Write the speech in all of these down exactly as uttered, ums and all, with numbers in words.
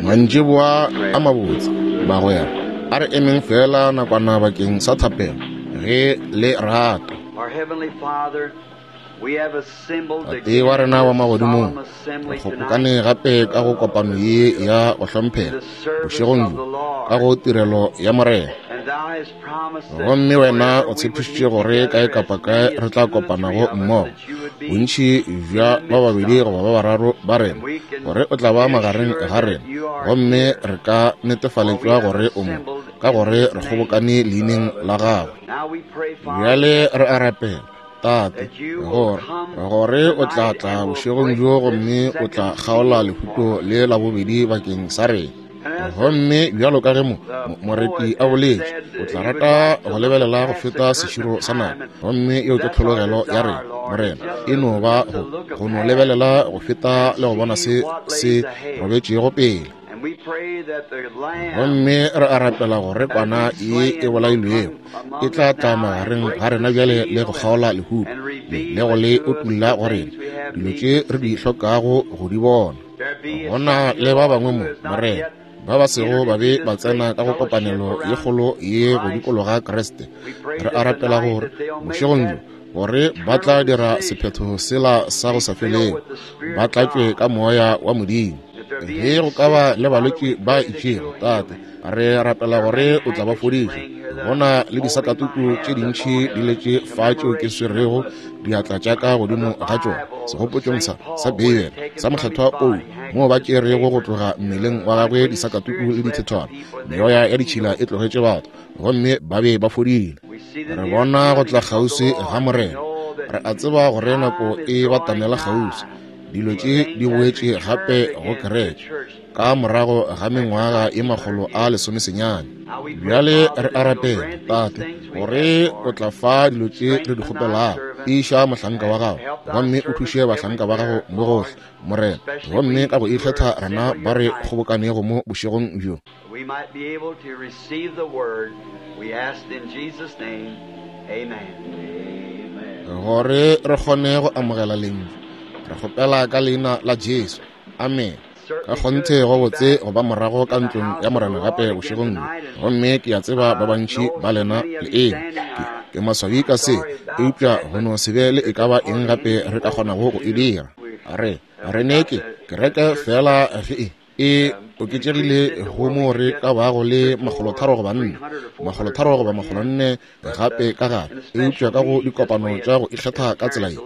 Mantšiboa a mabotse, bagwera, a re emeng fela nakwana bakeng sa thapelo ge le rata. Tate wa rena wa magodimong, re kgobokane gape ka go kopano ye ya go hlomphega bošegong bjo ka go tirelo ya Morena. Gomme wena o tshepišitše gore kae kapa kae re tla kopanago mmogo, bontši bja ba babedi goba ba bararo ba rena, gore o tla ba magareng ga rena, gomme re ka netefaletšwa gore o mo, ka gore re kgobokane leineng la gagwe. Bjale re a rapela, Tate, gore gore o tla tla bošegong bjo gomme o tla kgaola lehuto le la bobedi bakeng sa rena. Gomme bjalo ka ge mo moreti a boletše, o tla rata go lebelela go feta seširo sa nako. Gomme yeo ke tlhologelo ya rena, Morena, e no ba go go no lebelela go feta le go bona se se robetšego pele. Gomme re a rapela gore kwana ye e bolailwego e tla tla magareng ga rena bjale le go kgaola lehuto le go le otulla go rena dilo tše re di hlokago go di bona. Go na le ba bangwe mo, Morena, ba ba sego ba be ba tsena ka go kopanelo ye kgolo ye go dikologa Kriste. Re a rapela gore bošegong bjo gore ba tla dira sephetho sela sa go sa felego, ba tlatšwe ka moya wa Modimo. Ge go ka ba le balwetši ba itšego, Tate, re rapela gore o tla ba fodiša. Go na le disakatuku tše dintši di letše fa tšeo ke swerego diatla tša ka godimo ga tšona segopotšong sa sa Beibele sa Mokgethwa Paulo, moo ba tšerego go tloga mmeleng wa gagwe disakatuku le dithethwana. Meoya ya ditšhila e tlogetše batho, gomme ba be ba fodile. Re bona go tla kgauswi ga Morena. Re a tseba gore nako e batamela kgauswi. Dilo tše di boetše gape go kereke ka morago ga mengwaga ye makgolo a lesomesenyane. Bjale re a rapela, Tate, gore o tla fa dilo tše re di kgopelago. Tiiša mohlanka wa gago, gomme o thuše bahlanka ba gago mo gohle, Morena, gomme ka go ikgetha rena ba re kgobokanego mo bošegong bjo. Gore re kgone go amogela lentšu, re kgopela ka leina la Jesu. Amen. Ka kgonthe go botse go ba morago ka ntlong ya Morena gape bošegong bjo. Gomme ke a tseba ba bantši ba lena le eme. Ke, ke maswabi ka se, eupša go no se be le e ka ba eng gape re ka kgonago go e dira. Re, re ne ke kereke fela ge e e oketšegile go mo re ka bago le makgolotharo goba nne, makgolotharo goba makgolonne gape ka gare, eupša ka go dikopano tša go ikgetha ka tsela ye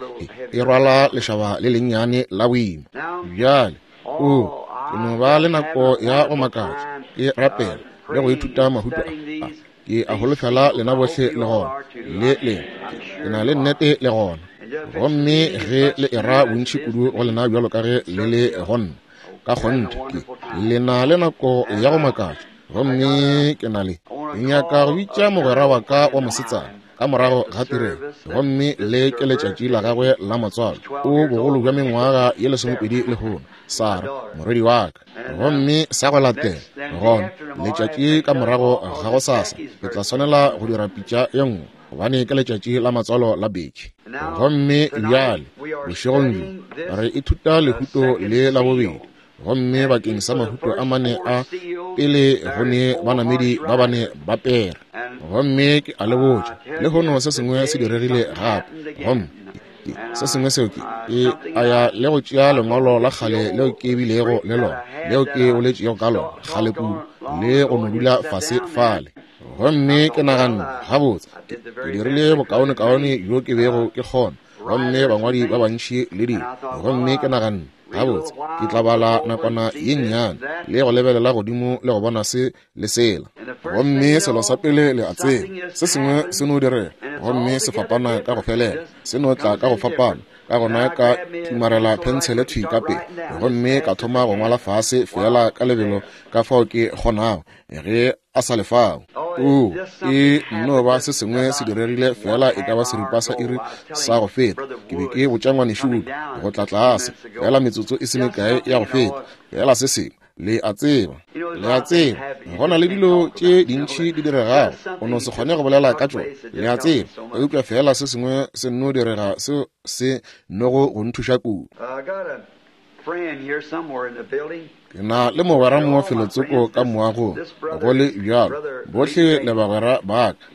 e rwala lešaba le lennyane la boima. Bjale o ke no ba le nako ya go makatša ke rapela le go ithuta mahuto a. Ke a holofela lena bohle le gona, le le ke na le nnete le gona. Gomme ge le era bontši kudu go lena bjalo ka ge le le gonna, ka kgonthe ke le na le nako ya go makatša. Gomme ke na le ke nyaka go bitša mogwera wa ka wa mosetsana ka morago ga tirelo, gomme le ke letšatši la gagwe la matswalo. O bogolo bja mengwaga ye lesomepedi lehono, Sara morwedi wa ka. Gomme sa go latela gona letšatši ka morago ga go sasa ke tla swanela go dira pitša ye nngwe, gobane ke letšatši la matswalo la Becky. Gomme bjale bošegong bjo re ithuta lehuto le la bobedi. Gomme bakeng sa mahuto a mane a pele go ne banamedi ba bane ba pere. Gomme ke a le botša, lehono se sengwe se diregile gape. Gomme se sengwe seo ke ke a ya le go tšea lengwalo la kgale leo ke bilego le lona, leo ke boletšego ka lona kgale kudu, le go no dula fase fale. Gomme ke naganne, gabotse, ke dirile bokaonekaone bjo ke bego ke kgona, gomme bangwadi ba bantši le dilo. Gomme ke naganne, gabotse, ke tla bala nakwana ye nnyane le go lebelela godimo le go bona se le sela. Gomme selo sa pele le a tseba, se sengwe se no direga, gomme se fapana ka go felela, se no tla ka go fapana. Ka gona ka tumarela phentshele thwi ka pele, gomme ka thoma go ngwala fase fela ka lebelo ka fao ke kgonago ge a sa le fao. O e nno ba se sengwe se diregile fela e ka ba seripa sa iri sa go feta. Ke be ke botša ngwanešu go tla tlase fela metsotso e se mekae ya go feta, fela se sengwe. Le a tseba, le a tseba, go na le dilo tše dintši di diregago, o no se kgone go bolela ka tšona. Le a tseba, eupša fela se sengwe se nno direga seo se nogo go nthuša kudu. Ke na le mogwera mo felotsoko ka moagong, go le bjalo, bohle le bagwera ba ka.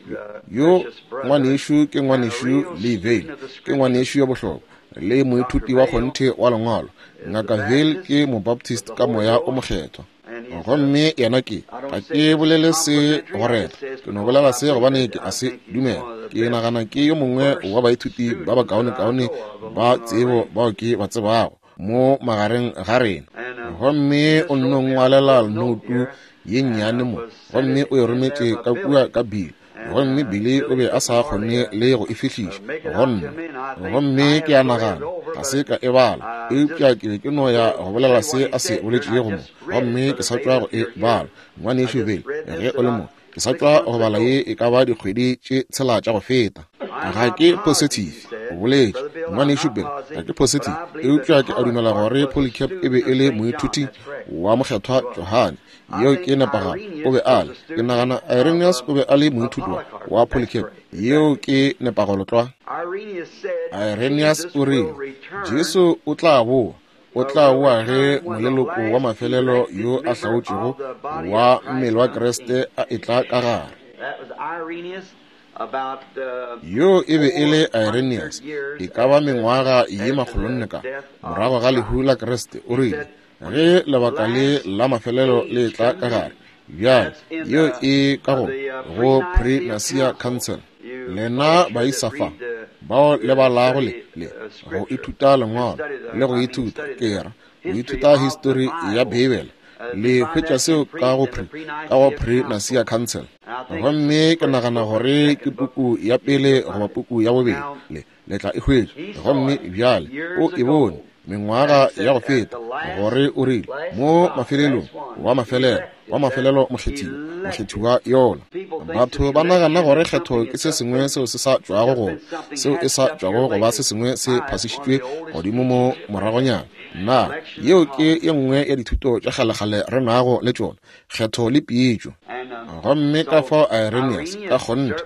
Yo ngwanešu ke ngwanešu Lee Vayle, ke ngwanešu yo bohlokwa le moithuti wa kgonthe wa lengwalo. Ngaka Vayle ke mobaptist ka moya o mokgethwa. Gomme yena ke, ga ke bolele se go reta, ke no bolela se gobane ke a se dumela. Ke nagana ke yo mongwe wa baithuti ba bakaonekaone ba tsebo bao ke ba tsebago mo magareng ga rena. Gomme o nno ngwalela notu ye nnyane mo, gomme o e rometše ka kua ka Bill, gomme Billy o be a sa kgone le go e fihliša go nna. Gomme ke a nagana ga se ka e bala, eupša ke be ke no ya go bolela se a se boletšego mo, gomme ke sa tšwa go e bala. Ngwanešu Bill, ge o le mo, ke sa tšwa go bala ye e ka ba dikgwedi tše tshela tša go feta. Ga ke positive, o boletše ngwanešu Bill, ga ke positive, eupša ke a dumela gore Polycarp e be e le moithuti wa mokgethwa Johane. Yeo ke nepagalo, o be a le. Ke nagana Irenaeus o be a le moithuti wa Polycarp. Yeo ke nepagalo tlwa. Irenaeus o rile, Jesu o tla boa, o tla boa ge moleloko wa mafelelo yo a hlaotšego wa mmele wa Kriste a etla ka gare. Yo e be e le Irenaeus, e ka ba mengwaga ye makgolonne ka morago ga lehu la Kriste. O rile, ge lebaka le la mafelelo le tla ka gare. Bjale, yeo e ka go go Pre-Nicea Council. Lena baisa fa bao le balago le le go ithuta lengwalo le go ithuta, ke ra go ithuta histori ya Beibele, le hwetša seo ka go pre ka go Pre-Nicea Council. Gomme ke nagana gore ke puku ya pele goba puku ya bobedi, le le tla e hwetša. Gomme bjale o e bone mengwaga ya go feta, gore o rile mo mafelelong wa mafelelo wa mafelelo mokgethiwa mokgethiwa yola. Batho ba nagana gore kgetho ke se sengwe seo se sa tšwago go seo e sa tšwago go ba se sengwe se phasišitšwe godimo mo moragonyana. Na yeo ke ye nngwe ya dithuto tša kgalekgale re nago le tšona, kgetho le pietšo. Gomme ka fao Irenaeus ka kgonthe,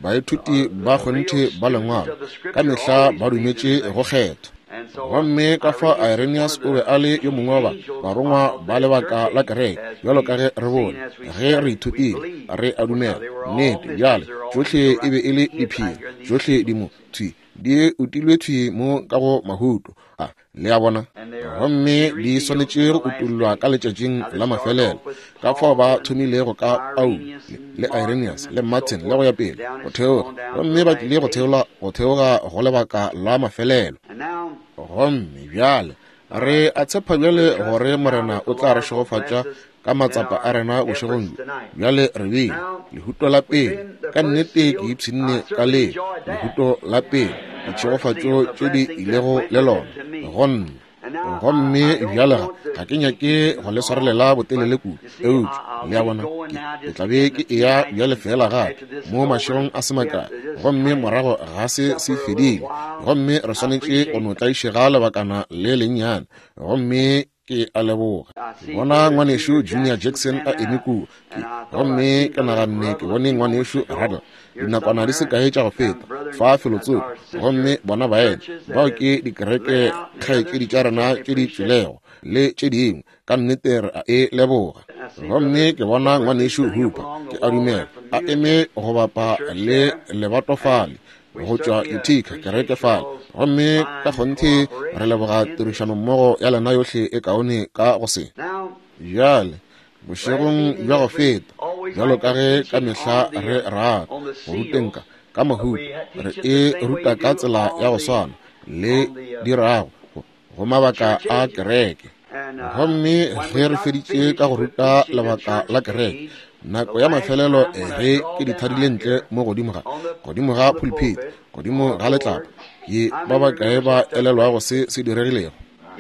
baithuti ba kgonthe ba lengwalo ka mehla ba dumetše go kgetho. Gomme ka fao Irenaeus o be a le yo mongwe wa ba barongwa ba lebaka la kereke, bjalo ka ge re bone ge re ithutile, re a dumela nnete. Bjale tšohle e be e le diphiri, tšohle di mo thwi di utilwe thwi mo ka go mahuto a, le a bona, gomme di swanetše go utollwa ka letšatšing la mafelelo. Ka fao ba thomilego ka Paulo le Irenaeus le Martin le go ya pele go theoga, gomme ba tlile go theola go theoga go lebaka la mafelelo. Gomme bjale re a tshepa bjale gore Morena o tla re šegofatša ka matsapa a rena bošegong bjo. Bjale re bile lehuto la pele, ka nnete ke ipshinne ka le lehuto la pele, ditšhegofatšo tše di ilego le lona go nna. Gomme bjale ga ga ke nyake go le swarelela botelele kudu, eupša le a bona, ke tla be ke eya bjale fela gape mo mašegong a se makae, gomme morago ga se se fedile, gomme re swanetše go no tlaišega lebakana le lennyane. Gomme ke a leboga. Ke bona ngwanešu Junior Jackson a eme kua, gomme ke naganne ke bone ngwanešu Ruddell dinakwana di se kae tša go feta fa felotsoko. Gomme bona baena bao ke dikereke kgaetšedi tša rena tše di tšwelego le tše dingwe, ka nnete re a e leboga. Gomme ke bona ngwanešu Hooper, ke a dumela, a eme go bapa le lebato fale go tšwa Utica, kereke fale. Gomme ka kgonthe re leboga tirišanommogo ya lena yohle e kaone ka go se. Bjale bošegong bja go feta, bjalo ka ge ka mehla re rata go ruteng ka ka mahuto, re e ruta ka tsela ya go swana le dirago go mabaka a kereke. Gomme ge re feditše ka go ruta lebaka la kereke, nako ya mafelelo ge ke di thadile ntle mo godimo ga godimo ga pulpit, godimo ga letlapa, ke ba bakae ba elelwago se se diregilego?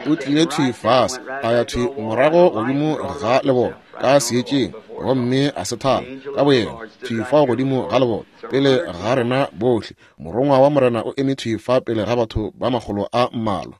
O tlile thwi fase, a ya thwi morago godimo ga lebone ka seetšeng, gomme a se thala ka boyena thwi fao godimo ga lebone pele ga rena bohle. Morongwa wa Morena o eme thwi fa pele ga batho ba makgolo a mmalwa.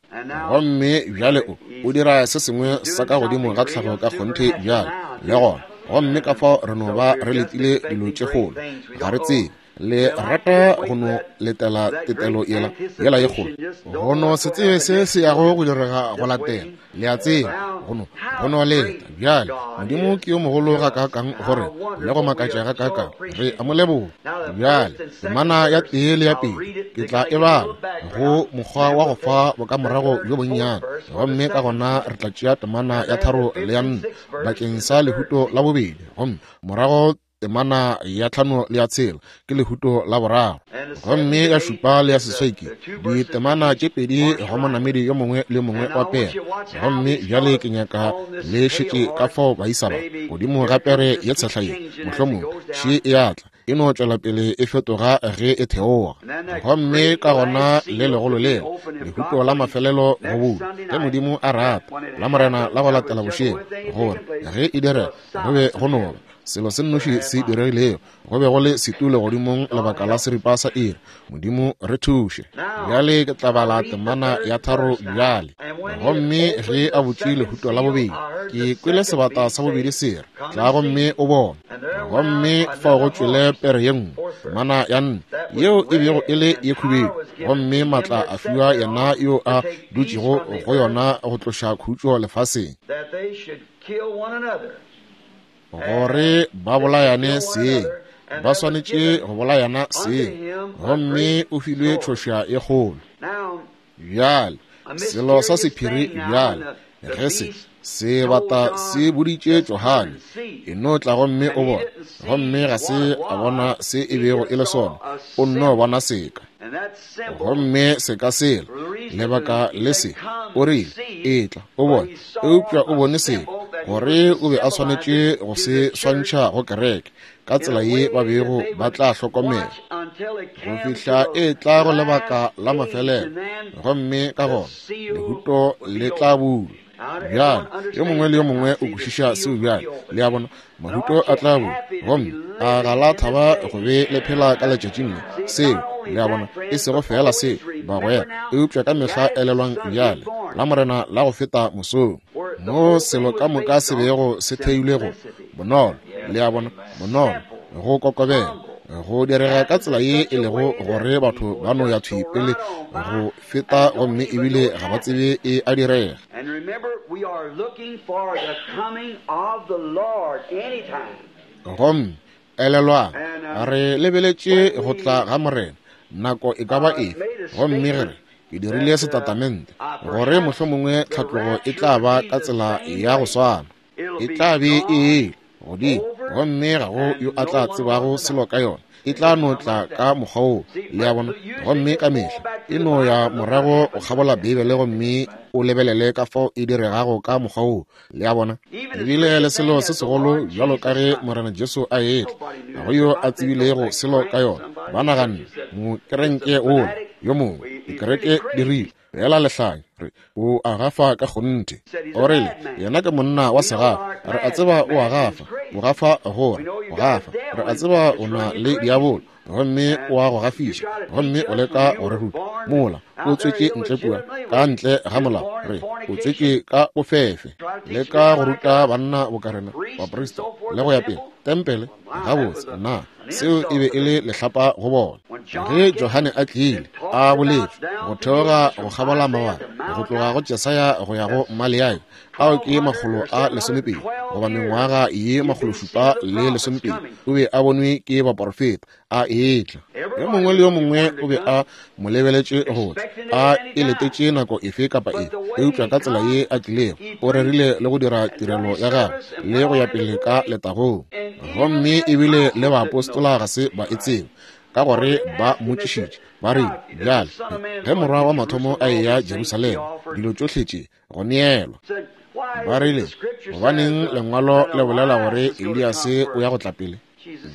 Gomme bjale o o dira se sengwe sa ka godimo ga tlhago ka kgonthe bjale le gona. Gomme ka fao re no ba re letile dilo tše kgolo, ga re tsebe. Le rata go no letela tetelo yela yela ye kgolo, go no se tsebe se se yago go direga go latela. Le a tseba, go no go no leta. Bjale Modimo ke yo mogolo gakaakang gore le go makatša gakaakang, re a mo leboga. Bjale temana ya tee le ya pedi ke tla e bala go mokgwa wa go fa bokamorago bjo bonnyane, gomme ka gona re tla tšea temana ya tharo le ya nne bakeng sa lehuto la bobedi, gomme morago temana ya tlhano le ya tshela ke lehuto la boraro, gomme ya šupa le ya seswai ke ditemana tše pedi go monamedi yo mongwe le mongwe wa pere. Gomme bjale ke nyaka le šetše ka fao baisa ba godimo ga pere ye tshehla ye, mohlomongwe še e atla e no tšwela pele e fetoga ge e theoga. Gomme ka gona le legolo lela lehuto la mafelelo go bula, ge Modimo a rata, la Morena la go latela bošego, gore ge e direga go be go no ba selo se nnoši se diregilego, go be go le setulo godimong lebaka la seripa sa iri. Modimo re thuše. Bjale ke tla bala temana ya tharo bjale. Gomme ge a butše lehuto la bobedi, ke kwele sebata sa bobedi se re, tla gomme o bone. Gomme fao go tšwele pere ye nngwe, temana ya nne, yeo e bego e le ye khubedu, gomme maatla a fiwa yena yo a dutšego go yona go tloša khutšo lefaseng, gore ba bolayane seng, ba swanetše go bolayana seng. Gomme o filwe tšhoša ye kgolo. Bjale selo sa sephiri bjale, ge se sebata se boditše Johane, e no tla gomme o bone, gomme ga se a bona se e bego e le sona, o nno bona seka. Gomme seka sela, lebaka le se, o rile, etla o bone, eupša o bone seka, gore o be a swanetše go se swantšha go kereke ka tsela ye ba bego ba tla hlokomela go fihla e tla go lebaka la mafelelo, gomme ka gona lehuto le tla bulwa. Bjale yo mongwe le yo mongwe o kwešiša seo bjale, le a bona, mahuto a tla bulwa, gomme a ga la thaba go be le phela ka letšatšing le seo, le a bona, e sego fela seo bagwera, eupša ka mehla elelwang bjale la Morena la go feta mosong, mo selo ka moka se bego se theilwe go bonolo, le a bona, bonolo, go kokobela, go direga ka tsela ye e lego gore batho ba no ya thwi pele go feta, gomme ebile ga ba tsebe e a direga. Gomme elelwang, re lebeletše go tla ga Morena nako e ka ba efe, gomme ge re ke dirile setatamente gore mohlomongwe tlhatlogo e tla ba ka tsela ya go swana, e tla be e ele godimo, gomme ga go yo a tla tsebago selo ka yona, e tla no tla ka mokgwa woo, le a bona. Gomme ka mehla e no ya morago go kgabola Beibele gomme o lebelele ka fao e diregago ka mokgwa woo, le a bona. Ebile le selo se segolo bjalo ka ge Morena Jesu a etla, ga go yo a tsebilego selo ka yona. Ba naganne mokerenke wola yo mongwe, dikereke di rile fela lehlanya, re o a gafa ka kgonthe. O rile yena ke monna wa segafa, re a tseba o a gafa, o gafa gore o gafa, re a tseba o na le diabolo, gomme o a go gafiša, gomme o leka go re ruta. Mola o tswetše ntle kua ka ntle ga molao, re o tswetše ka bofefe, leka go ruta banna bokarena, baprista le go ya pele, tempele. Gabotse, na seo e be e le lehlapa go bona. Ge Johane a tlile a boletše go theoga go kgabola mabala, go tloga go Jesaya go ya go Maleaki, ao ke makgolo a lesomepedi goba mengwaga ye makgološupa le lesomepedi, o be a bonwe ke baporofeta a etla. Yo mongwe le yo mongwe o be a mo lebeletše go tla, a e letetše nako efe kapa efe, eupša ka tsela ye a tlilego, o rerile le go dira tirelo ya gagwe le go ya pele ka letagong. Gomme ebile le baapostola ga se ba e tsebe, ka gore ba mmotšišitše ba rile, bjale ge morwa wa mathomo a eya Jerusalema, dilo tšohle tše go neelwa. Ba rile, gobaneng lengwalo le bolela gore Eliase o ya go tla pele?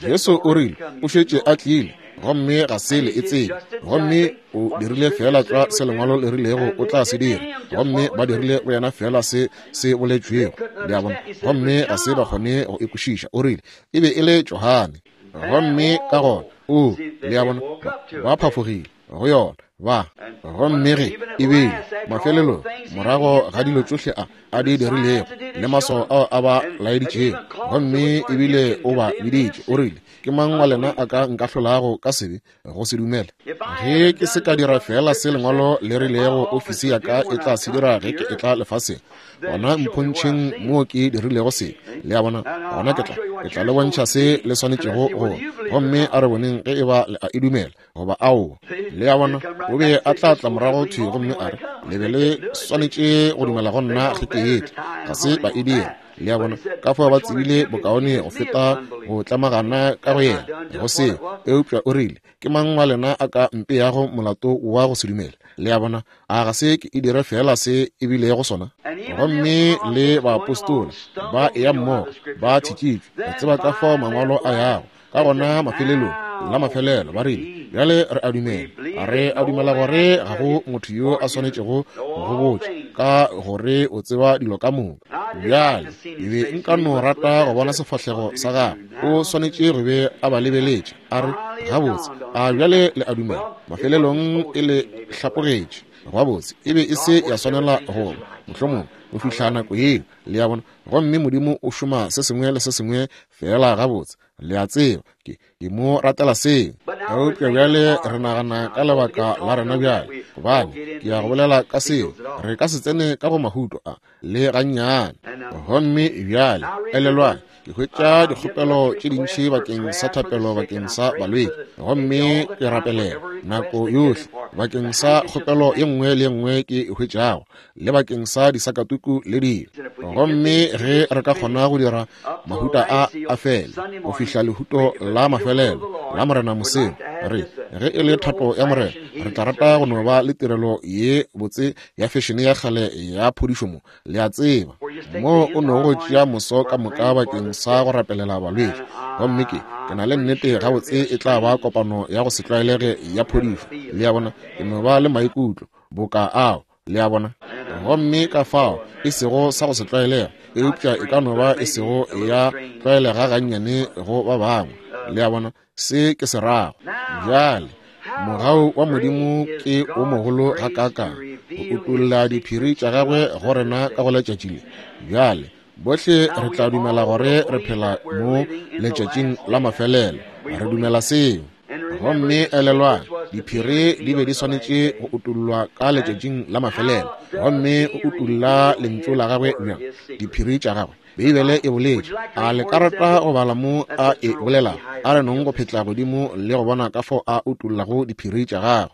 Jesu o rile, o šetše a tlile, gomme ga se le e tsebe, gomme o dirile fela tlwa se lengwalo le rilego o tla se dira, gomme ba dirile go yena fela se se boletšwego, le a bona, gomme ga se ba kgone go e kwešiša. O rile e be e le Johane, gomme ka gona o, le a bona, ba phafogile go yona, Ba gomme ge e bile mafelelong morago ga dilo tšohle a a di dirilego le maswao ao a ba laeditšego, gomme ebile o ba biditše, o rile, ke mang wa lena a ka nkahlolago ka sebe go se dumele? Ge ke se ka dira fela se lengwalo le rilego ofisi ya ka e tla se dira ge ke etla lefaseng, gona mpontšheng moo ke dirilego sebe. Le a bona? Gona ke tla ke tla le bontšha se le swanetšego go. Gomme a re boneng ge e ba le a e dumela goba aowa. Le a bona? O be a tla tla morago thwi gomme a re, le be le swanetše go dumela go nna ge ke etla. Ga se ba e dira. Le a bona? Ka fao ba tsebile bokaone go feta go tlamagana ka go yena go seo. Eupša o rile, ke mang wa lena a ka mpeyago molato wa go se dumele? Le a bona? A ga se ke e dire fela se e bilego sona? Gomme le baapostola ba eya mmogo ba thitšitšwe, re tseba ka fao mangwalo a yago. Ka gona mafelelong la mafelelo ba rile, bjale re a dumela, re a dumela gore ga go motho yo a swanetšego go botša ka gore o tseba dilo ka moka. Bjale e be nka no rata go bona sefahlego sa gagwe. O swanetše go be a ba lebeletše a re, gabotse, a bjale le a dumela? Mafelelong e le hlapogetše. Gabotse, e be e se ya swanela go mohlomong go fihla nako yeo. Le a bona? Gomme Modimo o šoma se sengwe le se sengwe fela gabotse. Le a tseba, ke ke mo ratela seo. Eupša bjale re nagana ka lebaka la rena bjale, gobane ke ya go bolela ka seo. Re ka se tsene ka go mahuto a le gannyane. Gomme bjale elelwang, ke hwetša dikgopelo tše dintši bakeng sa thapelo bakeng sa balwetši, gomme ke rapelela nako yohle bakeng sa kgopelo ye nngwe le ye nngwe ke e hwetšago, le bakeng sa disakatuku le dilo. Gomme ge re ka kgona go dira mahuta a a fele go fihla lehuto la mafelelo la Morena moseng, re ge e le thato ya Morena, re tla rata go no ba le tirelo ye botse ya fešene ya kgale ya phodišo mo. Le a tseba, mo o no go tšea moso ka moka bakeng sa go rapelela balwetši. Gomme ke ke na le nnete gabotse e tla ba kopano ya go se tlwaelege ya phodišo. Le a bona? Ke no ba le maikutlo boka ao. Le a bona? Gomme ka fao e sego sa go se tlwaelega, eupša e ka no ba e sego ya tlwaelega gannyane go ba bangwe. Le a bona? Se ke se rago. Bjale mogau wa Modimo ke o mogolo gakaakang go utolla diphiri tša gagwe go rena ka go letšatši le. Bjale bohle re tla dumela gore re phela mo letšatšing la mafelelo. Re dumela seo. Gomme elelwang, diphiri di be di swanetše go utollwa ka letšatšing la mafelelo. Gomme o utolla lentšu la gagwe bjang? Diphiri tša gagwe. Beibele e boletše. A le ka rata go bala mo a e bolelago? A re nong go phetla godimo le go bona ka fao a utollago diphiri tša gagwe.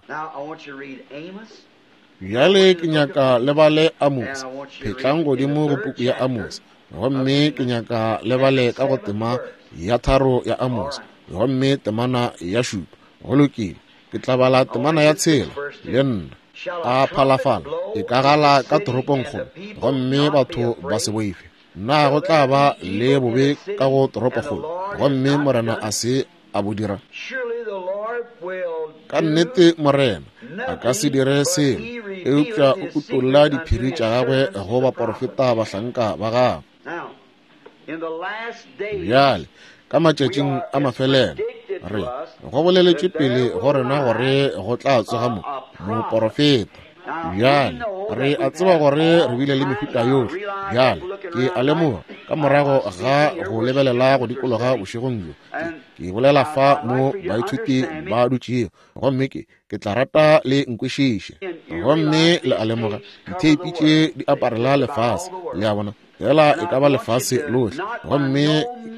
Bjale ke nyaka le bale Amos. Phetlang godimo go puku ya Amos. Gomme ke nyaka le bale ka go tema ya tharo ya Amos, gomme temana ya šupa. Go lokile, ke tla bala temana ya tshela le nna. A phalafala e ka gala ka toropongkgolo, gomme batho ba se boife. Na go tla ba le bobe ka go toropokgolo, gomme Morena a se a bo dira? Ka nnete Morena a ka se dire selo, eupša o utolla diphiri tša gagwe go baporofeta bahlanka ba gagwe. Bjale ka matšatšing a mafelelo re go boleletše pele go rena gore go tla tsoga mo moporofeta. Bjale re a tseba gore re bile le mehuta yohle. Bjale ke a lemoga ka morago ga go lebelela go dikologa bošegong bjo, ke bolela fa mo baithuti ba dutšego, gomme ke ke tla rata le nkwešiše. Gomme le a lemoga ditheipi tše di aparela lefase. Le a bona? Fela e ka ba lefase lohle. Gomme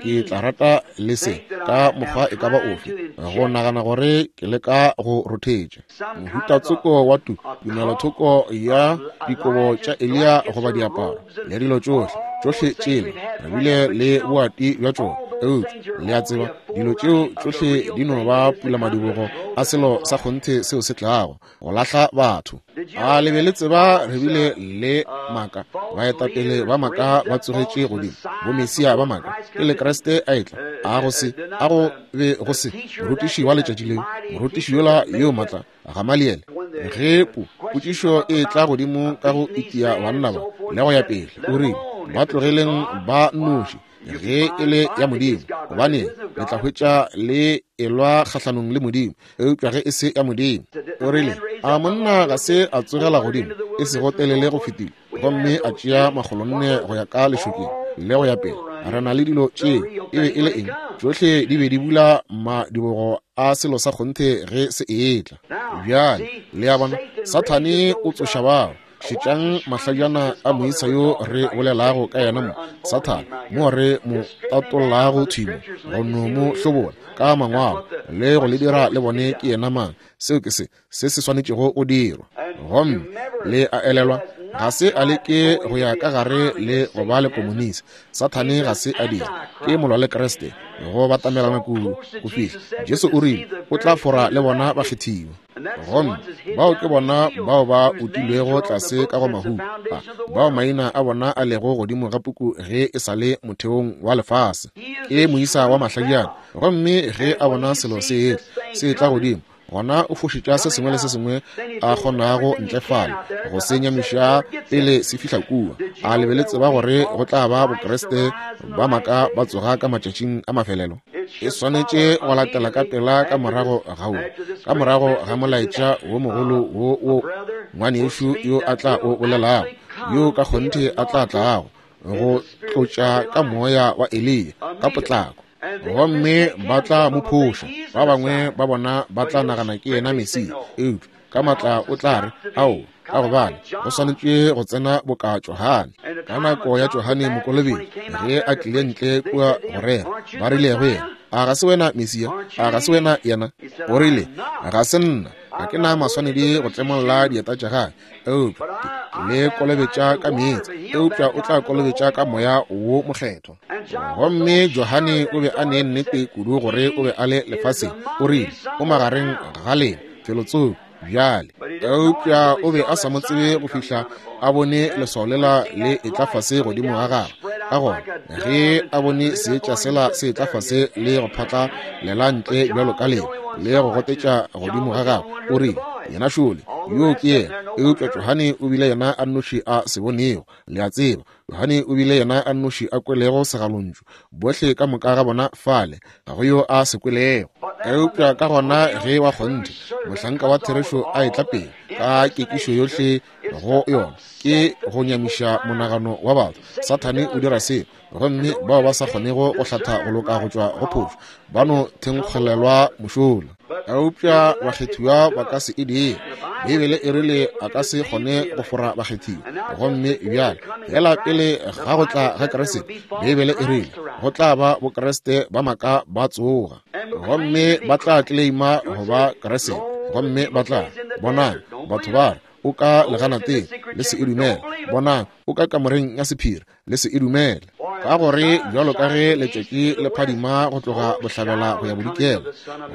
ke tla rata le se ka mokgwa e ka ba ofe go nagana gore ke leka go rothetša mohutatsoko wa tu tumelothoko ya dikobo tša Eliya goba diaparo le dilo tšohle tšohle tšela re bile le boati bja tšona. Eupša le a tseba, dilo tšeo tšohle di no ba pulamadibogo a selo sa kgonthe seo se tlago go lahla batho. A le be le tseba re bile le maka, baetapele ba maka ba tsogetše godimo, bomesia ba maka pele Kriste a etla. A go se a go be go se morutiši wa letšatši leo, morutiši yola yo matla Gamaliele, ge po potšišo e tla godimo ka go itia banna ba le go ya pele, o rile, ba tlogeleng ba noši. Ge e le ya Modimo, gobane le tla hwetša le elwa kgahlanong le Modimo, eupša ge e se ya Modimo. O rile, a monna ga se a tsogela godimo, e sego telele go fetile, gomme a tšea makgolonne go ya ka lešokeng le go ya pele. Re na le dilo tše. E be e le eng? Tšohle di be di bula madibogo a selo sa kgonthe ge se etla. Bjale le a bona, Sathane o tsoša bao. Šetšang mahlajana a moisa yo re bolelago ka yena mo, Sathane, mo re mo tatollago thimo, go no mo hlobola ka mangwalo le go le dira le bone ke yena mang. Seo ke se se se swanetšego go dirwa. Gomme le a elelwa, ga se a leke go ya ka gare le go ba le komunisi. Sathane ga se a dira, ke molwa le Kriste, go batamelana kudu go fihla Jesu o rile o tla fora le bona bakgethiwa. Gomme bao ke bona bao ba utilwego tlase ka go mahu, bao maina a bona a lego godimo ga puku ge e sa le motheong wa lefase. Ke moisa wa mahlajana, gomme ge a bona selo se etla, se etla godimo, gona o fošetša se sengwe le se sengwe a kgonago ntle fale go se nyamiša pele se fihla kua. A le be le tseba gore go tla ba Bokriste ba maaka ba tsoga ka matšatšing a mafelelo? E swanetše go latela ka pela ka morago ga wo, ka morago ga molaetša wo mogolo wo wo ngwanešu yo a tla o bolelago, yo ka kgonthe a tla tlago go tlotša ka moya wa Eliya ka potlako. Gomme ba tla mo phoša, ba bangwe ba bona ba tla nagana ke yena Mesia, eupša ka matla o tla re, ao, ka gobane go swanetše go tsena boka Johane. Ka nako ya Johane Mokolobetši, ge a tlile ntle kua go rera, ba rile go yena, a ga se wena Mesia? A ga se wena yena? O rile, ga se nna, ga ke na maswanedi go tlemolla dieta tša gagwe, eupša le kolobetša ka meetse, eupša o tla kolobetša ka moya wo mokgethwa. Gomme Johane o be a ne nnete kudu gore o be a le lefaseng. O rile, o magareng ga lena felotsoko bjale, eupša o be a sa mo tsebe go fihla a bone leswao lela le etla fase godimo ga gagwe. Ka gona ge a bone seetša sela se etla fase le go phatla lela ntle bjalo ka leo le go gotetša godimo ga gagwe, o rile, yena šole, yo ke yena. Eupša Johane o bile yena a nnoši a se bonego. Le a tseba, Johane o bile yena a nnoši a kwelego segalontšu. Bohle ka moka ga bona fale, ga go yo a se kwelego. Eupša ka gona ge wa kgonthe mohlanka wa therešo a etla pele ka kekišo yohle go yona, ke go nyamiša monagano wa batho. Sathane o dira seo, gomme bao ba sa kgonego go hlatha go loka go tšwa go phošo ba no thenkgolelwa mošola. Eupša bakgethiwa ba ka se e dire. Beibele e rile a ka se kgone go fora bakgethiwa. Gomme bjale fela pele ga go tla ga Kriste, Beibele e rile go tla ba Bokriste ba maaka ba tsoga, gomme ba tla tleleima go ba Kriste, gomme ba tla bonang batho ba re o ka leganateng, le se e dumele. Bonang o ka kamoreng ya sephiri, le se e dumele. Ka gore bjalo ka ge letšatši le phadima go tloga bohlabela go ya bodikela,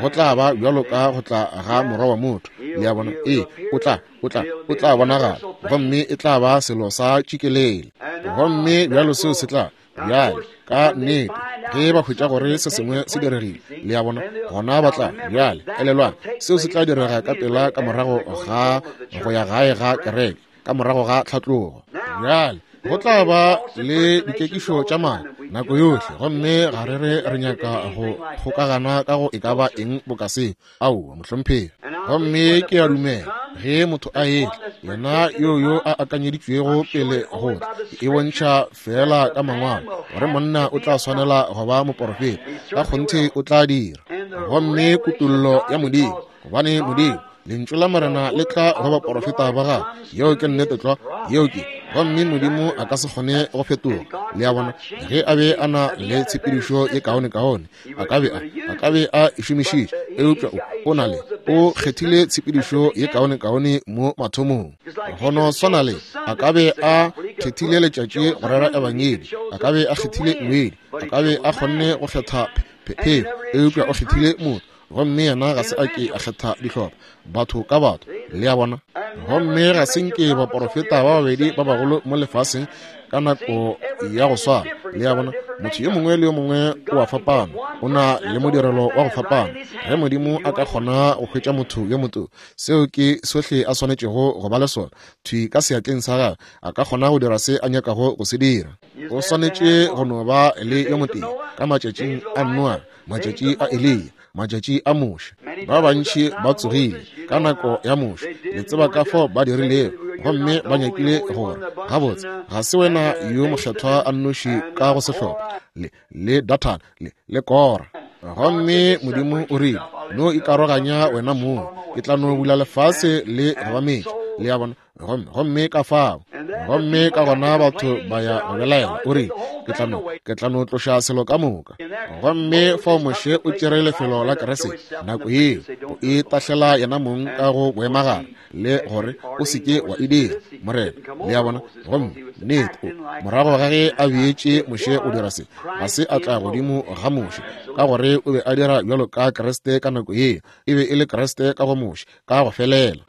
go tla ba bjalo ka go tla ga morwa wa motho. Le a bona? Ee, o tla, o tla, o tla bonagala, gomme e tla ba selo sa tšikelele. Gomme bjalo seo se tla bjale ka nnete ge ba hwetša gore se sengwe se diregile, le a bona, gona ba tla bjale elelwang, seo se tla direga ka pela ka morago ga go ya gae ga kereke, ka morago ga tlhatlogo. Bjale go tla ba le dikekišo tša maaka nako yohle, gomme ga re re re nyaka go kgokagana ka go e ka ba eng boka seo. Aowa, mohlomphegi. Gomme ke a dumela ge motho a etla, yena yo yo a akanyeditšwego pele go tla, e bontšha fela ka mangwalo gore monna o tla swanela go ba moporofeta, ka kgonthe o tla dira. Gomme kutollo ya Modimo, gobane Modimo, lentšu la Morena le tla go baporofeta ba gagwe. Yeo ke nnete tlwa, yeo ke. Gomme Modimo a ka se kgone go fetoga. Le a bona, ge a be a na le tshepedišo ye kaone-kaone, a ka be a, a ka be a e šomišitše, eupša o, o na le, o kgethile tshepedišo ye kaone-kaone mo mathomong. Go no swana le, a ka be a kgethile letšatši go rera ebangedi, a ka be a kgethile ngwedi, a ka be a kgonne go kgetha phefo, eupša o kgethile motho. Gomme yena ga se a ke a kgetha dihlopha, batho ka batho. Le a bona? Gomme ga se nke baporofeta ba babedi ba bagolo mo lefaseng ka nako ya go swana. Le a bona? Motho yo mongwe le yo mongwe o a fapana, O na le modirelo wa go fapana. Ge Modimo a ka kgona go hwetša motho yo motho, seo ke sohle a swanetšego go ba le sona, thwi ka seatleng sa gagwe, a ka kgona go dira se a nyakago go se dira. O swanetše go no ba le yo motee ka matšatšing a Noa, matšatši a Eliya, matšatši a Moshe. Ba bantši ba tsogile ka nako ya Moshe, le tseba ka fao ba dirilego, gomme ba nyakile gore gabotse ga se wena yo mokgethwa a nnoši ka go sehlopha le le Dathan le le Kora. Gomme Modimo o rile, no ikaroganya wena mong, ke tla no bula lefase le go ba metša. Le a bona? Gomme gomme ka fao, gomme ka gona batho ba ya go belaela. O rile, ke tla no ke tla no tloša selo ka moka. Gomme fao Moshe o tšere lefelo la Kriste nako yeo, o e tahlela yena mong ka go boemagare, le gore o se ke wa e dira, Morena. Le a bona? Gomme nnete o morago ga ge a beetše Moshe o dira se, ga se a tla godimo ga Moshe, ka gore o be a dira bjalo ka Kriste ka nako yeo. E be e le Kriste ka go Moshe ka go felela.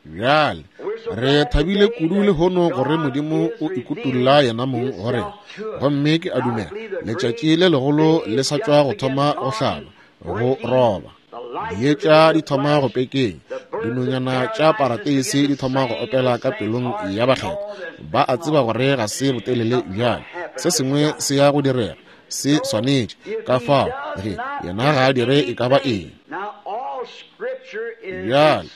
Bjale re thabile kudu lehono gore Modimo o ikutulla yena mong go rena. Gomme ke a dumela letšatši le legolo le sa tšwa go thoma go hlaba, go roba. Dietša di thoma go pekeng, dinonyana tša parateisi di thoma go opela ka pelong ya bakgethwa. Ba a tseba gore ga se botelele bjale, se sengwe se ya go direga, se swanetše. Ka fao ge yena ga a dire e ka ba eng. Bjale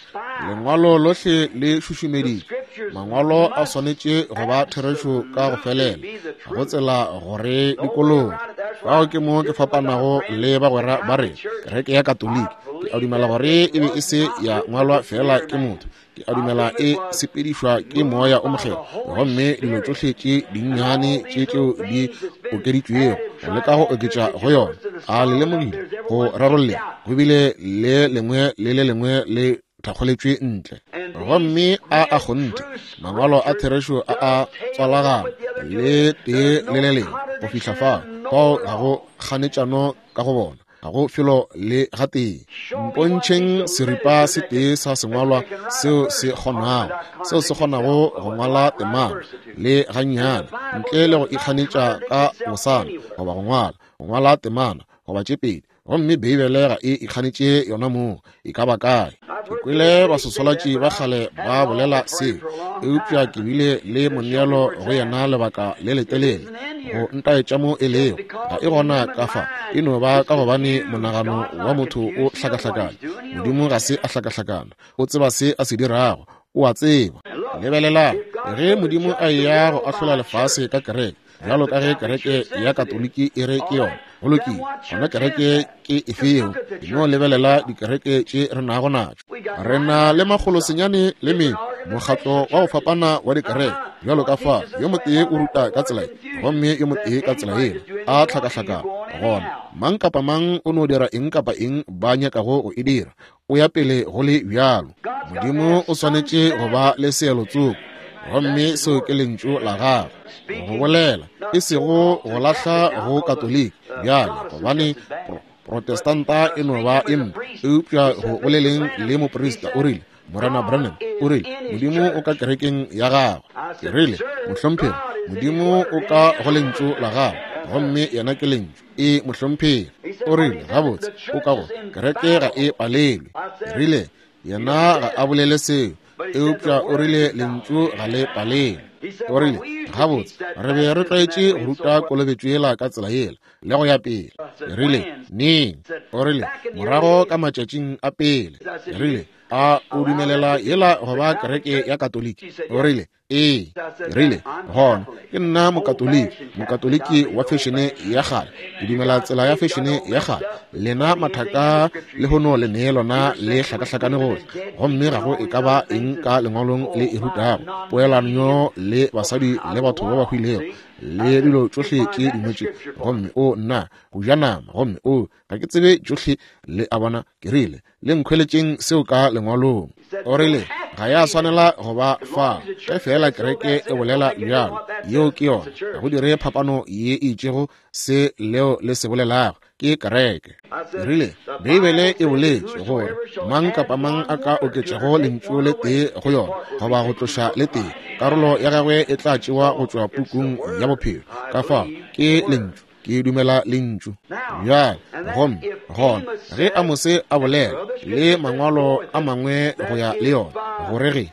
lengwalo lohle le šušumeditšwe. Mangwalo a swanetše go ba therešo ka go felela, ga go tsela gore dikologe. Fao ke mo ke fapanago le bagwera ba rena, kereke ya Katoliki. Ke a dumela gore e be e se ya ngwalwa fela ke motho. Ke a dumela e sepedišwa ke moya o mokgethwa, gomme dilo tšohle tše dinnyane tše tšeo di okeditšwego go leka go oketša go yona. A le lemogile go rarolle go bile le lengwe le le lengwe le thakgoletšwe ntle. Gomme a a kgonthe mangwalo a therešo a a tswalagana le tee le le lengwe go fihla fao, fao ga go kganetšano ka go bona, ga go felo le gatee. Mpontšheng seripa se tee sa sengwalwa seo se kgonago, seo se kgonago go ngwala temana le gannyane ntle le go ikganetša ka bosana, goba go ngwala go ngwala temana goba tše pedi. Gomme Beibele ga e ikganetše yona mong, e ka ba kae. Ke kwele basoswalatši ba kgale ba bolela seo, eupša ke bile le moneelo go yena lebaka le letelele go ntaetša mo e lego. Ga e gona ka fa, e no ba ka gobane monagano wa motho o hlakahlakana. Modimo ga se a hlakahlakana, o tseba se a se dirago, o a tseba. Lebelelang, ge Modimo a eya go ahlola lefase ka kereke, bjalo ka ge kereke ya Katoliki e re ke yona, go lokile, gona kereke ke efeo? No lebelela dikereke tše re nago natšo. Re na le makgolo senyane le mengwe mokgatlo wa go fapana wa dikereke, bjalo ka fa yo motee o ruta ka tsela ye, gomme yo motee ka tsela yela, a hlakahlakana. Gona mang kapa mang o no dira eng kapa eng ba nyakago go e dira, o ya pele go le bjalo. Modimo o swanetše go ba le seelo tsoko, gomme seo ke lentšu la gagwe go bolela, e sego go lahla go Katoliki bjale, gobane Protestanta e no ba e mpe. Eupša go boleleng le moprista, o rile, Morena Branham, o rile, Modimo o ka kerekeng ya gagwe. Ke rile, mohlomphegi, Modimo o ka go lentšu la gagwe, gomme yena ke lentšu. E mohlomphegi. O rile, gabotse, o ka go kereke ga e palelwe. Ke rile, yena ga a bolele seo, eupša o rile lentšu ga le palelwe. O rile, gabotse, re be re tlwaetše go ruta kolobetšo yela ka tsela yela le go ya pele. Ke rile, neng? O rile, morago ka matšatšing a pele. Ke rile, a o dumelela yela go ba kereke ya Katoliki? O rile, ee. Ke rile, gona ke nna mokatoliki, mokatoliki wa fešene ya kgale. Ke dumela tsela ya fešene ya kgale. Lena mathaka lehono le nee lona le hlakahlakane gohle, gomme ga go e ka ba eng ka lengwalong le e rutago poelanyo le basadi le batho ba ba hwilego le dilo tšohle tše dingwe tše. Gomme o nna go ja nama, gomme o ga ke tsebe tšohle. Le a bona? Ke rile, le nkhweletšeng seo ka lengwalong. O rile, ga ya swanela go ba fa, ge fela kereke e bolela bjalo, yeo ke yona. Ga go dire phapano ye e itšego se leo le se bolelago, ke kereke. Ke rile, Beibele e boletše gore mang kapa mang a ka oketšago lentšu le tee go yona goba go tloša le tee, karolo ya gagwe e tla tšewa go tšwa pukung ya bophelo. Ka fao ke lentšu. Ke dumela lentšu. Bjale, gomme gona ge Amose a bolela le mangwalo a mangwe go ya le yona, gore ge,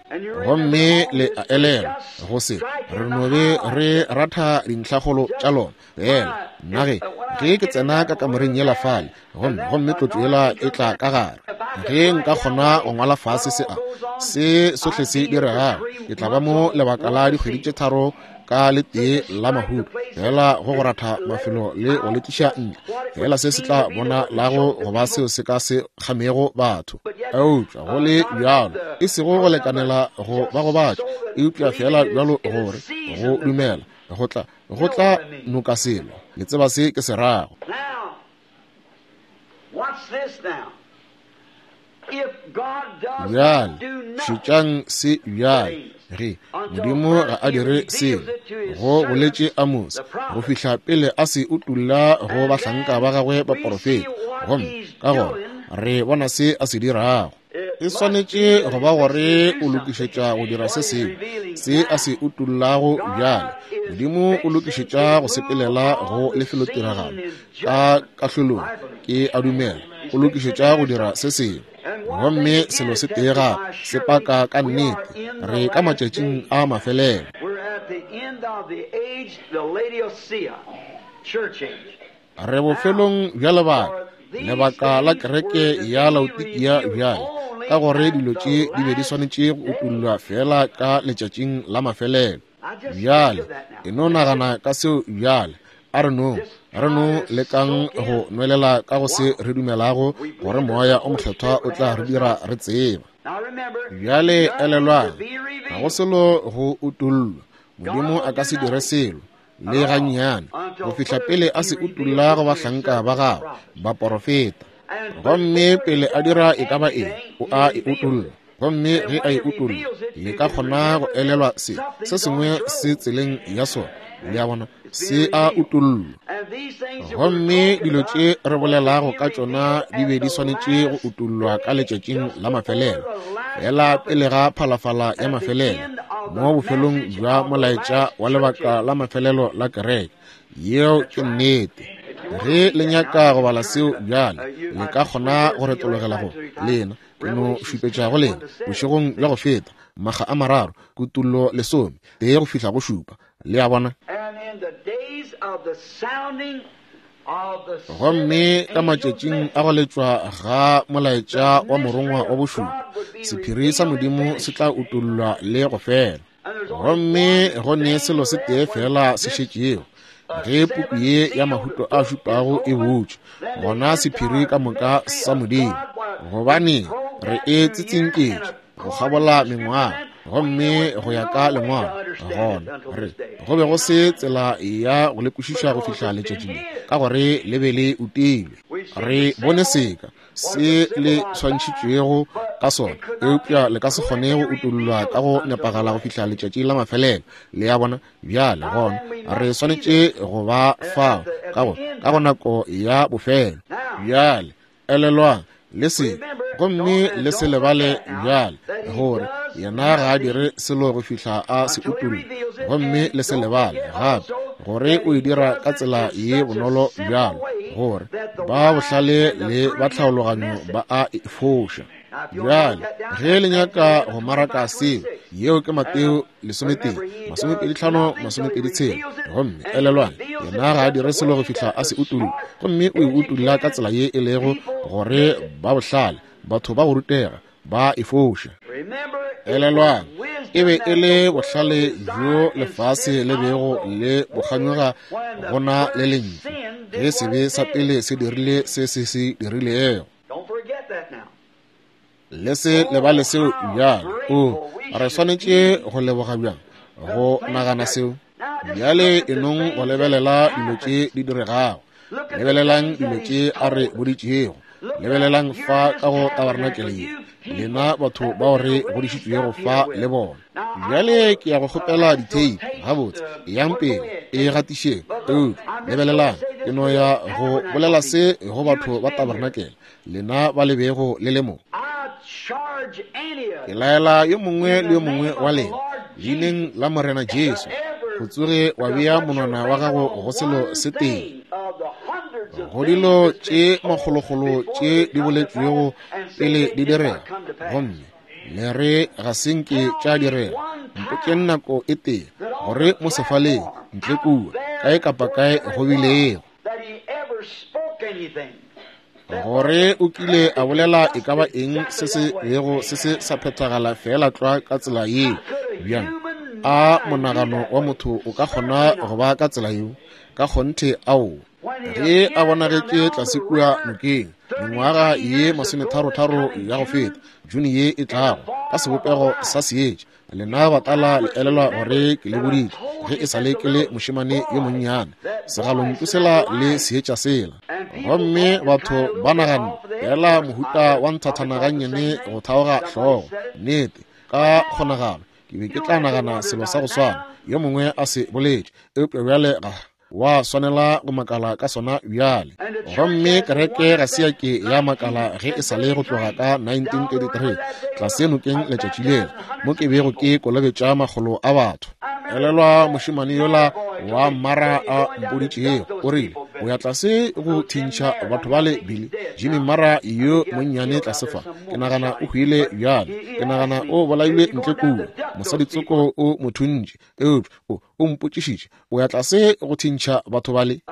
gomme le a elelwa go se re no be re ratha dintlhakgolo tša lona fela. Nna ge ge ke tsena ka kamoreng yela fale, gomme gomme tlotlo yela e tla ka gare, ge nka kgona go ngwala fase se a se sohle se diregago, ke tla ba mo lebaka la dikgwedi tše tharo ka le tee la mahuto, fela go go ratha mafelo le go letliša ntle, fela se se tla bona lago go ba seo se ka se kgamego batho. Eupša go le bjalo, e sego go lekanela go ba gobatša, eupša fela bjalo gore go dumela go tla go tla noka selo. Le tseba se ke se rago. Bjale šetšang se bjale. Ge Modimo ga a dire selo, go boletše Amose, go fihla pele a se utulla go bahlanka ba gagwe baporofeta, gomme ka gona re bona se a se dirago. E swanetše go ba gore o lokišetša go dira se sengwe, se a se utullago bjale. Modimo o lokišetša go sepelela go lefelotiragalo ka kahlolong, ke a dumela, o lokišetša go dira se sengwe. Gomme selo se tee gape se paka ka nnete, re ka matšatšing a mafelelo. Re bofelong bja lebaka, lebaka la kereke ya Laodikia bjale, ka gore dilo tše di be di swanetše go utullwa fela ka letšatšing la mafelelo. Bjale e no nagana ka seo bjale. A re no re no lekang go nwelela ka go se re dumelago gore Moya o Mokgethwa o tla re dira re tseba. Bjale elelwang, ga go selo go utullwa. Modimo a ka se dire selo le gannyane go fihla pele a se utulla go bahlanka ba gagwe baporofeta. Gomme pele a dira e ka ba eng, o a e utulla. Gomme ge a e utulla, le ka kgona go elelwa se se sengwe se tseleng ya sona. Le a bona, se a utullwa. Gomme dilo tše re bolelago ka tšona di be di swanetše go utullwa ka letšatšing la mafelelo, fela pele ga phalafala ya mafelelo, mo bofelong bja molaetša wa lebaka la mafelelo la kereke. Yeo ke nnete. Ge le nyaka go bala seo bjale, le ka kgona go retologela go lena. Ke no šupetša go lena bošegong bja go feta, makga a mararo, kutullo lesome tee go fihla go šupa. Le a bona? Gomme ka matšatšing a go letšwa ga molaetša wa morongwa wa bošupa, sephiri sa Modimo se tla utullwa le go fela. Gomme go ne selo se tee fela se šetšego, ge puku ye ya mahuto a šupago e butšwe, gona sephiri ka moka sa Modimo, gobane re e tsitsinketše go kgabola mengwaga, gomme go ya ka lengwalo, gona re go be go se tsela ya go le kwešiša go fihla letšatšing le, ka gore le be le utilwe. Re bone seka se le swantšhitšwego ka sona, eupša le ka se kgone go utullwa ka go nepagala go fihla letšatši la mafelelo. Le a bona? Bjale gona re swanetše go ba fao ka go ka go nako ya bofelo. Bjale elelwang le se, gomme le se lebale bjale, gore yena ga a dire selo go fihla a se utulla. Gomme le se lebale gape gore o e dira ka tsela ye bonolo bjalo, gore ba bohlale le ba tlhaologanyo ba a e foša. Bjale ge le nyaka go maraka seo, yeo ke Mateo lesometee masomepedi tlhano masomepedi tshela. Gomme elelwang, yena ga a dire selo go fihla a se utulla, gomme o e utulla ka tsela ye e lego gore ba bohlale, batho ba go rutega, ba e foša. Elelwang, e be e le bohlale bjo lefase le bego le bokganyoga gona le lentšu, ge sebe sa pele se dirile se se se dirilego. Le se lebale seo bjale. O re swanetše go leboga bjang go nagana seo. Bjale e nong go lebelela dilo tše di diregago. Lebelelang dilo tše a re boditšego. Lebelelang fa ka go tabarnakele ye, lena batho bao re godišitšwego fa le bona. Bjale ke ya go kgopela ditheipi gabotse, yang pele e gatišeng. Eupša lebelelang, ke no ya go bolela se go batho ba tabarnakele, lena ba le bego le le mo. Ke laela yo mongwe le yo mongwe wa lena, leineng la Morena Jesu, go tsoge wa bea monwana wa gago go selo se tee go dilo tše makgolokgolo tše di boletšwego pele di direga, gomme le re ga se nke tša direga. Mpotšeng nako e tee gore mo sefaleng ntle kua kae kapa kae go bilego gore o kile a bolela e ka ba eng se se bego se se sa phethagala feela tlwa ka tsela yeo. Bjang a monagano wa motho o ka kgona go ba ka tsela yeo? Ka kgonthe ao. Ge a bonagetše tlase kua nokeng mengwaga ye masometharotharo ya go feta, June ye e tlago, ka sebopego sa seetša. Lena batala le elelwa gore ke le boditše ge e sa le ke le mošemane yo monnyane, segalontšu sela le seetša sela. Gomme batho ba naganne fela mohuta wa nthathana gannyane go thaoga hlogo. Nnete, ka kgonagalo ke be ke tla nagana selo sa go swana yo mongwe a se boletše, eupša bjale ga wa swanela go makala ka sona bjale. Gomme kereke ga se ya ke ya makala ge e sa le go tloga ka nineteen thirty-three tlase nokeng letšatši lela mo ke bego ke kolobetša makgolo a batho. Elelwa mošemane yola wa Mara a mpoditšego, o rile o ya tlase go thintšha batho bale Billy Jimmy Mara yo monnyane tlase fa. Ke nagana o hwile bjale, ke nagana o bolailwe ntle kua, mosaditsoko o mo thuntše, eupša o o mpotšišitše o ya tlase go thintšha batho bale.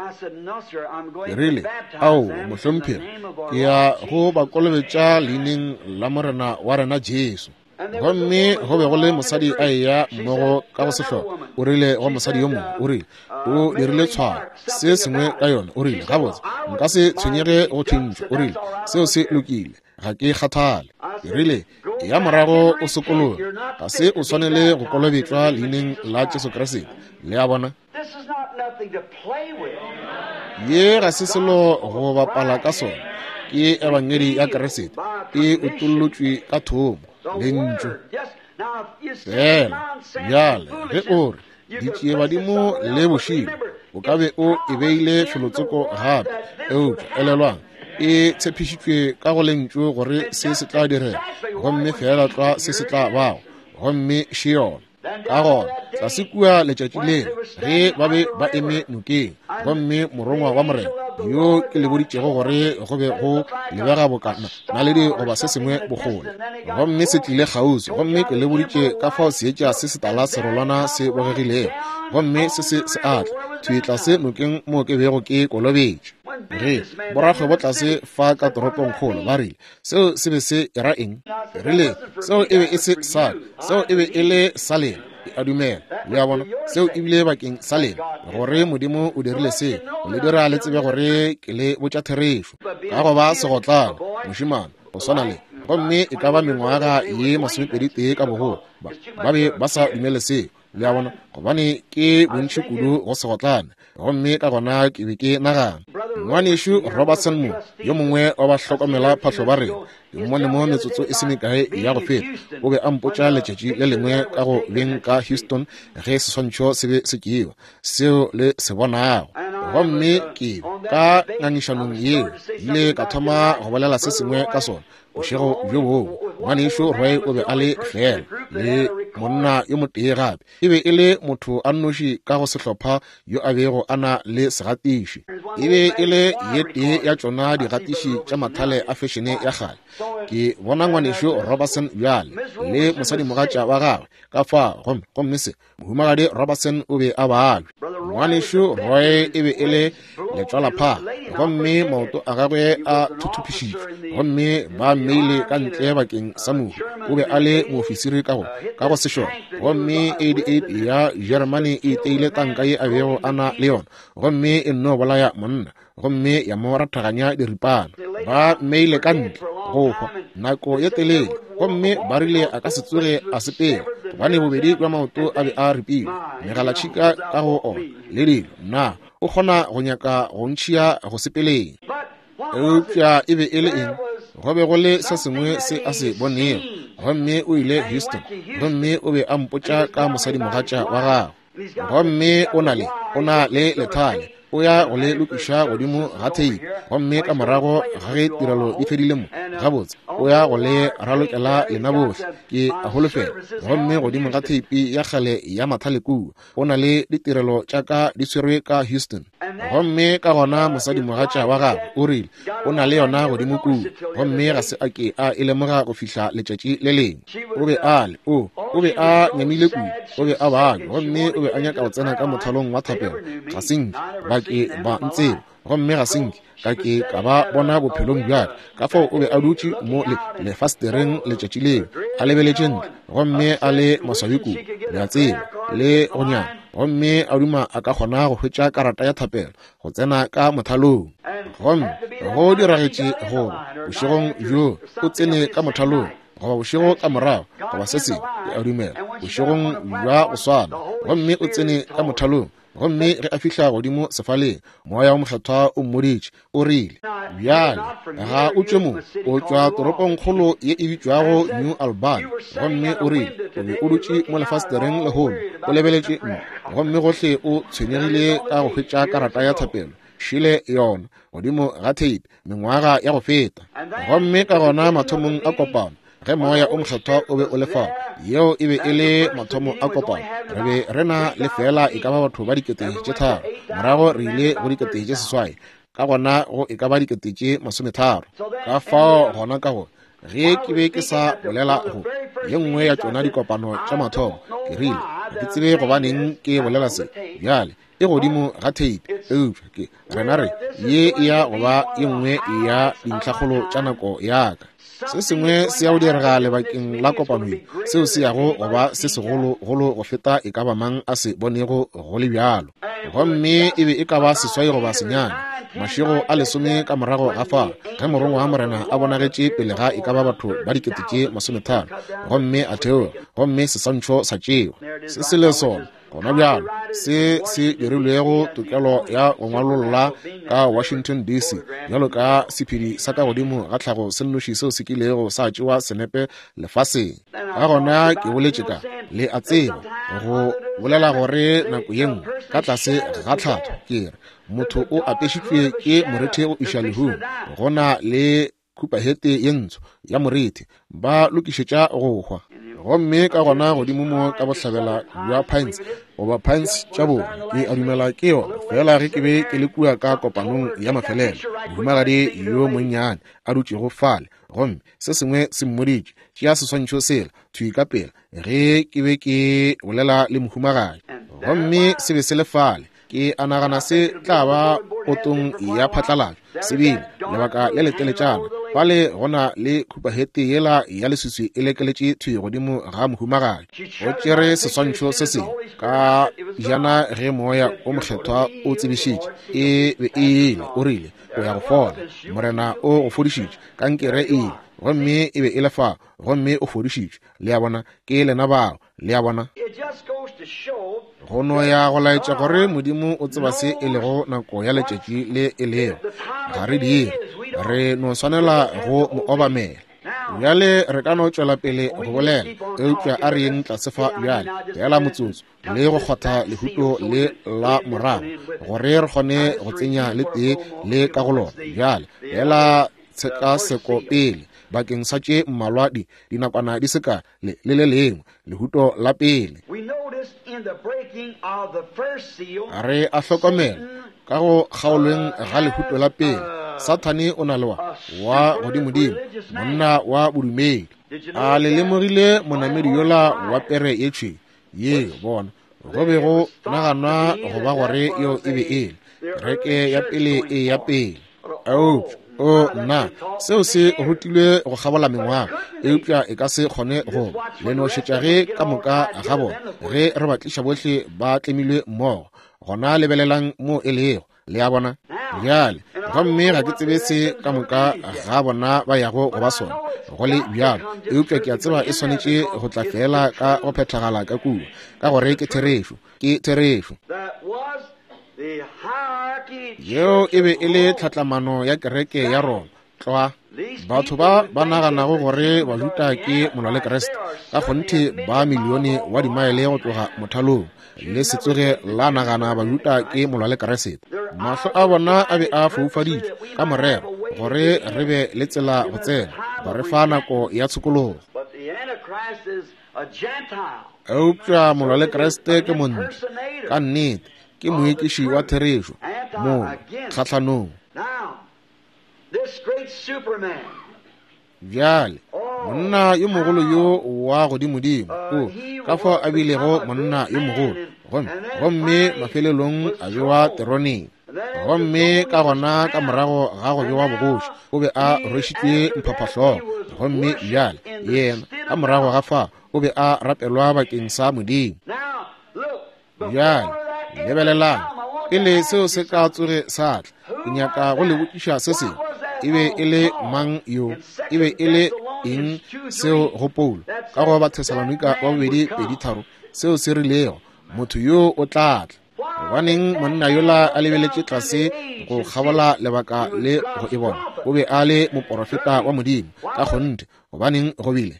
Ke rile, ao mohlomphegi, ke ya go ba kolobetša leineng la Morena wa rena Jesu. Gomme go be go le mosadi a eya mmogo ka go sehlopa. O rile go mosadi yo mongwe, o rile o dirile tshwaro se sengwe ka yona. O rile, gabotse nka se tshwenyege go thintšwa. O rile, seo se lokile, ga ke kgathale. Ke rile, ya morago o sokologe, ga se o swanele go kolobetšwa leineng la Jesu Kriste. Le a bona, ye ga se selo go bapala ka sona, ke ebangedi ya Kriste e utollotšwe ka thomo, lentšu fela. Bjale ge o re ditšiebadimo le bošilo, o ka be o e beile felotsoko gape, eupša elelwang e tshepišitšwe ka go lentšu gore se se tla direga, gomme fela tlwa se se tla bago, gomme še yona. Ka gona tlase kua letšatši lela ge ba be ba eme nokeng, gomme morongwa wa Morena yo ke le boditšego gore go be go lebega bokana naledi goba se sengwe bokgole, gomme se tlile kgauswi, gomme ke le boditše ka fao seetša se setala serolwana se bogegilego, gomme se se se atla thwi tlase nokeng mo ke bego ke kolobetšwe. Ge borakgwebo tlase fa ka toropongkgolo ba rile, seo se be se era eng? Rile, seo e be e se sa, seo e be e le sa lena. Ke a dumela, le a bona, seo ebile bakeng sa lena, gore Modimo o dirile seo go le dira le tsebe gore ke le botša therešo. Ka go ba segotlane mošemane go swana le, gomme e ka ba mengwaga ye masomepedi tee ka bogolo, ba ba be ba sa dumele seo. Le a bona, gobane ke bontši kudu go segotlane. Gomme ka gona ke be ke nagana, ngwanešu Robertson mo, yo mongwe wa ba hlokomela phahlo ba rena, ke mmone mo metsotso e se mekae ya go feta, o be a mpotša letšatši le lengwe ka go beng ka Houston ge seswantšho se be se tšewa seo le se bonago. Gomme ke ka ngangišanong yeo ile ka thoma go bolela se sengwe ka sona bošego bjo bongwe. Ngwanešu Roy o be a le fela le monna yo motee gape, e be e le motho a nnoši ka go sehlopha yo a bego a na le segatiši. E be e le ye tee ya tšona digatiši tša mathale a fešene ya kgale. Ke bona ngwanešu Robertson bjale le mosadimogatša wa gagwe ka fa, gomme gomme se mohumagadi Robertson o be a balwe. Ngwanešu Roy e be e le letšwalaphaa, gomme maoto a gagwe a thuthupišitšwe, gomme ba mmeile ka ntle bakeng sa mohu. O be a le moofisiri ka go ka go sešole, gomme eighty-eight ya Jeremane e iteile tanka ye a bego a na le yona, gomme e nno bolaya monna, gomme ya mo rathaganya diripana. Ba mmeile ka ntle go hwa nako ye telele, gomme ba rile a ka se tsoge a sepela, gobane bobedi bja maoto a be a ripilwe, megalatšhika ka go ona le dilo. Na o kgona go nyaka go ntšhia go sepeleng? Eupša e be e le eng? Go be go le se sengwe se a se bonego. Gomme o ile Houston, gomme o be a mpotša ka mosadimogatša wa gagwe, gomme o na le o na le lethale, o ya go le lokiša godimo ga theipi, gomme ka morago ga ge tirelo di fedile mo, Gabotse, o ya go le ralokela lena bohle, ke a holofela. Gomme godimo ga theipi ya kgale ya mathale kua, o na le ditirelo tša ka di swerwe ka Houston. Gomme ka gona mosadimogatša wa gagwe o rile o na le yona godimo kua, gomme ga se a ke a e lemoga go fihla letšatši le lengwe. O be a le o o be a nyamile kudu, o be a babja, gomme o be a nyaka go tsena ka mothalong wa thapelo. Ga se nke ba ke ba ntseba, gomme ga se nke ka ke ka ba bona bophelong bja ka. Ka fao o be a dutše mo le lefastereng letšatši leo, a lebeletše ntle, gomme a le maswabi kudu, le a tseba, le go nyama, gomme a duma a ka kgona go hwetša karata ya thapelo go tsena ka mothalong. Gomme go diragetše gore bošegong bjo o tsene ka mothalong, goba bošego ka morago, goba se sengwe, ke a dumela, bošegong bja go swana, gomme o tsene ka mothalong. Gomme ge a fihla godimo sefaleng, moya wo mokgethwa o mmoditše, o rile, bjale ga o tšwe mo, o tšwa toropongkgolo ye e bitšwago New Albany. Gomme o rile, o be o dutše mo lefastereng lehono, o lebeletše ntle, gomme gohle o tshwenyegile ka go hwetša karata ya thapelo. Šile yona godimo ga theipi mengwaga ya go feta. Gomme ka gona mathomong a kopano, ge moya o mokgethwa o be o le fao, yeo e be e le mathomo a kopano, re be re na le fela e ka ba batho ba dikete tše tharo, morago re ile go dikete tše seswai, ka gona go e ka ba dikete tše masometharo. Ka fao gona ka go ge ke be ke sa bolela go ye nngwe ya tšona dikopano tša mathomo, ke rile ga ke tsebe gobaneng ke bolela se bjale, e godimo ga theipi, eupša ke rena re ye e ya go ba ye nngwe ya dintlhakgolo tša nako ya ka. Se sengwe se ya go direga lebakeng la kopano ye, seo se yago go ba se segologolo go feta e ka ba mang a se bonego go le bjalo. Gomme e be e ka ba seswai goba senyane, mašego a lesome ka morago ga fao, ge morongwa wa Morena a bonagetše pele ga e ka ba batho ba dikete tše masometharo, gomme a theoga, gomme seswantšho sa tšewa. Se se le sona gona bjalo se se dirilwego tokelo ya go ngwalolla ka Washington D C bjalo ka sephedi sa ka godimo ga tlhago se nnoši seo se kilego sa tšewa senepe lefaseng. Ka gona ke boletše ka, le a tseba, go bolela gore nako ye nngwe ka tlase ga tlhatho ke re motho o apešitšwe ke morethe go iša lehung, go na le khupahete ye ntsho ya morethe, ba lokišetša go hwa. Gomme ka gona godimo mo ka bohlabela bja Pines, goba Pines tša borwa, ke a dumela ke yona fela ge ke be ke le kua ka kopanong ya mafelelo, mohumagadi yo monnyane a dutšego fale, gomme se sengwe se mmoditše, tšea seswantšho sela thwi ka pela ge ke be ke bolela le mohumagadi. Gomme se be se le fale, ke a nagana se tla ba potong ya phatlalatšo se bile lebaka le leteletšana. Fale go na le khupahete yela ya leswiswi e lekeletše thwi godimo ga mohumagadi. O tšere seswantšho se sengwe ka jana ge moya o mokgethwa o tsebišitše e be e ile, o rile o ya go fola, Morena o go fodišitše, kankere e ile, gomme e be e le fa, gomme o fodišitšwe. Le a bona, ke lena bao, le a bona. Go no ya go laetša gore Modimo o tseba se e lego nako ya letšatši le e lego. Ga re dire, re no swanela go mo obamela. Bjale re ka no tšwela pele go bolela, eupša a re yeng tlase fa bjale, fela motsotso, le go kgotha lehuto le la morago, gore re kgone go tsenya le tee le ka go lona. Bjale fela tshekaseko pele bakeng sa tše mmalwa di dinakwana di se ka le le le lengwe lehuto la pele. Re a hlokomela ka go kgaolweng ga lehuto la pele, Sathane o na le wa wa godimodimo, monna wa bodumedi. A le lemogile monamedi yola wa pere ye tšhweu ye bona go be go naganwa go ba gore yeo e be e le kereke ya pele e ya pele. Eupša o nna, seo se rutilwe go kgabola mengwaga, eupša e ka se kgone go le no šetša ge ka moka ga bona ge re ba tliša bohle ba tlemilwe mmogo. Gona lebelelang mo e lego, le a bona bjale. Gomme ga ke tsebe se ka moka ga bona ba yago go ba sona go le bjalo, eupša ke a tseba e swanetše go tla fela ka go phethagala ka kua, ka gore ke therešo, ke therešo. Yeo e be e le tlhatlamano ya kereke ya Roma tlwa. Batho ba ba naganago gore Bajuda ke molwa le Kriste, ka kgonthe ba milione wa dimaele go tloga mothalong, le se tsoge la nagana Bajuda ke molwa le Kriste. Mahlo a bona a be a foufaditšwe ka morero gore re be le tsela go tsena, go re fa nako ya tshokologo. Eupša molwa le Kriste ke montle, ka nnete, ke moekiši wa therešo, mo kgahlanong. Bjale, monna yo mogolo yo wa godimodimo, o ka fao a bilego monna yo mogolo, gomme gomme mafelelong a bewa teroneng. Gomme ka gona ka morago ga go bewa bogoši, o be a rwešitšwe mphaphahlogo. Gomme bjale yena ka morago ga fa o be a rapelwa bakeng sa Modimo. Bjale lebelelang, pele seo se ka tsoge sa tla, ke nyaka go le botšiša se sengwe. E be e le mang yo? E be e le eng seo go Paulo ka go Bathesalonika wa bobedi pedi tharo seo se rilego, motho yo o tla tla? Gobaneng monna yola a lebeletše tlase go kgabola lebaka le go e bona? O be a le moporofeta wa Modimo ka kgonthe. Gobaneng go bile?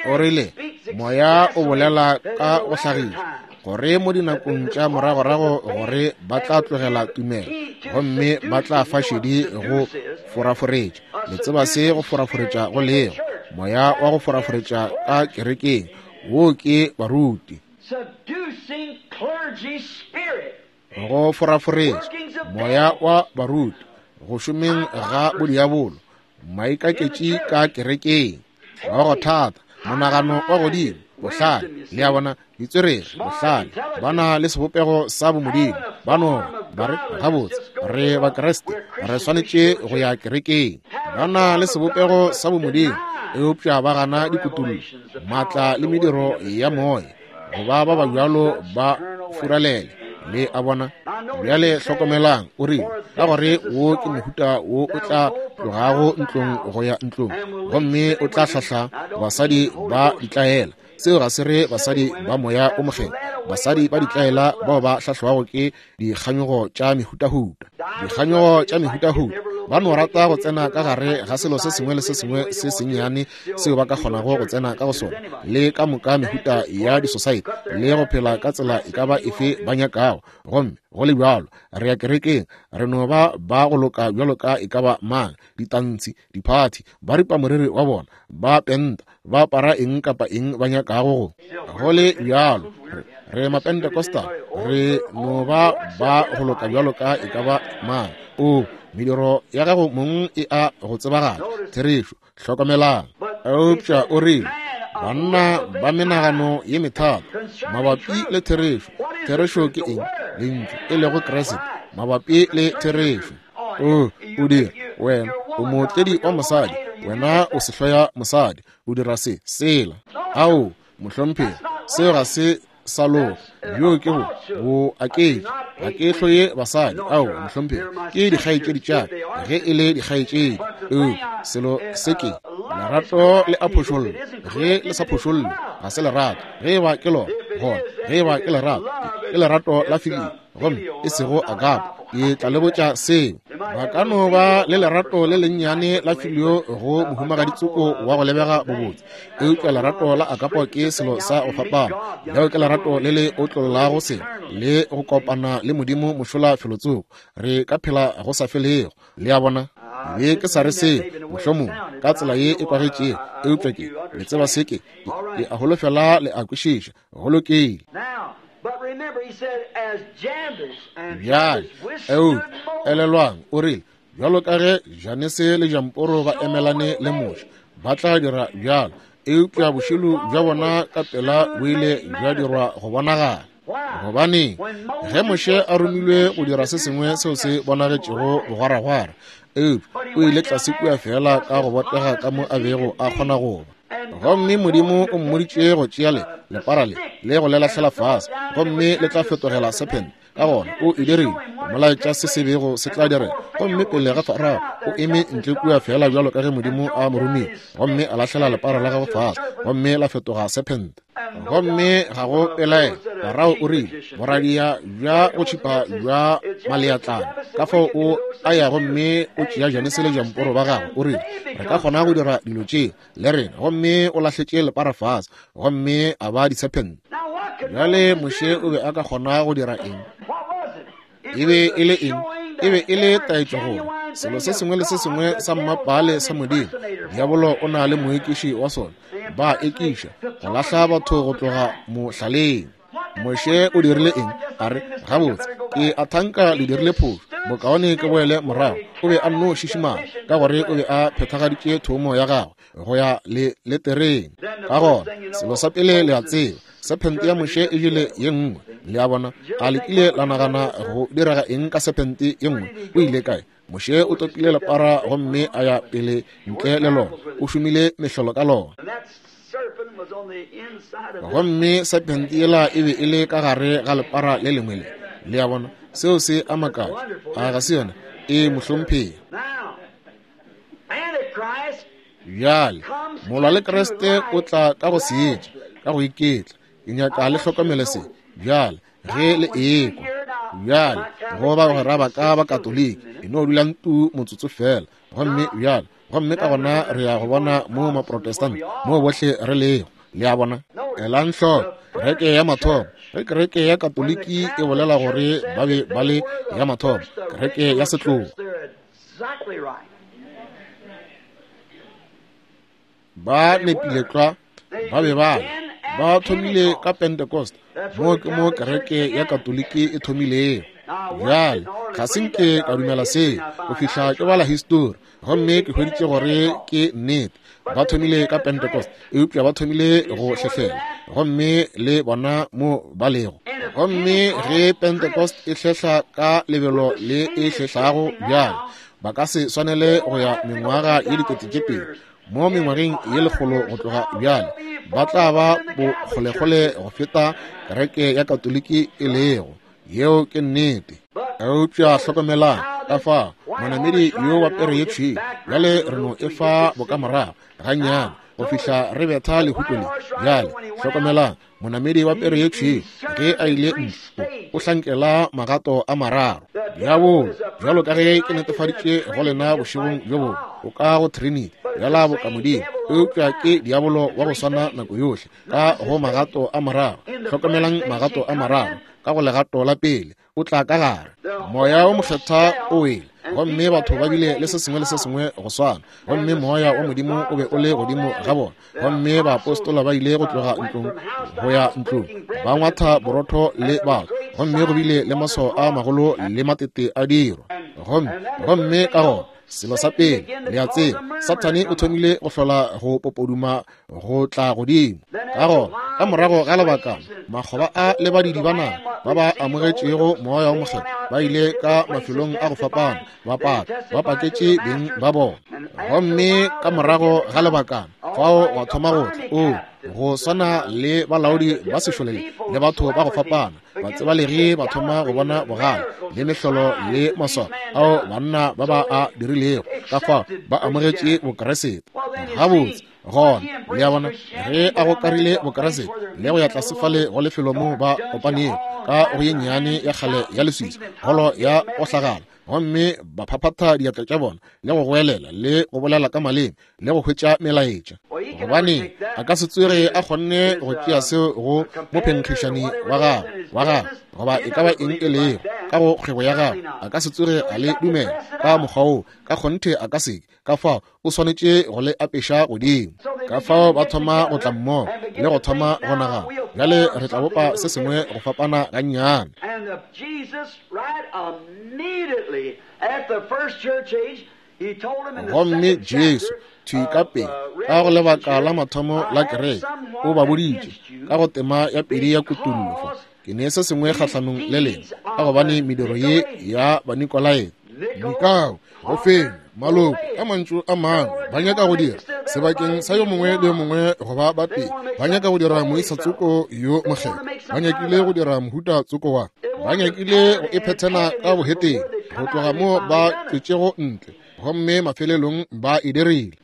O rile, moya o bolela ka go hlagiša gore mo dinakong tša moragorago gore ba tla tlogela tumelo gomme ba tla fa šedi go foraforetša. Le tseba se go foraforetša go lego, moya wa go foraforetša ka kerekeng, wo ke baruti. Go foraforetša, moya wa baruti, go šomeng ga bodiabolo, maikaketši ka kerekeng, wa go thata, monagano wa godimo, bohlale, le a bona, ditswerere, bohlale, ba na le sebopego sa bomodimo, ba no ba re gabotse re Bakriste, re swanetše go ya kerekeng. Ba na le sebopego sa bomodimo, eupša ba gana dikutullo, maatla le mediro ya moya, goba ba ba bjalo ba furalele. Le a bona? Bjale hlokomelang, o rile, ka gore wo ke mohuta wo o tla tlogago ntlong go ya ntlong, gomme o tla hlahla basadi ba ditlaela. Seo ga se re basadi ba moya o mokgethwa, basadi ba ditlaela bao ba hlahlwago ke dikganyogo tša mehutahuta. Dikganyogo tša mehutahuta, ba no rata go tsena ka gare ga selo se sengwe le se sengwe se sennyane seo ba ka kgonago go tsena ka go sona, le ka moka mehuta ya disosaete, le go phela ka tsela e ka ba efe ba nyakago. Gomme go le bjalo, re ya kerekeng, re no ba ba go loka bjalo ka e ka ba mang, ditantshi, diphathi, ba ripa moriri wa bona, ba penta, ba apara eng kapa eng ba nyakago go. Go le bjalo, re, re Mapentecostal, re no ba ba go loka bjalo ka e ka ba mang. O, mediro ya gago mong e a go tsebagala. Therešo, hlokomelang. Eupša o rile, banna ba menagano ye methata mabapi le therešo. Therešo ke eng? Lentšu, e lego Kriste, mabapi le therešo. O, o dira, wena o mootledi wa mosadi, wena o sehloya mosadi, o dira se, sela. Ao, mohlomphegi, seo ga se sa loka. Bjo ke bo, bo aketše. Ga ke hloye basadi, ao, mohlomphegi, ke dikgaetšedi tša ka, ge e le dikgaetšedi. Eupša selo se ke lerato le a phošolla. Ge le sa phošolle, ga se lerato. Ge e ba ke lona, gona ge e ba ke lerato, ke lerato la filio, gomme e sego agape. Ke tla le botša seo. Ba ka no ba le lerato le lennyane la filio go mohumagaditsoko wa go lebega bobotse, eupša lerato la agape ke selo sa go fapana. Leo ke lerato le le otlollago selo le go kopana le Modimo mošola felotsoko. Re ka phela go sa felego. Le a bona? Be ke sa re seo, mohlomongwe ka tsela ye e kwagetšego, eupša ke le tseba se ke, ke a holofela le a kwešiša. Go lokile. Bjale, eupša elelwang, o rile, bjalo ka ge Janese le Jamporo ba emelane le Moshe, ba tla dira bjalo, eupša bošilo bja bona ka pela bo ile bja dirwa go bonagala. Gobaneng ge Moshe a romilwe go dira se sengwe seo se bonagetšego bogwaragwara, eupša o ile tlase kua fela ka go botega ka mo a bego a kgona go ba. Gomme Modimo o mmoditše go tšea le lepara le le go le lahlela fase, gomme le tla fetogela serpent. Ka gona o e dirile, molaetša se se bego se tla direga. Gomme pele ga Farao o eme ntle kua fela bjalo ka ge Modimo a mo romile, gomme a lahlela lepara la gagwe fase, gomme la fetoga serpent. Gomme ga go pelaelo, Farao o rile, boradia bja go tšhipa bja maleatlana. Ka fao o a ya gomme o tšea Janese le Jamporo ba gagwe, o rile, re ka kgona go dira dilo tše le rena. Gomme o lahletše lepara fase, gomme a ba diserpent. Bjale Moshe o be a ka kgona go dira eng? E be e le eng? E be e le taetšo gore Selo se sengwe le se sengwe sa mmapaale sa Modimo, diabolo o na le moekiši wa sona. Ba ekiša go lahla batho go tloga mohlaleng. Moshe o dirile eng? A re, gabotse, ke a thanka le dirile phošo, bokaone ke boele morago. O be a nno šišimala, ka gore o be a phethagaditše thomo ya gagwe go ya le letereng. Ka gona, selo sa pele le a tseba, sephente ya Moshe e jele ye nngwe. Le a bona, a le kile la nagana go direga eng ka sephente ye nngwe? O ile kae? Moshe o topile lepara gomme a ya pele ntle le lona. O šomile mehlolo ka lona. Gomme sephente yela e be e le ka gare ga lepara le lengwe le. Le a bona, seo se a makatša. A ga se yona? E mohlomphegi. Bjale, molwa le Kriste o tla ka go seetša, ka go iketla. Ke nyaka le hlokomele se. Bjale, ge le ekwa. Bjale, go bagwera ba ka ba Katoliki, e no dulang tu motsotso fela. Gomme bjale, gomme ka gona re ya go bona mo Maprotestant, mo bohle re lego. Le a bona? Elang hloko, kereke ya mathomo. Ge kereke ya Katoliki e bolela gore ba be ba le ya mathomo, kereke ya setlogo, ba nepile tlwa, ba be ba le. Ba thomile ka Pentecost, mo ke mo kereke ya Katoliki e thomilego. Bjale, ga se nke ka dumela seo go fihla ke bala histori, gomme ke hweditše gore ke nnete. Ba thomile ka Pentecost, eupša ba thomile go hlehlela, gomme le bona mo ba lego. Gomme ge Pentecost e hlehla ka lebelo le e hlehlago bjale, ba ka se swanele go ya mengwaga ye dikete tše pedi. Mo mengwageng ye lekgolo go tloga bjale, ba tla ba bokgolekgole go feta kereke ya Katoliki e lego. Yeo ke nnete. Eupša hlokomelang ka fao monamedi yo wa pere ye tšhweu. Bjale re no e fa bokamorago gannyane go fihla re betha lehuto le. Bjale hlokomelang monamedi wa pere ye tšhweu ge a ile ntle, o hlankela magato a mararo. Diabolo, bjalo ka ge ke netefaditše go lena bošegong bjo bongwe, o ka go Trinity bjala boka Modimo, eupša ke diabolo wa go swana nako yohle ka go magato a mararo. Hlokomelang magato a mararo. Ka go legato la pele, o tla ka gare. Moya o mokgethwa o wele, gomme batho ba bile le se sengwe le se sengwe go swana, gomme moya wa Modimo o be o le godimo ga bona. Gomme baapostola ba ile go tloga ntlong go ya ntlong, ba ngwatha borotho le batho, gomme go bile le maswao a magolo le matete a dirwa. Gomme gomme ka gona, selo sa pele le a tseba, Sathane o thomile go hlola go popoduma go tla godimo. Ka gona, ka morago ga lebakana, makgoba a le badidi ba naga ba ba amogetšego moya wa mokgethwa ba ile ka mafelong a go fapana, ba paka, ba paketše beng ba bona. Gomme ka morago ga lebakana, fao wa thoma go tla, o go swana le balaodi ba sešole le batho ba go fapana, batsebalegi ba thoma go bona bogale le mehlolo le maswao ao banna ba ba a dirilego. Ka fao ba amogetše Bokeresete. Gabotse, gona le a bona, ge a gokarile Bokeresete le go ya tlase fale go lefelo mo ba kopanego ka go ye nnyane ya kgale ya leswiswi, holo ya go hlagala, gomme ba phaphatha diatla tša bona le go goelela le go bolela ka maleme le go hwetša melaetša. Gobane a ka se tsoge a kgonne go tšea seo go mophenkgišani wa gagwe wa gagwe goba e ka ba eng e lego ka go kgwebo ya gagwe, a ka se tsoge a le dumela ka mokgwa woo. Ka kgonthe a ka se ke. Ka fao o swanetše go le apeša godimo. Ka fao ba thoma go tla mmogo le go thoma go nagana, bjale re tla bopa se sengwe go fapana gannyane. Gomme Jesu thwi ka pele ka go lebaka la mathomo la kereke o ba boditše ka go tema ya pedi ya kutullo fa, ke ne se sengwe kgahlanong le lena, ka gobane mediro ye ya Banikolaite, Nikao, go fenya maloko ka mantšu a mangwe, ba nyaka go dira sebakeng sa yo mongwe le yo mongwe go ba ba pele, ba nyaka go dira moisa tsoko yo mokgethwa, ba nyakile go dira mohuta tsoko wa, ba nyakile go iphethena ka boheteng go tloga mo ba tšwetšego ntle, gomme mafelelong ba e dirile.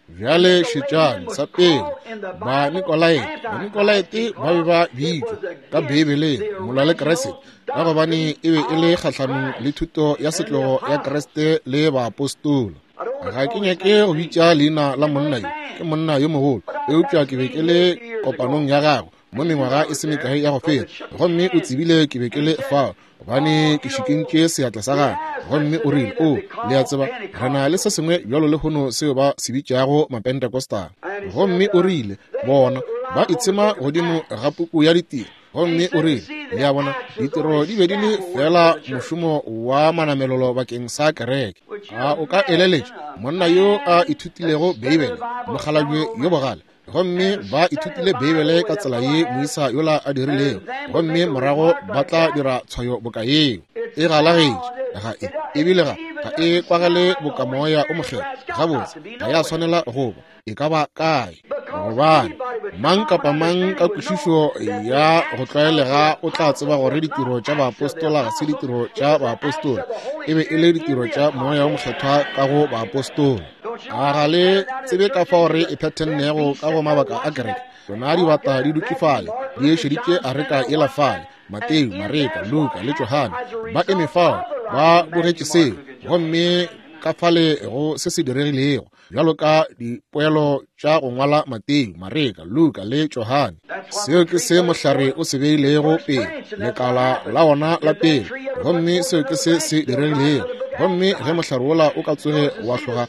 Bjale šetšang, sa pele Banikolaite. Banikolaite ba be ba bitšwa ka Beibeleng molwa le Kriste, ka gobane e be e le kgahlanong le thuto ya setlogo ya Kriste le baapostola. Ga ke nyake go bitša leina la monna yo, ke monna yo mogolo, eupša ke be ke le kopanong ya gagwe mo mengwaga e se mekae ya go feta, gomme o tsebile ke be ke le fao gobane ke šikintše seatla sa gagwe. Gomme o rile, o, le a tseba, re na le se sengwe bjalo lehono seo ba se bitšago Mapentecostal. Gomme o rile, bona ba itshema godimo ga puku ya ditiro. Gomme o rile, le a bona, ditiro di be di le fela mošomo wa manamelelo bakeng sa kereke. A o ka eleletša monna yo a ithutilego Beibele, mokgalabje yo bogale, gomme ba ithutile Beibele ka tsela ye moisa yola a dirilego, gomme morago ba tla dira tshwayo boka yeo. E galagetše, ga e, ebile ga ga e kwagale boka moya o mokgethwa. Gabotse, ga ya swanela go ba e ka ba kae, gobane mang kapa mang ka kwešišo ya go tlwaelega o tla tseba gore ditiro tša baapostola ga se ditiro tša baapostola, e be e le ditiro tša moya o mokgethwa ka go baapostola. A ga le tsebe ka fao re e phethennego ka go mabaka a kereke? Tšona dibata di dutše fale, di ešeditše areka yela fale, Mateo, Mareka, Luka le Johane ba eme fao ba bogetše seo, gomme ka fale go se se diregilego bjalo ka dipoelo tša go ngwala Mateo, Mareka, Luka le Johane. Seo ke se mohlare o se beilego pele, lekala la ona la pele, gomme seo ke se se diregilego. Gomme ge mohlare wola o ka tsoge wa hloga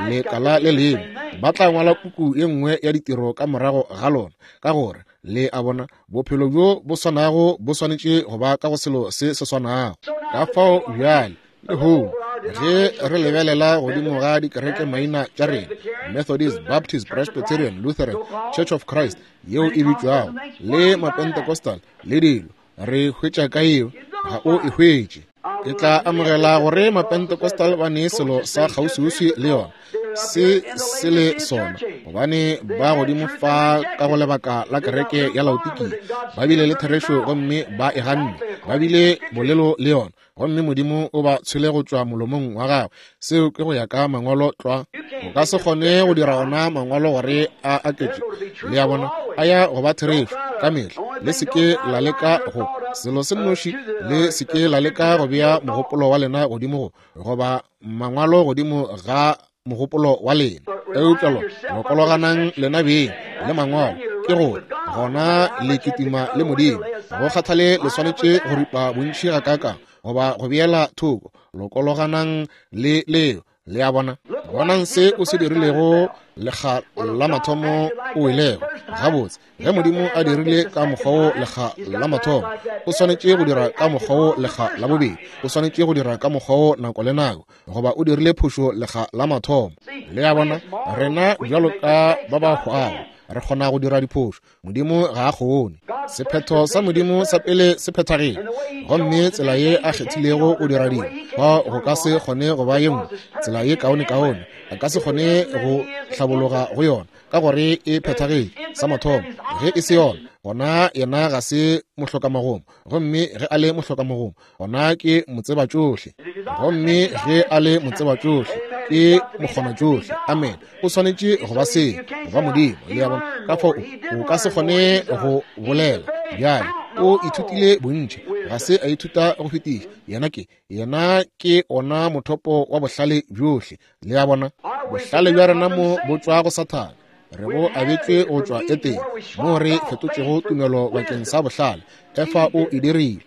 lekala le lengwe, ba tla ngwala puku ye nngwe ya ditiro ka morago ga lona, ka gore le a bona bophelo bjo bo swanago bo swanetše go ba ka go selo se se swanago. Ka fao bjale lehono ge re lebelela godimo ga dikereke maina tša rena, Methodist, Baptist, Presbyterian, Lutheran, Church of Christ yeo e bitšwago, le Mapentecostal le dilo, re hwetša ka yeo? Ga o e hwetše. Ke tla amogela gore Mapentecostal ba ne selo sa kgauswiuswi le yona, se se le sona, gobane ba godimo fa ka go lebaka la kereke ya Laodikia ba bile le therešo gomme ba e ganne, ba bile bolelo le yona, gomme Modimo o ba tshwele go tšwa molomong wa gagwe. Seo ke go ya ka mangwalo tlwa. O ka se kgone go dira ona mangwalo gore a aketše, le a bona, a ya go ba therešo ka mehla. Le se ke la leka go selo se nnoši, le se ke la leka go bea mogopolo wa lena godimo go goba mangwalo godimo ga mogopolo wa lena, eupša lo lokologanang lena beng le mangwalo, ke gore gona le kitima le Modimo. Go kgathale le swanetše go ripa bontši gakaakang goba go beela thoko, lokologanang le leo. Le a bona, bonang se o se dirilego lekga la mathomo o welego. Gabotse, ge Modimo a dirile ka mokgwa wo lekga la mathomo, o swanetše go dira ka mokgwa wo lekga la bobedi, o swanetše go dira ka mokgwa wo nako le nako, goba o dirile phošo lekga la mathomo. Le a bona, rena bjalo ka ba ba hwago re kgona go dira diphošo, Modimo ga a kgone. Sephetho sa Modimo sa pele se phethagile, gomme tsela ye a kgethilego go dira dilo fa go ka se kgone go ba ye nngwe tsela ye kaone-kaone, a ka se kgone go hlabologa go yona ka gore e phethagile sa mathomo. Ge e se yona, gona yena ga se mohlokamagoma, gomme ge a le mohlokamagoma, gona ke motsebatšohle, gomme ge a le motsebatšohle ke mokgonatšohle. Amen. O swanetše go ba se, go ba Modimo. Le a bona, ka fao o ka se kgone go bolela. Bjale o ithutile bontši, ga se a ithuta go fetiša. Yena ke yena ke ona mothopo wa bohlale bjohle. Le a bona, bohlale bja rena mo bo tšwa go Sathane, re bo abetšwe go tšwa Etene, moo re fetotšego tumelo bakeng sa bohlale. Efa o e dirile.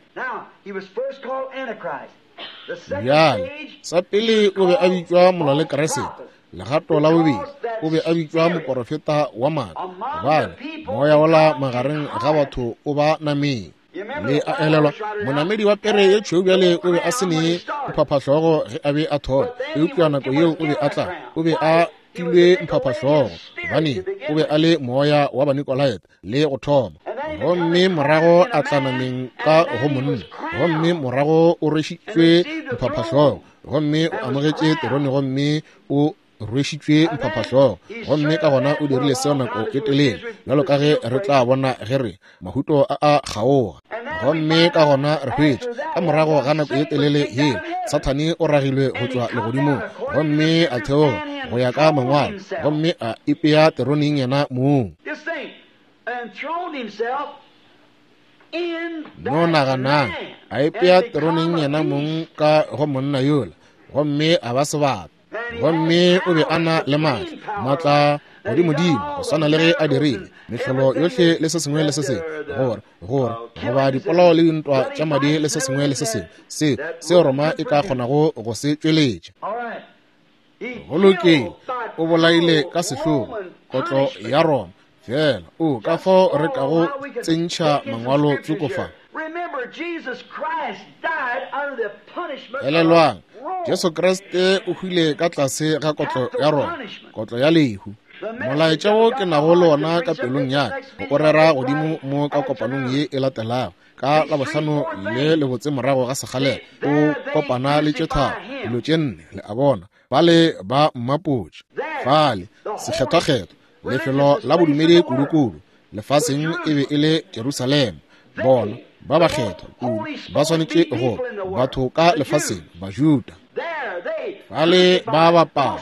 Bjale sa pele o be a bitšwa molwa le Kriste, legato la bobedi o be a bitšwa moporofeta wa maaka, gobane moya wola magareng ga batho o ba nameng. Le a elelwa, monamedi wa pere ye tšhweu bjale o be a se ne mphaphahlogo ge a be a thoma, eupša nako yeo o be a tla, o be a filwe mphaphahlogo, gobane o be a le moya wa Banikolaite le go thoma. Gomme morago a tla nameng ka go monna, gomme morago o rwešitšwe mphaphahlogo, gomme o amogetše terone, gomme o rwešitšwe mphaphahlogo, gomme ka gona o dirile seo nako e telele, bjalo ka ge re tla bona ge re mahuto a a kgaoga. Gomme ka gona re hwetše ka morago ga nako e telele yeo Sathane o ragilwe go tšwa legodimong, gomme a theoga go ya ka mangwalo, gomme a ipea teroneng yena mong. No naganang, a ipea teroneng yena mong ka go monna yola, gomme a ba sebata. Gomme o be a na le maatla, maatla godimodimo go swana le ge a dirile mehlolo yohle le se sengwe le se sengwe, gore gore goba dipolao le dintwa tša madi le se sengwe le se sengwe se seo Roma e ka kgonago go se tšweletša. Go lokile, o bolaile ka sehlogo kotlo ya Roma fela. O ka fao re kago tsentšha mangwalo tsoko fa. Elelwang, Jesu Kriste o hwile ka tlase ga kotlo ya Roma, kotlo ya lehu. Molaetša wo ke nago le wona ka pelong ya ka o rera godimo mo ka kopanong ye e latelago ka Labohlano le lebotse morago ga sekgalela, o kopana le tše tharo, dilo tše nne, le a bona, bale ba mmapotše fale sekgethwakgethwa, lefelo la bodumedi kudukudu lefaseng e be e le Jerusalema. Bona ba bakgethwa kudu ba swanetše go batho ka lefaseng, Bajuda. Fale ba bapala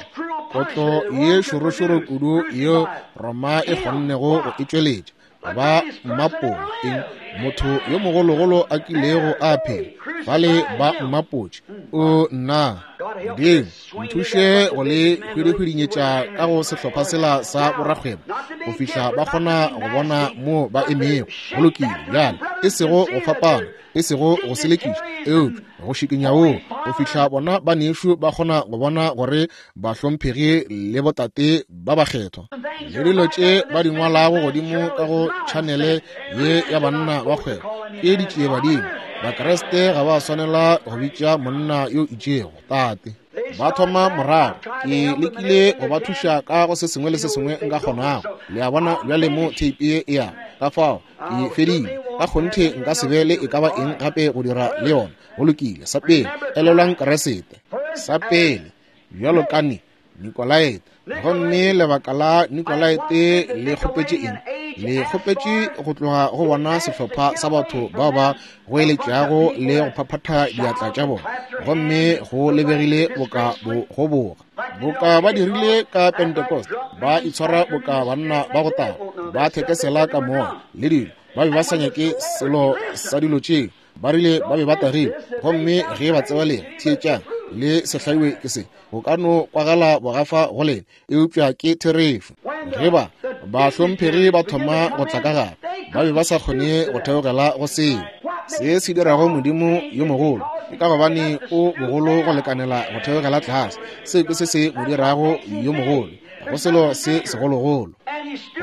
kotlo ye šorošoro kudu yeo Roma e kgonnego go e tšweletša, ba mmapotše eng motho yo mogologolo a kilego a phela. Fale ba mmapotše. O nna Modimo, nthuše go le hwidihwidinyetša ka go sehlopha sela sa borakgwebo go fihla ba kgona go bona mo ba emego. Go lokile bjale, e sego go fapana, e sego go selekiša, eupša go šikinya woo go fihla bona banešu ba kgona go bona gore bahlomphegi le botate ba bakgethwa le dilo tše ba di ngwalago godimo ka go tšhanele ye ya banna ba kgwebo ke ditšiebadimo. Bakreste ga ba swanela go bitša monna yo itšego tate. Ba thoma morago, ke lekile go ba thuša ka go se sengwe le se sengwe nka kgonago. Le a bona bjale mo tape ye e ya ka fao ke fedile. Ka kgonthe nka se be le e ka ba eng gape go dira le yona. Go lokile. Sa pele, elelwang Kriste. Sa pele, bjalo ka ne Nikolaete. Gomme lebaka la Nikolaete le kgopetše eng? Le kgopetše go tloga go bona sehlopha sa batho bao ba goeletšago le go phaphatha diatla tša bona, gomme go lebegile boka bo goboga, boka ba dirile ka Pentecost, ba itshwara boka banna ba go taga, ba thekesela ka moya le dilo. Ba be ba sa nyake selo sa dilo tšeo, ba rile ba be ba tagile. Gomme ge ba tseba lena, theetšang, le se hlaiwe ke se, go ka no kwagala bogafa go lena, eupša ke therešo. Ge ba bahlomphegi ba thoma go tla ka gare, ba be ba sa kgone go theogela go seo. Se se dirago Modimo yo mogolo ke ka gobane o bogolo go lekanela go theogela tlase. Seo ke se se mo dirago yo mogolo, go selo se segologolo.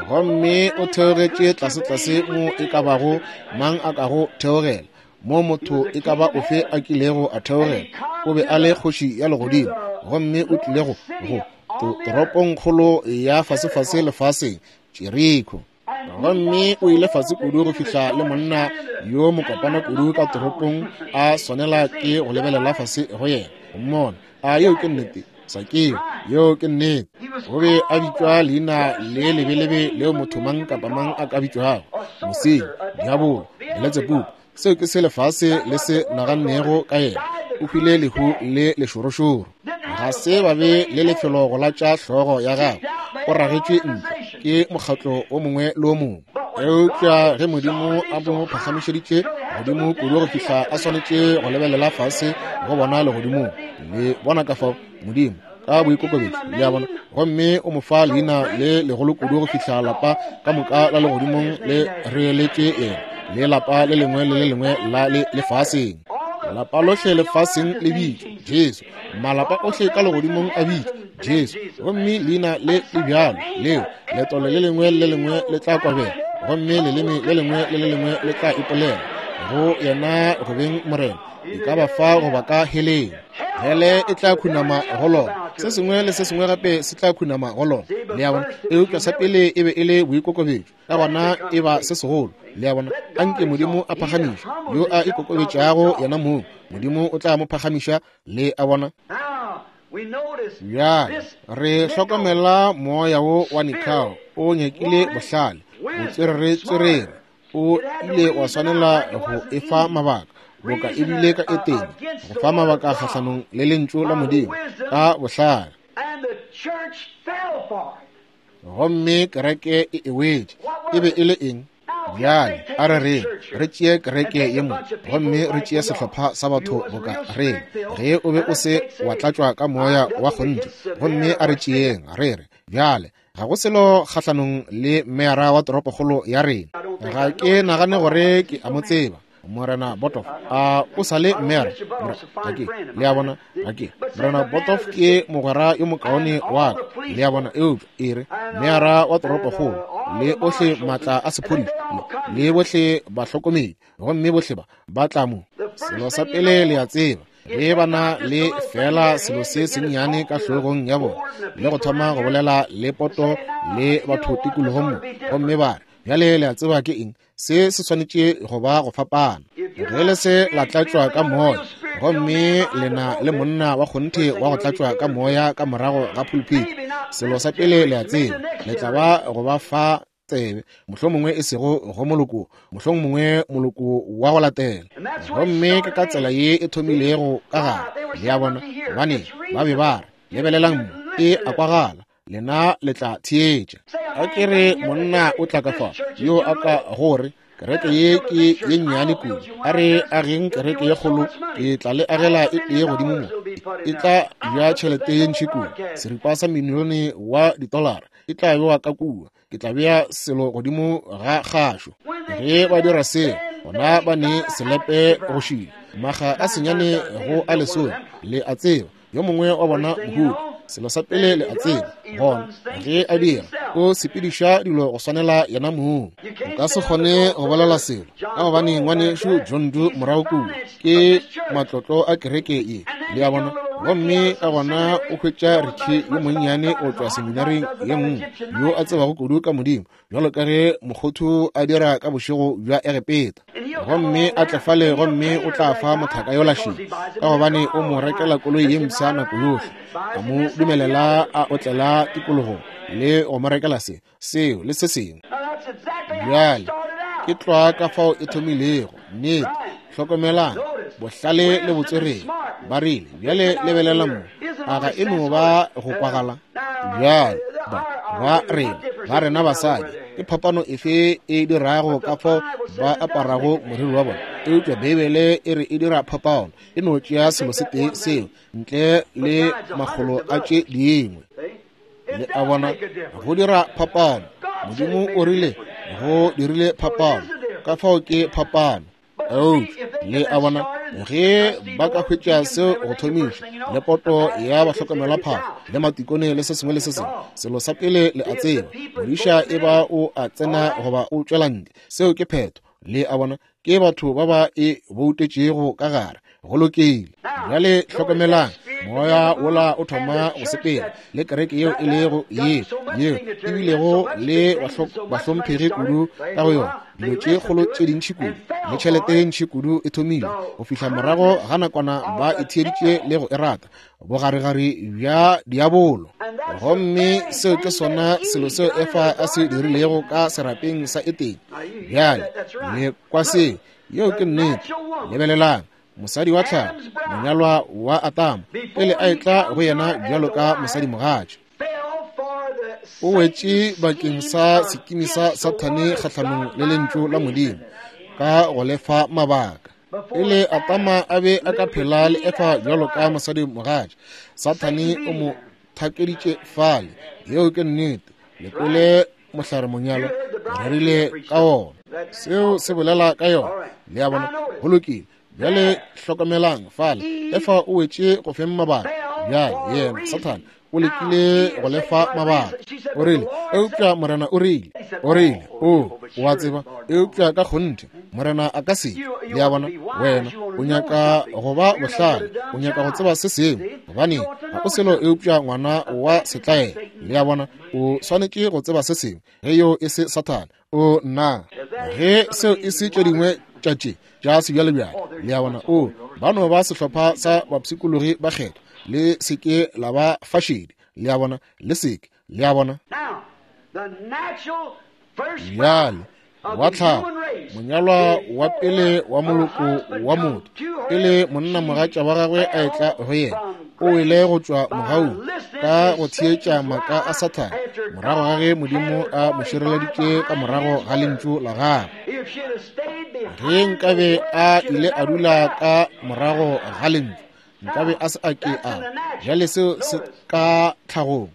Gomme o theogetše tlase-tlase mo e ka bago mang a kago theogela, mo motho e ka ba ofe a kilego a theogela. O be a le kgoši ya legodimo, gomme o tlile go go toropongkgolo ya fasefase lefaseng, Jeriko. Gomme o ile fase kudu go fihla le monna yo mokopana kudu ka toropong a swanela ke go lebelela fase go yena go mmona. A yeo ke nnete? Sakeo, yeo ke nnete. O be a bitšwa leina le lebelebe leo motho mang kapa mang a ka bitšwago, mosenyi, diabolo, Beletsebubu. Seo ke se lefase le se nagannego ka yena. O hwile lehu le lešorošoro. Ga se ba be le lefelo go latša hlogo ya gagwe. O ragetšwe ntle ke mokgatlo o mongwe le o mongwe. Eupša ge Modimo a mo phagamišeditše godimo kudu go fihla a swanetše go lebelela fase go bona legodimong, le bona ka fao Modimo ka boikokobetšo, le a bona, gomme o mo fa leina le legolo kudu go fihla lapa ka moka la legodimong le reeletše yena, le lapa le lengwe le le lengwe la le lefaseng. Lapa lohle lefaseng le bitšwa Jesu, malapa ohle ka legodimong a bitšwa Jesu. Gomme leina le le bjalo leo letolo le lengwe le lengwe le tla kwabela, gomme leleme le lengwe le le lengwe le tla ipolela go yena go beng Morena, e ka ba fa goba ka heleng. Hele e tla khunama go lona, se sengwe le se sengwe gape se tla khunama go lona. Le a bona? Eupša sa pele e be e le boikokobetšo, ka gona e ba se segolo. Le a bona? Anke Modimo a phagamiše yo a ikokobetšago yena mong, Modimo o tla mo phagamiša. Le a bona? Bjale re hlokomela moya wo wa Nikao o nyakile bohlale, botswerere-tswerere. O ile wa swanela go efa mabaka, boka ebile ka Etene, go fa mabaka kgahlanong le lentšu la Modimo ka bohlale. Gomme kereke e e wetše. E be e le eng? Bjale a re reng re tšee kereke ye mo, gomme re tšee sehlopha sa batho boka reng, ge o be o se wa tlatšwa ka moya wa kgonthe. Gomme a re tšeeng re re Bjale, ga go selo kgahlanong le meyara wa toropokgolo ya rena. Ga ke nagane gore ke a mo tseba, Morena Botoff. A o sa le meyara? Ga ke, le a bona, ga ke. Morena Botoff ke mogwera yo mokaone wa ka, le a bona, eupša e re meyara wa toropokgolo le ohle maatla a sephodisa le bohle bahlokomedi, gomme bohle ba ba tla mo. Selo sa pele le a tseba, ge ba na le fela selo se sennyane ka hlogong ya bona, le go thoma go bolela le poto le batho tikologong mo, gomme ba re, bjale le a tseba ke eng, se se swanetše go ba go fapana. Ge le se la tlatšwa ka moya, gomme lena le monna wa kgonthe wa go tlatšwa ka moya ka morago ga pulpit, selo sa pele le a tseba, le tla ba go ba fa tsebe, mohlomongwe e sego go moloko, mohlomongwe moloko wa go latela. Gomme ke ka tsela ye e thomilego ka gare, le a bona, gobane ba be ba re, lebelelang mo, e a kwagala, lena le tla theetša. A ke re monna o tla ka fa, yo a ka gore kereke ye ke ye nnyane kudu, a re ageng kereke ye kgolo, ke tla le agela e tee godimo mo, e tla ja tšhelete ye ntši kudu, seripa sa milione wa ditolara e tla bewa ka kua, ke tla bea selo godimo ga kgašo. Ge ba dira seo, gona ba ne selepe go šila, maga a senyane go a lesome, le a tseba, yo mongwe wa bona mohuta. Selo sa pele le a tseba, gona ge a dira, o sepediša dilo go swanela yena mong. O ka se kgone go bolela selo, ka gobane ngwanešu John Doe morago kua ke matlotlo a kereke ye, le a bona. Gomme ka gona o hwetša Ricky yo monnyane o tšwa seminaring ye nngwe, yo a tsebago kudu ka Modimo, bjalo ka ge mokgothu a dira ka bošego bja Egepeta. Gomme a tle fale, gomme o tla fa mothaka yola šedi, ka gobane o mo rekela koloi ye mpsha nako yohle, a mo dumelela a otlela tikologong le go mo rekela se, seo le se sengwe. Bjale ke tlwa ka fao e thomilego, nnete. Hlokomelang, bohlale le botswerere ba rile, bjale lebelela mo, a ga e no ba go kwagala? Bjale ba ba rena, ba rena basadi, ke phapano efe e dirago ka fao ba aparago moriri wa bona? Eupša Beibele e re e dira phapano, e no tšea selo se tee seo ntle le makgolo a tše dingwe. Le a bona, go dira phapano. Modimo o rile go dirile phapano, ka fao ke phapano. Eupša le a bona, ge ba ka hwetša seo go thomiša, le poto ya bahlokomelaphahlo le matikone le se sengwe le se sengwe, selo sa pele le a tseba, modiša e ba o a tsena goba o tšwela ntle, seo ke phetho. Le a bona, ke batho ba ba e boutetšego ka gare. Go lokile. Bjale hlokomelang, moya wola o thoma go sepela le kereke yeo e lego ye, yeo e bilego le bahlomphegi kudu ka go yona, dilo tše kgolo tše dintši kudu le tšhelete ye ntši kudu e thomile, go fihla morago ga nakwana ba e theeditše le go e rata, bogaregare bja diabolo. Gomme seo ke sona selo seo Efa a se dirilego ka serapeng sa Etene. Bjale le kwa seo, yeo ke nnete. Lebelelang, mosadi wa tlhago, monyalwa wa Atamo, pele a etla go yena bjalo ka mosadimogatša, o wetše bakeng sa sekimi sa Sathane kgahlanong le lentšu la Modimo ka go lefa mabaka. Pele Atama a be a ka phela le Efa bjalo ka mosadimogatša, Sathane o mo thakeditše fale. Yeo ke nnete. Le kwele mohlare monyalwa, re rerile ka wona. Seo se bolela ka yona. Le a bona, go lokile. Bjale hlokomelang fale, Efa o wetše go feng mabaka. Bjale yena Sathane o lekile go lefa mabaka. O rile, eupša Morena o rile, o rile, o, o a tseba, eupša ka kgonthe Morena a ka se. Le a bona, wena o nyaka go ba bohlale, o nyaka go tseba se sengwe, gobane ga o selo eupša ngwana wa setlaela. Le a bona, o swanetše go tseba se sengwe. Ge yo e se Sathane, o nna. Ge seo e se tše dingwe tša tše tša sebjalebjale, le a bona, o ba no ba sehlopha sa bapshikologi ba kgethwa, le seke la ba fašedi. Le a bona, le seke, le a bona. Bjale wa tlhago, monyalwa wa pele wa moloko wa motho, pele monna mogatša wa gagwe a etla go yena, o wele go tšwa mogaung ka go theetša maaka a Sathane, morago ga ge Modimo a mo šireleditše ka morago ga lentšu la gagwe. Ge nkabe a ile a dula ka morago ga lentšu, nkabe a se a ke a. Bjale seo se ka tlhagong.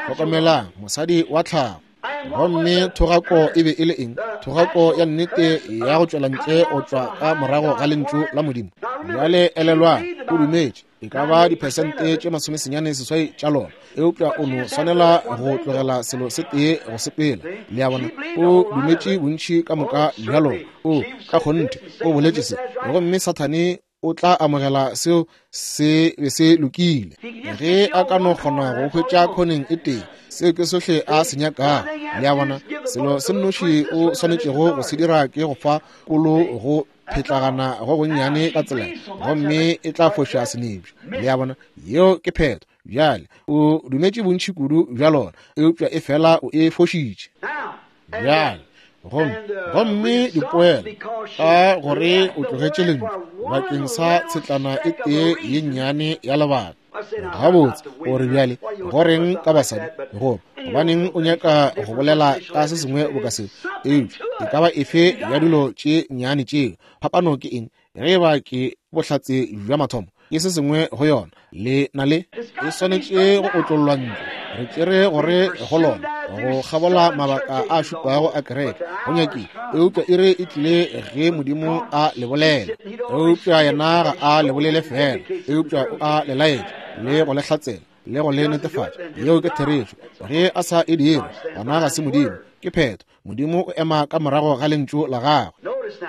Hlokomelang, mosadi wa tlhago. Gomme thogako e be e le eng? Thogako ya nnete ya go tšwela ntle go tšwa ka morago ga lentšu la Modimo. Bjale elelwang, o dumetše e ka ba diphesente tše masomesenyane seswai tša lona, eupša o no swanela go tlogela selo se tee go sepela. Le a bona, o dumetše bontši ka moka bja lona. O ka kgonthe o boletše se, gomme Sathane o tla amogela seo se be se lokile. Ge a ka no kgona go hwetša khoneng e tee, seo ke sohle a se nyakago. Le a bona, selo se nnoši o swanetšego go se dira ke go fa kolo go phetlagana go gonnyane ka tsela, gomme e tla foša senepša. Le a bona, yeo ke phetho. Bjale o dumetše bontši kudu bja lona, eupša e fela o e fošitše. Bjale gomme gomme dipoelo ka gore o tlogetše lentšu bakeng sa tshetlana e tee ye nnyane ya lebaka. Gabotse o re bjale goreng ka basadi, go gobaneng o nyaka go bolela ka se sengwe boka seo? Eupša e ka ba efe ya dilo tše nnyane tšeo? Phapano ke eng? Ge e ba ke bohlatse bja mathomo, ke se sengwe go yona. Le na le e swanetše go otlollwa ntle. Re tšere gore go lona go kgabola mabaka a šupago a kereke go nyakile, eupša e re e tlile ge Modimo a le bolela. Eupša yena ga a le bolele fela, eupša o a le laetša le go le hlatsela le go le netefatša. Yeo ke therešo. Ge a sa e dire, gona ga se Modimo, ke phetho. Modimo o ema ka morago ga lentšu la gagwe.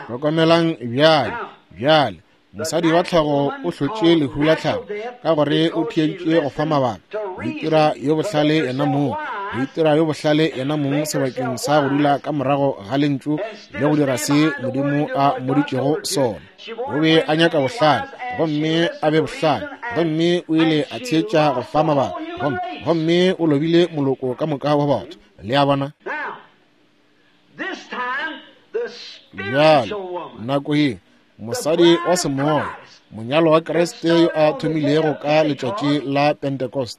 Hlokomelang bjale, bjale mosadi wa tlhago o hlotše lehu la tlhago ka gore o theeditše go fa mabaka, go itira yo bohlale yena mong, go itira yo bohlale yena mong sebakeng sa go dula ka morago ga lentšu le go dira se Modimo a mmoditšego sona. O be a nyaka bohlale, gomme a be bohlale, gomme o ile a theetša go fa mabaka, gomme gomme o lobile moloko ka moka wa batho. Le a bona? Bjale nako ye mosadi wa semoya, monyalo wa Kriste yo a thomilego ka letšatši la Pentecost,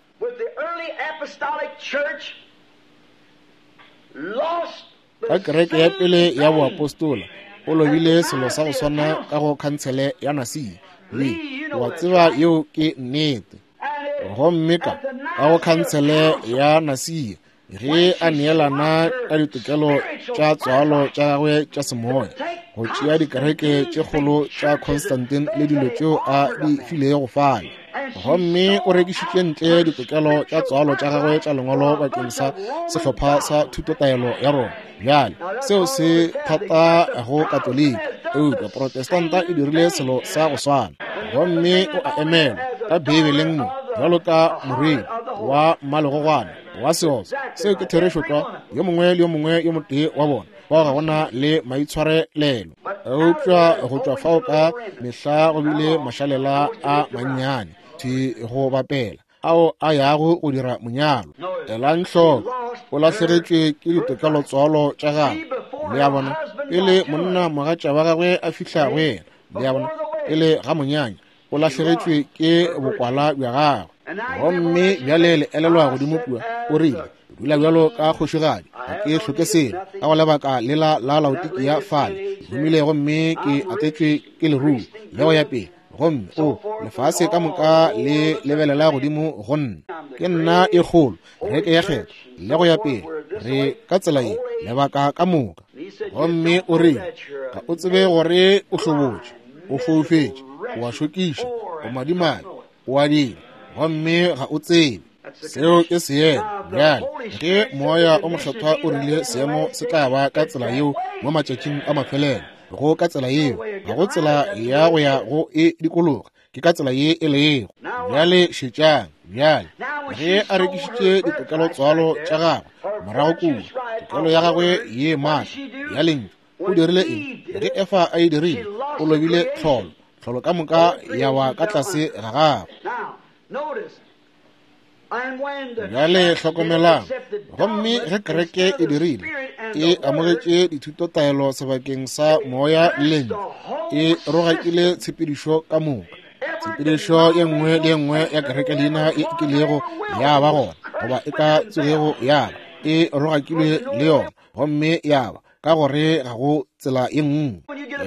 ka kereke ya pele ya boapostola, o lobile selo sa go swana ka go khansele ya Nasia. Le wa tseba yeo ke nnete. Gomme ka ka go khansele ya Nasia, ge a neelana ka ditokelo tša tswalo tša gagwe tša semoya, go tšea dikereke tše kgolo tša Constantine le dilo tšeo a di filego fale, gomme o rekišitše ntle ditokelo tša tswalo tša gagwe tša lengwalo bakeng sa sehlopha sa thutotaelo ya Roma. Bjale seo se thata go Katoliki, eupša Protestanta e dirile selo sa go swana. Gomme o a emelwa ka Beibeleng mo bjalo ka morwedi wa mmalegogwana wa seotswa. Seo ke therešo tlwa. Yo mongwe le yo mongwe yo motee wa bona bao ga gona le maitshwarelelo, eupša go tšwa fao ka mehla go bile mašalela a mannyane thi go bapela ao a yago go dira monyalo. Elang hloko, o lahlegetšwe ke ditokelotswalo tša gagwe. Le a bona, pele monna mogatša wa gagwe a fihla go yena, le a bona, pele ga monyanya, o lahlegetšwe ke bokwala bja gagwe. Gomme bjale le elelwa godimo kua, o rile, dula bjalo ka kgošigadi, ga ke hloke selo. Ka go lebaka lela la Laodikia fale, ke humile gomme ke atetšwe ke leruo le go ya pele. Gomme o lefase ka moka le lebelela godimo go nna, ke nna e kgolo, reke ya kgetho le go ya pele, re ka tsela ye lebaka ka moka. Gomme o rile, ga o tsebe gore o hlobotše, o foufetše, o a šokiša, o madimabe, o a dila, gomme ga o tsebe. Seo ke seemo. Bjale ge Moya o Mokgethwa o rile seemo se tla ba ka tsela yeo mo matšatšing a mafelelo, go ka tsela yeo, ga go tsela ya go ya go e dikologa, ke ka tsela ye e lego. Bjale šetšang. Bjale ge a rekišitše ditokelotswalo tša gagwe morago kua, tokelo ya gagwe ye maatla ya lentšu, o dirile eng? Ge Efa a e dirile, o lobile tlholo, tlholo ka moka ya wa ka tlase ga gagwe. Bjale hlokomelang. Gomme ge kereke e dirile, e amogetše dithutotaelo sebakeng sa moya le lentšu, e rogakile tshepedišo ka moka. Tshepedišo ye nngwe le ye nngwe ya kereke leina e kilego ya ba gona goba e ka tsogego ya ba, e rogakilwe le yona, gomme ya ba ka gore ga go tsela ye nngwe.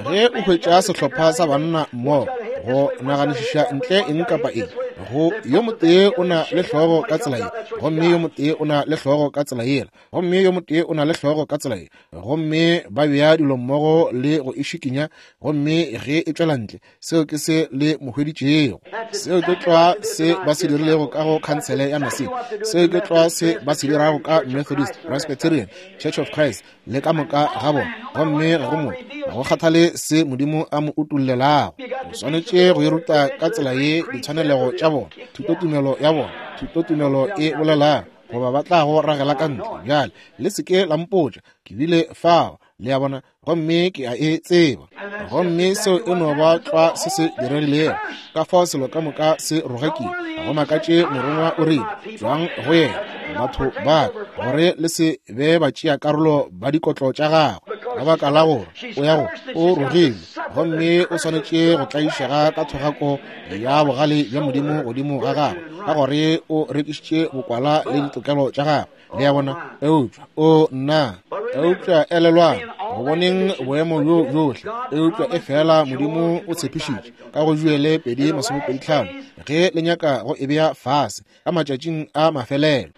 Ge o hwetša sehlopha sa banna mmogo go naganišiša ntle eng kapa eng, Go yo motee o na le hlogo ka tsela ye, gomme yo motee o na le hlogo ka tsela yela, gomme yo motee o na le hlogo ka tsela ye, gomme ba bea dilo mmogo le go e šikinya, gomme ge e tšwela ntle, seo ke se le mo hweditšego. Seo ke tlwa se ba se dirilego ka go khansele ya Nicene. Seo ke tlwa se ba se dirago ka Methodist, Presbyterian, Church of Christ, le ka moka ga bona. Gomme ga go motho, ga go kgathale se Modimo a mo utollelago. O swanetše go e ruta ka tsela ye ditshwanelego tša bona, thutotumelo ya bona, thutotumelo e bolelago, goba ba tla go ragela ka ntle. Bjale le se ke la mpotša, ke bile fao, le a bona, gomme ke a e tseba. Gomme seo e no ba tlwa se se diregilego. Ka fao selo ka moka se rogakile. Ga go makatše morongwa o rile, tšwang go yena, batho ba ka, gore le se be ba tšea karolo ba dikotlo tša gagwe, ka baka la gore o ya go o rogile, gomme o swanetše go tlaišega ka thogako ya bogale bja Modimo godimo ga gagwe, ka gore o rekišitše bokwala le ditokelo tša gagwe. Le a bona? Eupša o nna, eupša elelwang, go boneng boemo bjo bjohle, eupša e fela Modimo o tshepišitše ka go Joele pedi masomepedi tlhano, ge le nyaka go e bea fase ka matšatšing a mafelelo,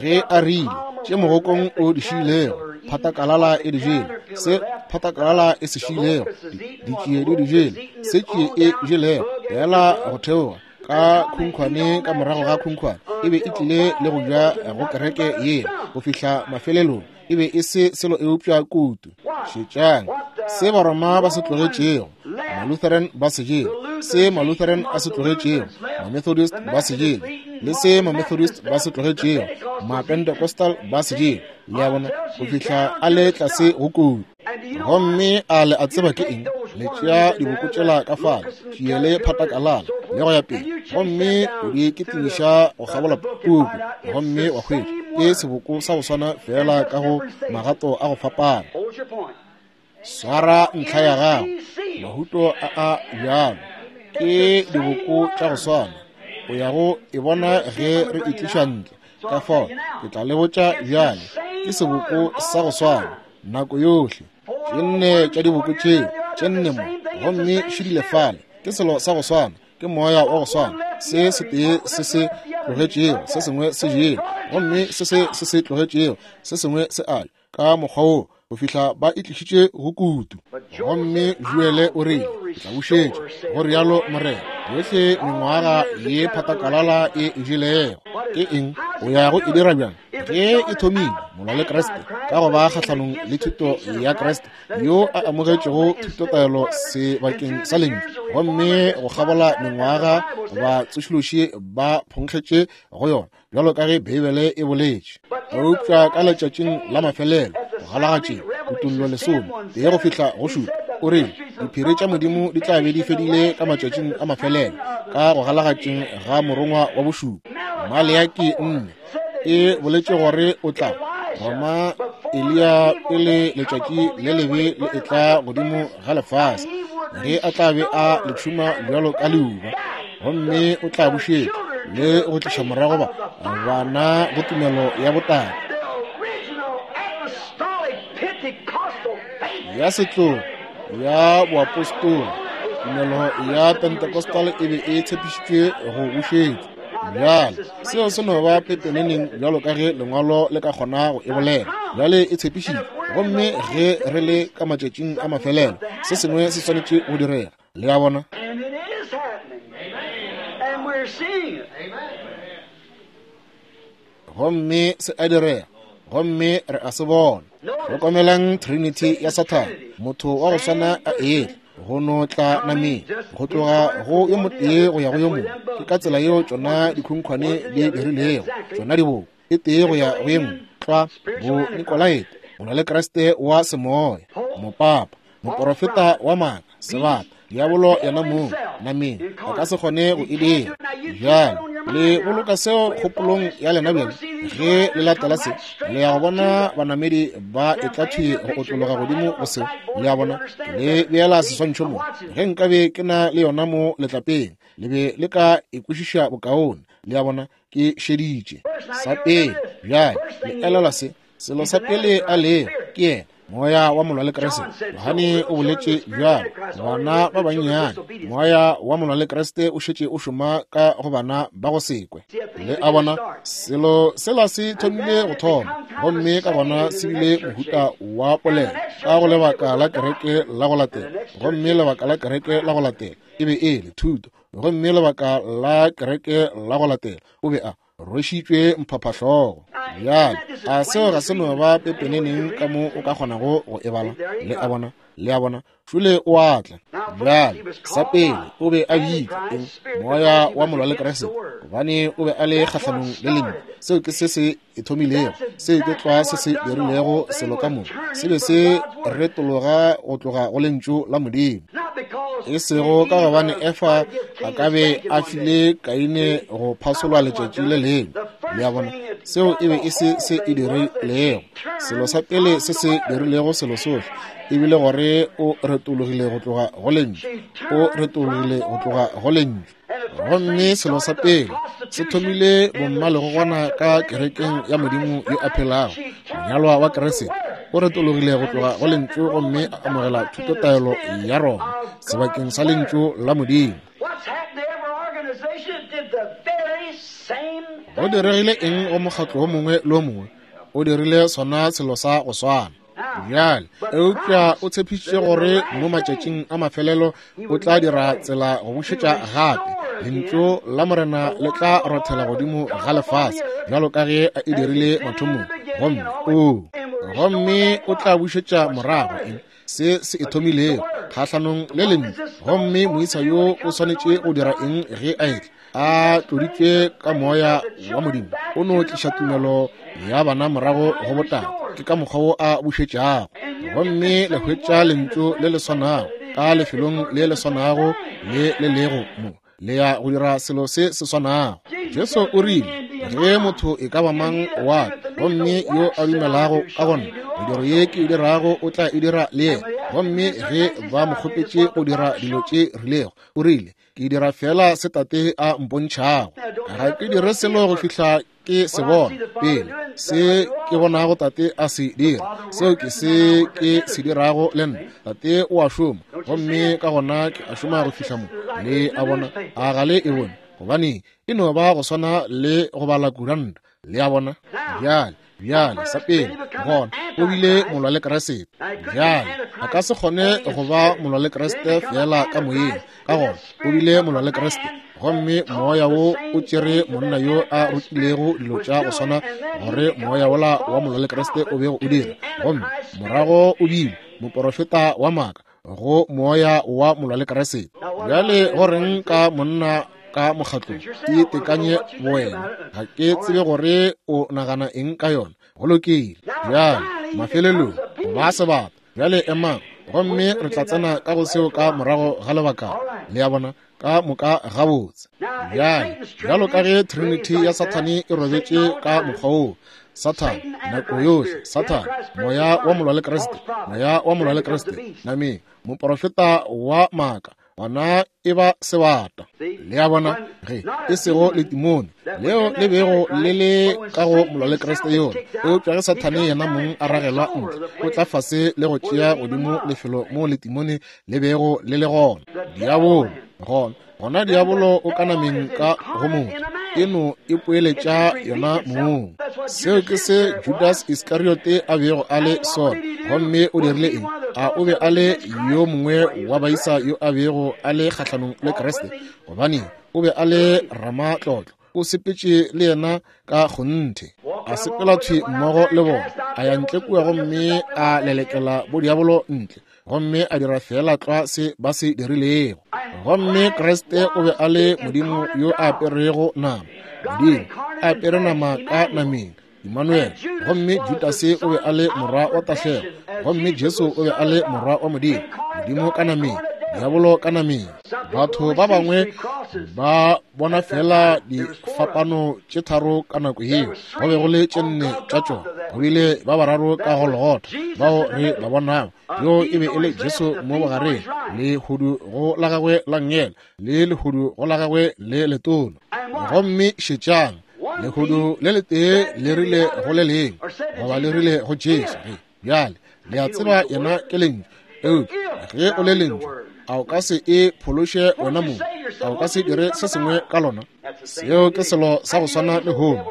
ge a rile, tše mogokong o di šiilego, phatakalala e di jele, se phatakalala e se šiilego, ditšie di di jele, se tšie e jelego, fela go theoga ka khunkhwane ka morago ga khunkhwane, e be e tlile le go ja go kereke yela go fihla mafelelong. E be e se selo eupša kutu. Šetšang se Baroma ba se tlogetšego, Malutheran ba se jele, se Malutheran a se tlogetšego, Mamethodist ba se jele, le se Mamethodist ba se tlogetšego, Mapentecostal ba se jele. Le a bona, go fihla a le tlase go kutu. Gomme a le a tseba ke eng? Le tšea diboko tšela ka fale, tšie le phatakalala, le go ya pele, gomme o di kitimiša go kgabola puku, gomme wa hwetša ke seboko sa go swana fela ka go magato a go fapana. Swara ntlha ya gago, mahuto a a bjalo ke diboko tša go swana. O ya go e bona ge re e tliša ntle. Ka fao ke tla le botša bjale, ke seboko sa go swana nako yohle. Tše nne tša diboko tšeo, tše nne mo, gomme šidile fale, ke selo sa go swana, ke moya wa go swana. Se setee se se tlogetšego, se sengwe se jele, gomme se se se se tlogetšego, se sengwe se a ja, ka mokgwa wo go fihla ba e tlišitše go kutu. Gomme Joele o rile, ke tla bušetša, go rialo Morena, yohle mengwaga ye phatakalala e e jelego. Ke eng? O ya go e dira bjang? Ge e thomile molwa le Kriste, ka go ba kgahlanong le thuto ya Kriste, yo a amogetšego thutotaelo sebakeng sa lentšu, gomme go kgabola mengwaga ba tsošološi ba phonkgetše go yona, bjalo ka ge Beibele e boletše. Eupša ka letšatšing la mafelelo, go galagatšeng, kutollo lesome, tee go fihla go šupa, o rile, diphiri tša Modimo di tla be di fedile ka matšatšing a mafelelo, ka go galagatšeng ga morongwa wa bošupa. Maleaki nne e boletše gore o tla roma Eliya pele letšatši le lebe le etla godimo ga lefase, ge a tla be a le tšhuma bjalo ka leuba, gomme o tla bušetša le go tliša morago ba bana go tumelo ya botala ya setlogo ya boapostola. Tumelo ya Pentecostal e be e tshepišitšwe go bušetšwa. Bjale seo se no ba pepeneneng bjalo ka ge lengwalo le ka kgona go e bolela. Bjale e tshepišitšwe, gomme ge re le ka matšatšing a mafelelo, se sengwe se swanetše go direga. Le a bona? Gomme se a direga, gomme re a se bona. Hlokomelang Trinity ya Sathane, motho wa go swana a etla go no tla nameng, go tloga go yo motee go ya go yo mongwe. Ke ka tsela yeo tšona dikhunkhwane di dirilego, tšona diboko, e tee go ya go ye nngwe, tlwa bo Nikolaete, molwa le Kriste wa semoya, mopapa, moporofeta wa maaka, sebata, diabolo yena mong nameng, a ka se kgone go e dira. Bjale le boloka seo kgopolong ya lena bjale ge le latela se, le ya go bona banamedi ba etla thwi go otlologa godimo go seo. Le a bona, le beela seswantšho mo. Ge nkabe ke na le yona mo letlapeng, le be le ka e kwešiša bokaone. Le a bona, ke šeditše sa pele. Bjale le elelwa se, selo sa pele a lego ke yena Moya wa molwa le Kriste. Johane o boletše bjalo, bana ba bannyane, moya wa molwa le Kriste o šetše o šoma ka go bana ba go sekwe. Le a bona, selo sela se thomile go thoma, gomme ka gona se bile mohuta wa polelo ka go lebaka la kereke la go latela, gomme lebaka la kereke la go latela e be e le thuto, gomme lebaka la kereke la go latela o be a rwešitšwe mphaphahlogo. Bjale a seo ga se no ba pepeneneng ka mo o ka kgonago go e bala? Le a bona, le a bona, šole o a tla. Bjale sa pele o be a bitšwa eng? Moya wa molwa le Kriste, gobane o be a le kgahlanong le lentšu. Seo ke se se e thomilego, seo ke tlwa se se dirilego selo ka moka, se be se retologa go tloga go lentšu la Modimo. E sego ka gobane Efa a ka be a file Kaine go phasolwa letšatši le lengwe. Le a bona, seo e be e se se e dirilego. Selo sa pele se se dirilego selo sohle e bile gore o retologile go tloga go lentšu, o retologile go tloga go lentšu. Gomme selo sa pele se thomile bommalegogwana ka kerekeng ya Modimo yo a phelago, monyalwa wa Kriste, o retologile go tloga go lentšu gomme a amogela thutotaelo ya Roma sebakeng sa lentšu la Modimo. Go diregile eng go mokgatlo wo mongwe le wo mongwe? O dirile sona selo sa go swana. Bjale, eupša o tshepišitše gore mo matšatšing a mafelelo o tla dira tsela go bušetša gape lentšu la Morena le tla rothela godimo ga lefase bjalo ka ge a e dirile mathomong. Gomme o gomme o tla bušetša morago eng? Se se e thomilego kgahlanong le lentšu. Gomme moisa yo o swanetše go dira eng ge a etla a tloditšwe ka moya wa Modimo? O no tliša tumelo ya bana morago go botate. Ke ka mokgwa wo a bušetšago. Gomme le hwetša lentšu le le swanago ka lefelong le le swanago le le lego mo, le ya go dira selo se se swanago. Jesu o rile, ge motho e ka ba mang wa ka, gomme yo a dumelago ka gona, mediro ye ke e dirago o tla e dira le yena. Gomme ge ba mo kgopetše go dira dilo tše rilego, o rile, ke dira fela se Tate a mpontšhago. Ga ke dire selo go fihla ke se bona pele, se ke bonago Tate a se dira, seo ke se ke se dirago le nna. Tate o a šoma, gomme ka gona ke a šoma go fihla mo. Le a bona, a ga le e bone? Gobane e no ba go swana le go bala kuranta. Le a bona? Bjale, bjale sa pele gona o bile molwa le Kriste. Bjale a ka se kgone go ba molwa le Kriste fela ka moyeng, ka gona o bile molwa le Kriste. Gomme moya wo o tšere monna yo a rutilego dilo tša go swana gore moya wola wa molwa le Kriste o bego o dira, gomme morago o bile moporofeta wa maaka go moya wa molwa le Kriste. Bjale go reng ka monna ka mokgatlong? E tekanye bowena. Ga ke tsebe gore o nagana eng ka yona. Go lokile. Bjale mafelelong go ba sebata. Bjale emang, gomme re tla tsena ka go seo ka morago ga lebaka. Le a bona, ka moka gabotse. Bjale, bjalo ka ge Trinity ya Sathane e robetše ka mokgwa woo, Sathane nako yohle, Sathane moya wa molwa le Kriste, moya wa molwa le Kriste nameng, moporofeta wa maaka, gona e ba sebata. Le a bona, ge e sego letimone leo le bego le le ka go molwa le Kriste yona, eupša ge Sathane yena mong a ragelwa ntle, o tla fase le go tšea godimo lefelo mo letimone le bego le le gona. Diabolo gona, gona diabolo o ka nameng ka go motho, e no e poeletša yona mong. Seo ke se Judas Iskariote a bego a le sona. Gomme o dirile eng? A o be a le yo mongwe wa baisa yo a bego a le kgahlanong le Kriste? Gobane o be a le ramatlotlo, o sepetše le yena ka kgonthe, a sepela thwi mmogo le bona, a ya ntle kua gomme a lelekela bodiabolo ntle, gomme a dira fela tlwa se ba se dirilego. Gomme Kriste o be a le Modimo yo a aperego nama, Modimo a apere nama ka nameng, Emmanuel. Gomme Judase o be a le morwa wa tahlego, gomme Jesu o be a le morwa wa Modimo, Modimo ka nameng, diabolo ka nameng. Batho ba bangwe ba bona fela difapano tše tharo ka nako yeo, go be go le tše nne tša tšona. Go bile ba bararo ka Golgotha bao re ba bonago, yo e be e le Jesu mo bogareng, lehodu go la gagwe la nngele le lehodu go la gagwe le letona. Gomme šetšang, lehodu le letee le rile go le lengwe, goba le rile go Jesu, ge bjale Le a tseba yena ke lentšu. Eupša ge o le lentšu, a o ka se e phološe wena mong? A o ka se dire se sengwe ka lona? Seo ke selo sa go swana le lehono.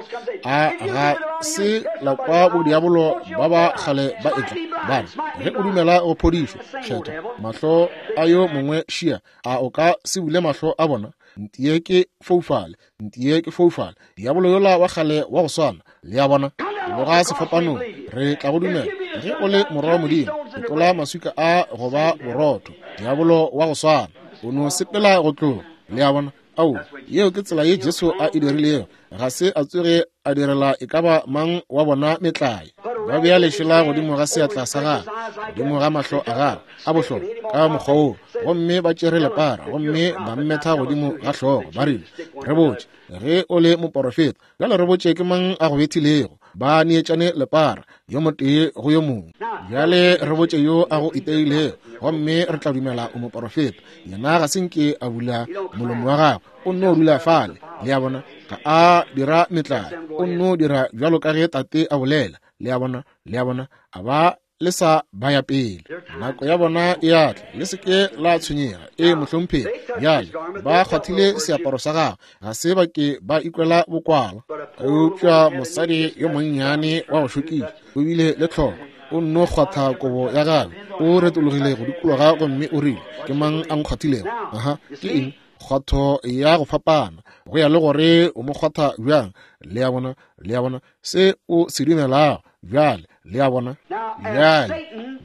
A ga se la kwa bodiabolo ba ba kgale ba etla ba re, ge o dumela go phodišo kgetho mahlo a yo mongwe šia, a o ka se bule mahlo a bona? Ntie ke foufale, ntie ke foufale, diabolo yola wa kgale wa go swana. Le a bona? Loga sefapanong, re tla go dumela. Ge o le morwa wa Modimo, tlola maswika a go ba borotho. Diabolo wa go swana o no sepela go tloga. Le a bona? Ao, yeo ke tsela ye Jesu a e dirilego. Ga se a tsoge a direla e ka ba mang wa bona metlae. Ba bea lešela godimo ga seatla sa gagwe, godimo ga mahlo a gagwe a bohlokwa ka mokgwa woo, gomme ba tšere lepara gomme ba mmetha godimo ga hlogo. Ba rile, re botše ge o le moporofeta, bjale re botše ke mang a go bethilego. Ba neetšane lepara yo motee go yo mongwe. Bjale re botše yo a go iteilego, gomme re tla dumela o moporofeta. Yena ga se nke a bula molomo wa gagwe, o nno dula fale. Le a bona? Ga a dira metlae, o nno dira bjalo ka ge Tate a bolela. Le a bona? Le a bona? A ba le sa ba ya pele, nako ya bona e a tla. Le se ke la tshwenyega. E mohlomphegi, bjale ba kgwathile seaparo sa gagwe, ga se ba ke ba ikwela bokwala. Eupša mosadi yo monnyane wa go šokiša o bile le tlhoko, o nno kgwatha kobo ya gagwe, o retologile go dikologa gomme o rile, ke mang a nkgwathilego? Aha, ke eng? Kgwatho ya go fapana go ya le gore o mo kgwatha bjang. Le a bona? Le a bona se o se dumelago bjale? Le a bona? Bjale,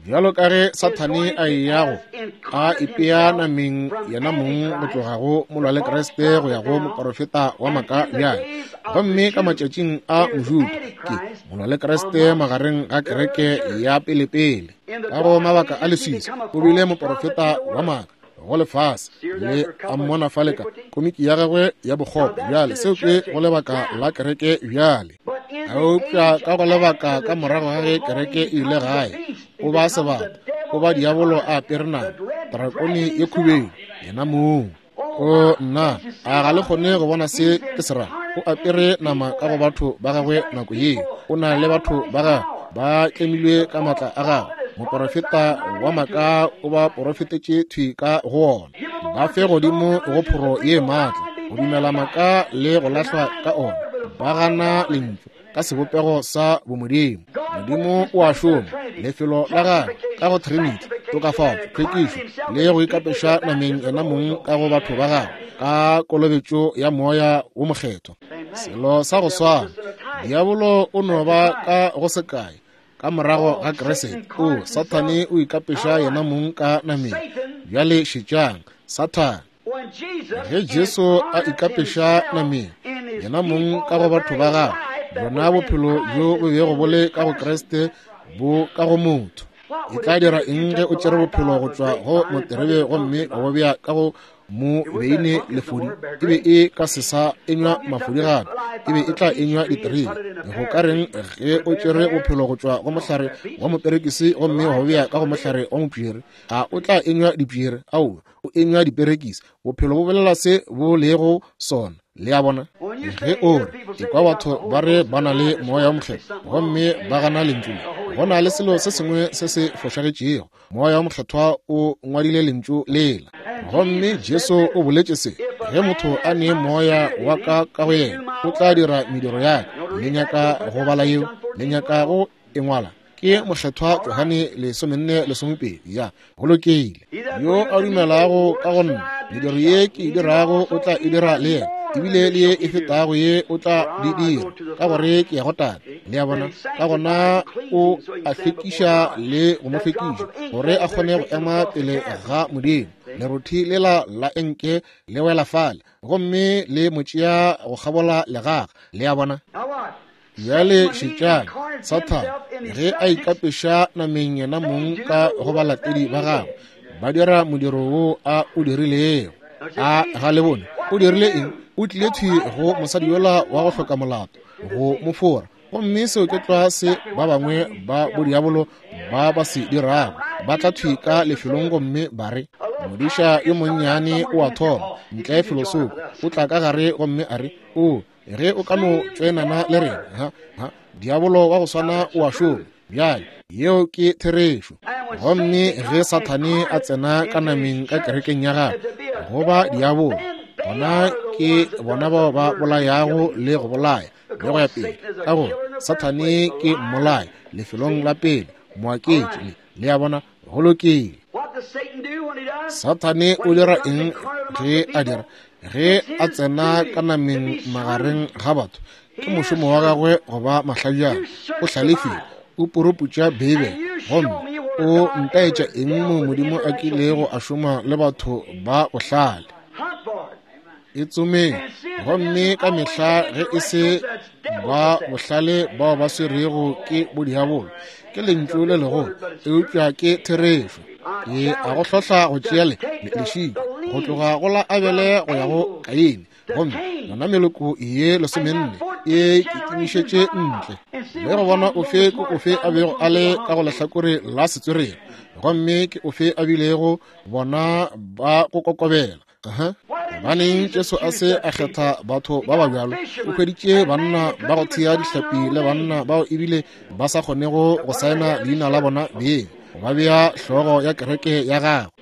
bjalo ka ge Sathane a eya go a ipea nameng yena mong go tloga go molwa le Kriste go ya go moporofeta wa maaka bjale, gomme ka matšatšing a Mojuda ke molwa le Kriste magareng ga kereke ya pelepele. Ka go mabaka a leswiswi o bile moporofeta wa maaka go lefase. Le a mmona fale ka komiki ya gagwe ya bokgopo. Bjale seo ke go lebaka la kereke bjale. Eupša ka go lebaka ka morago ga ge kereke e ile gae, o ba sebata, o ba diabolo a apere nama, drakone ye khubedu yena mong. O nna, a ga le kgone go bona se ke se ra? O apere nama ka go batho ba gagwe nako yeo. O na le batho ba gagwe ba tlemilwe ka maatla a gagwe. Moporofeta wa maaka o ba porofetetše thwi ka go ona. Ba fe godimo go phoro ye maatla, go dumela maaka le go lahlwa ka ona. Ba gana lentšu ka sebopego sa bomodimo. Modimo o a šoma lefelo la gagwe ka go Trinity, tokafatšo, tlhwekišo le go ikapeša nameng yena mong ka go batho ba gagwe ka kolobetšo ya moya wo mokgethwa. Selo sa go swana, diabolo o no ba ka go sekae ka morago ga Kriste. O Sathane o ikapeša yena mong ka nameng. Bjale šetšang Sathane. Ge Jesu a ikapeša nameng yena mong ka go batho ba gagwe, bona bophelo bjo bo bego bo le ka go Kriste bo ka go motho. E tla dira eng ge o tšere bophelo go tšwa go moterebe gomme wa bo bea ka go mo beine lefodi? E be e ka se sa enywa mafodi gape, e be e tla enywa diterebe. Go ka reng ge o tšere bophelo go tšwa go mohlare wa moperekisi gomme wa bo bea ka go mohlare wa mopšere? A o tla enywa dipšere? Aowa, o enywa diperekisi. Bophelo bo bolela se bo lego sona. Le a bona? Ge o re ekwa batho ba re ba na le moya wa mokgethwa gomme ba gana lentšu le, go na le selo se sengwe se se fošagetšego. Moya wa mokgethwa o ngwadile lentšu lela. Gomme Jesu o boletše se, ge motho a ne moya wa ka ka go yena, o tla dira mediro ya ka. Le nyaka go bala yeo? Le nyaka go e ngwala? Ke mokgethwa Johane lesomenne lesomepedi. Ya, go lokile. Yo a dumelago ka go nna, mediro ye ke e dirago o tla e dira le yena, ebile le ye e fetago ye o tla di dira, ka gore ke ya go Tate. Le a bona? Ka gona o a hlwekiša le go mo hlwekiša gore a kgone go ema pele ga Modimo. Lerothi lela la enke le wela fale gomme le mo tšea go kgabola legaga. Le a bona? Bjale šetšang Sathane ge a ikapeša nameng yena mong ka go balatedi ba gagwe, ba dira modiro wo a o dirilego. A ga le bone o dirile eng? O tlile thwi go mosadi yola wa go hloka molato go mo fora. Gomme seo ke tlwa se ba bangwe ba bodiabolo ba ba se dirago. Ba tla thwi ka lefelong gomme ba re, modiša yo monnyane o a thoma ntle felosoko, o tla ka gare gomme a re, o ge o ka no tšoenana le rena, ha ha diabolo wa go swana o a šoma. Bjale, yeo ke therešo. Gomme ge Sathane a tsena ka nameng ka kerekeng ya gagwe, go ba diabolo, gona ke bona bao ba bolayago le go bolaya le go ya pele, ka gore Sathane ke mmolai lefelong la pele, moaketši. Le, le a bona, go lokile. Sathane o dira eng ge a dira? Ge a tsena ka nameng magareng ga batho, ke mošomo wa gagwe go ba mahlajana. O hlalefile, o puruputša Beibele, gomme o ntaetša eng mo Modimo a kilego a šoma le batho ba bohlale. E tsomeng, gomme ka mehla ge e se ba bohlale bao ba swerego ke bodiabolo, ke lentšu le legolo, eupša ke therešo. Ke a go hlohla go tšea le lešika go tloga go la Abele go ya go Kaine, gomme yona meloko ye lesomenne e kitimišetše ntle, le go bona ofe ke ofe a bego a le ka go lehlakore la setswerere, gomme ke ofe a bilego bona ba go kokobela. Aha. Gobaneng Jesu a se a kgetha batho ba ba bjalo? O hweditše banna ba go thea dihlapi le banna bao ebile ba sa kgonego go saena leina la bona beng, ba bea hlogo ya kereke ya gagwe.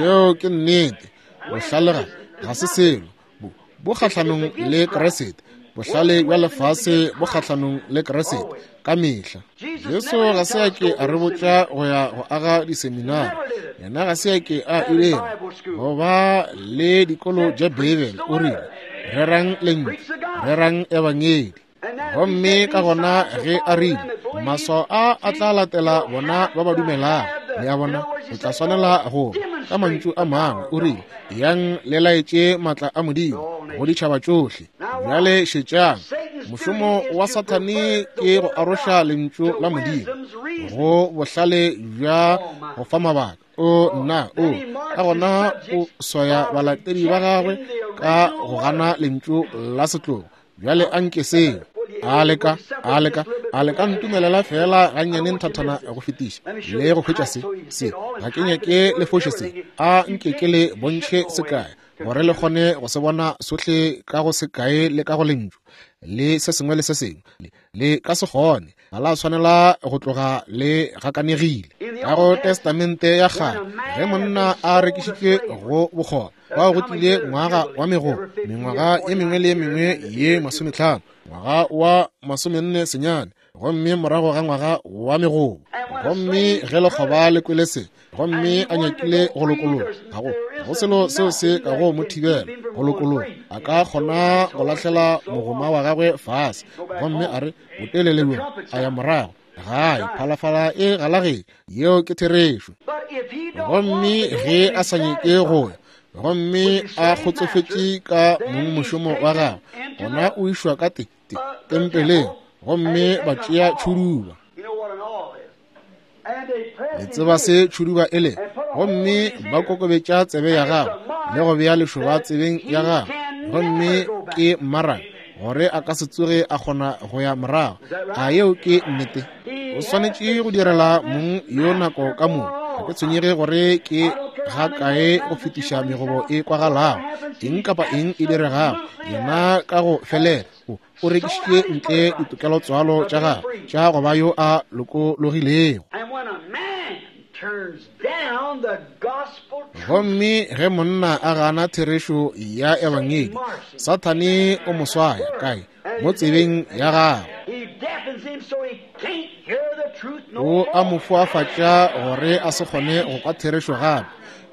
Yeo ke nnete. Bohlale ga ga se selo, bo bo kgahlanong le Kriste. Bohlale bja lefase bo kgahlanong le Kriste ka mehla. Jesu ga se a ke a re botša go ya go aga diseminari. Yena ga se a ke a ilela go ba le dikolo tša Beibele. O rile, rerang lentšu, rerang ebangedi. Gomme ka gona ge a rile, maswao a a tla latela bona ba ba dumelago. Le a bona, o tla swanela go ka mantšu a mangwe. O rile, yang le laetše maatla a Modimo go ditšhaba tšohle. Bjale šetšang, mošomo wa Sathane ke go aroša lentšu la Modimo go bohlale bja go fa mabaka. O nna o ka gona o swaya balatedi ba gagwe ka go gana lentšu la setlogo. Bjale a nke seo a leka a leka a leka ntumelela fela gannyane nthathana go fetiša le go hwetša se se ga ke nyake le foše se. A nke ke le bontšhe sekae gore le kgone go se bona sohle ka go sekae le ka go lentšu le se sengwe le se sengwe. Le ka se kgone, ga la swanela go tloga le gakanegile. Ka go Testamente ya kgale, ge monna a rekišitšwe go bokgoba, bao go tlile ngwaga wa megobo, mengwaga ye mengwe le ye mengwe ye masometlhano, ngwaga wa masomenne senyane, gomme morago ga ngwaga wa megobo. Gomme ge lekgoba le kwele se, gomme a nyakile go lokologa, ga go go selo seo se ka go mo thibela go lokologa. A ka kgona go lahlela mogoma wa gagwe fase, gomme a re botelele bjo, a ya morago gae, phalafala e galageng. Yeo ke therešo. Gomme ge a sa nyake go ya, gomme a kgotsofetše ka mongmošomo wa gagwe, gona o išwa ka te te tempeleng, gomme ba tšea tšhuduba. Le tseba se tšhuduba e le, gomme ba kokobetša tsebe ya gagwe le go bea lešoba tsebeng ya gagwe, gomme ke mmaraka gore a ka se tsoge a kgona go ya morago. A yeo ke nnete? O swanetše go direla mong yo nako ka moka. Ga ke tshwenyege gore ke ga kae go fetiša megobo e kwagalago, eng kapa eng e diregago, yena ka go felela o o rekišitše ntle ditokelotswalo tša gagwe tša go ba yo a lokologilego. Gomme ge monna a gana therešo ya ebangedi, Sathane o mo swaya kae? Mo tsebeng ya gagwe. O a mo foafatša gore a se kgone go kwa therešo gape,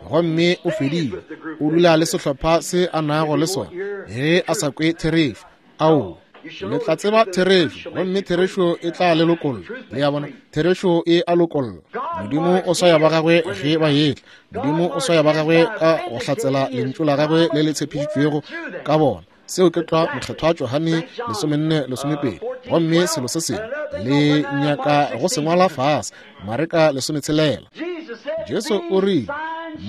gomme o fedile. O dula le sehlopha se a nago le sona ge a sa kwe therešo. Ao, le tla tseba therešo, gomme therešo e tla le lokolla. Le a bona, therešo e a lokolla. Modimo o swaya ba gagwe ge ba etla. Modimo o swaya ba gagwe ka go hlatsela lentšu la gagwe le le tshepišitšwego ka bona. Seo ke tlwa mokgethwa Johane lesomenne lesomepedi. Gomme selo se sengwe le nyaka go se ngwala fase, Mareka lesometshelela. Jesu o rile,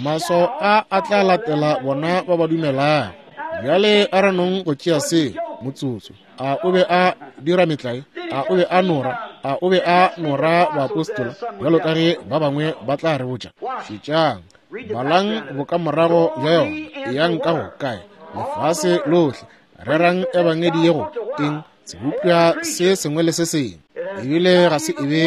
maswao a a tla latela bona ba ba dumelago. Bjale a re nong go tšea seo motsotso. A o be a dira metlae? A o be a nora? A o be a nora baapostola bjalo ka ge ba bangwe ba tla re botša? Šetšang, balang bokamorago bja yona. Eyang ka go kae? Lefase lohle. Rerang ebangedi ye go eng? Sebopša se sengwe le se sengwe. Ebile ga se e be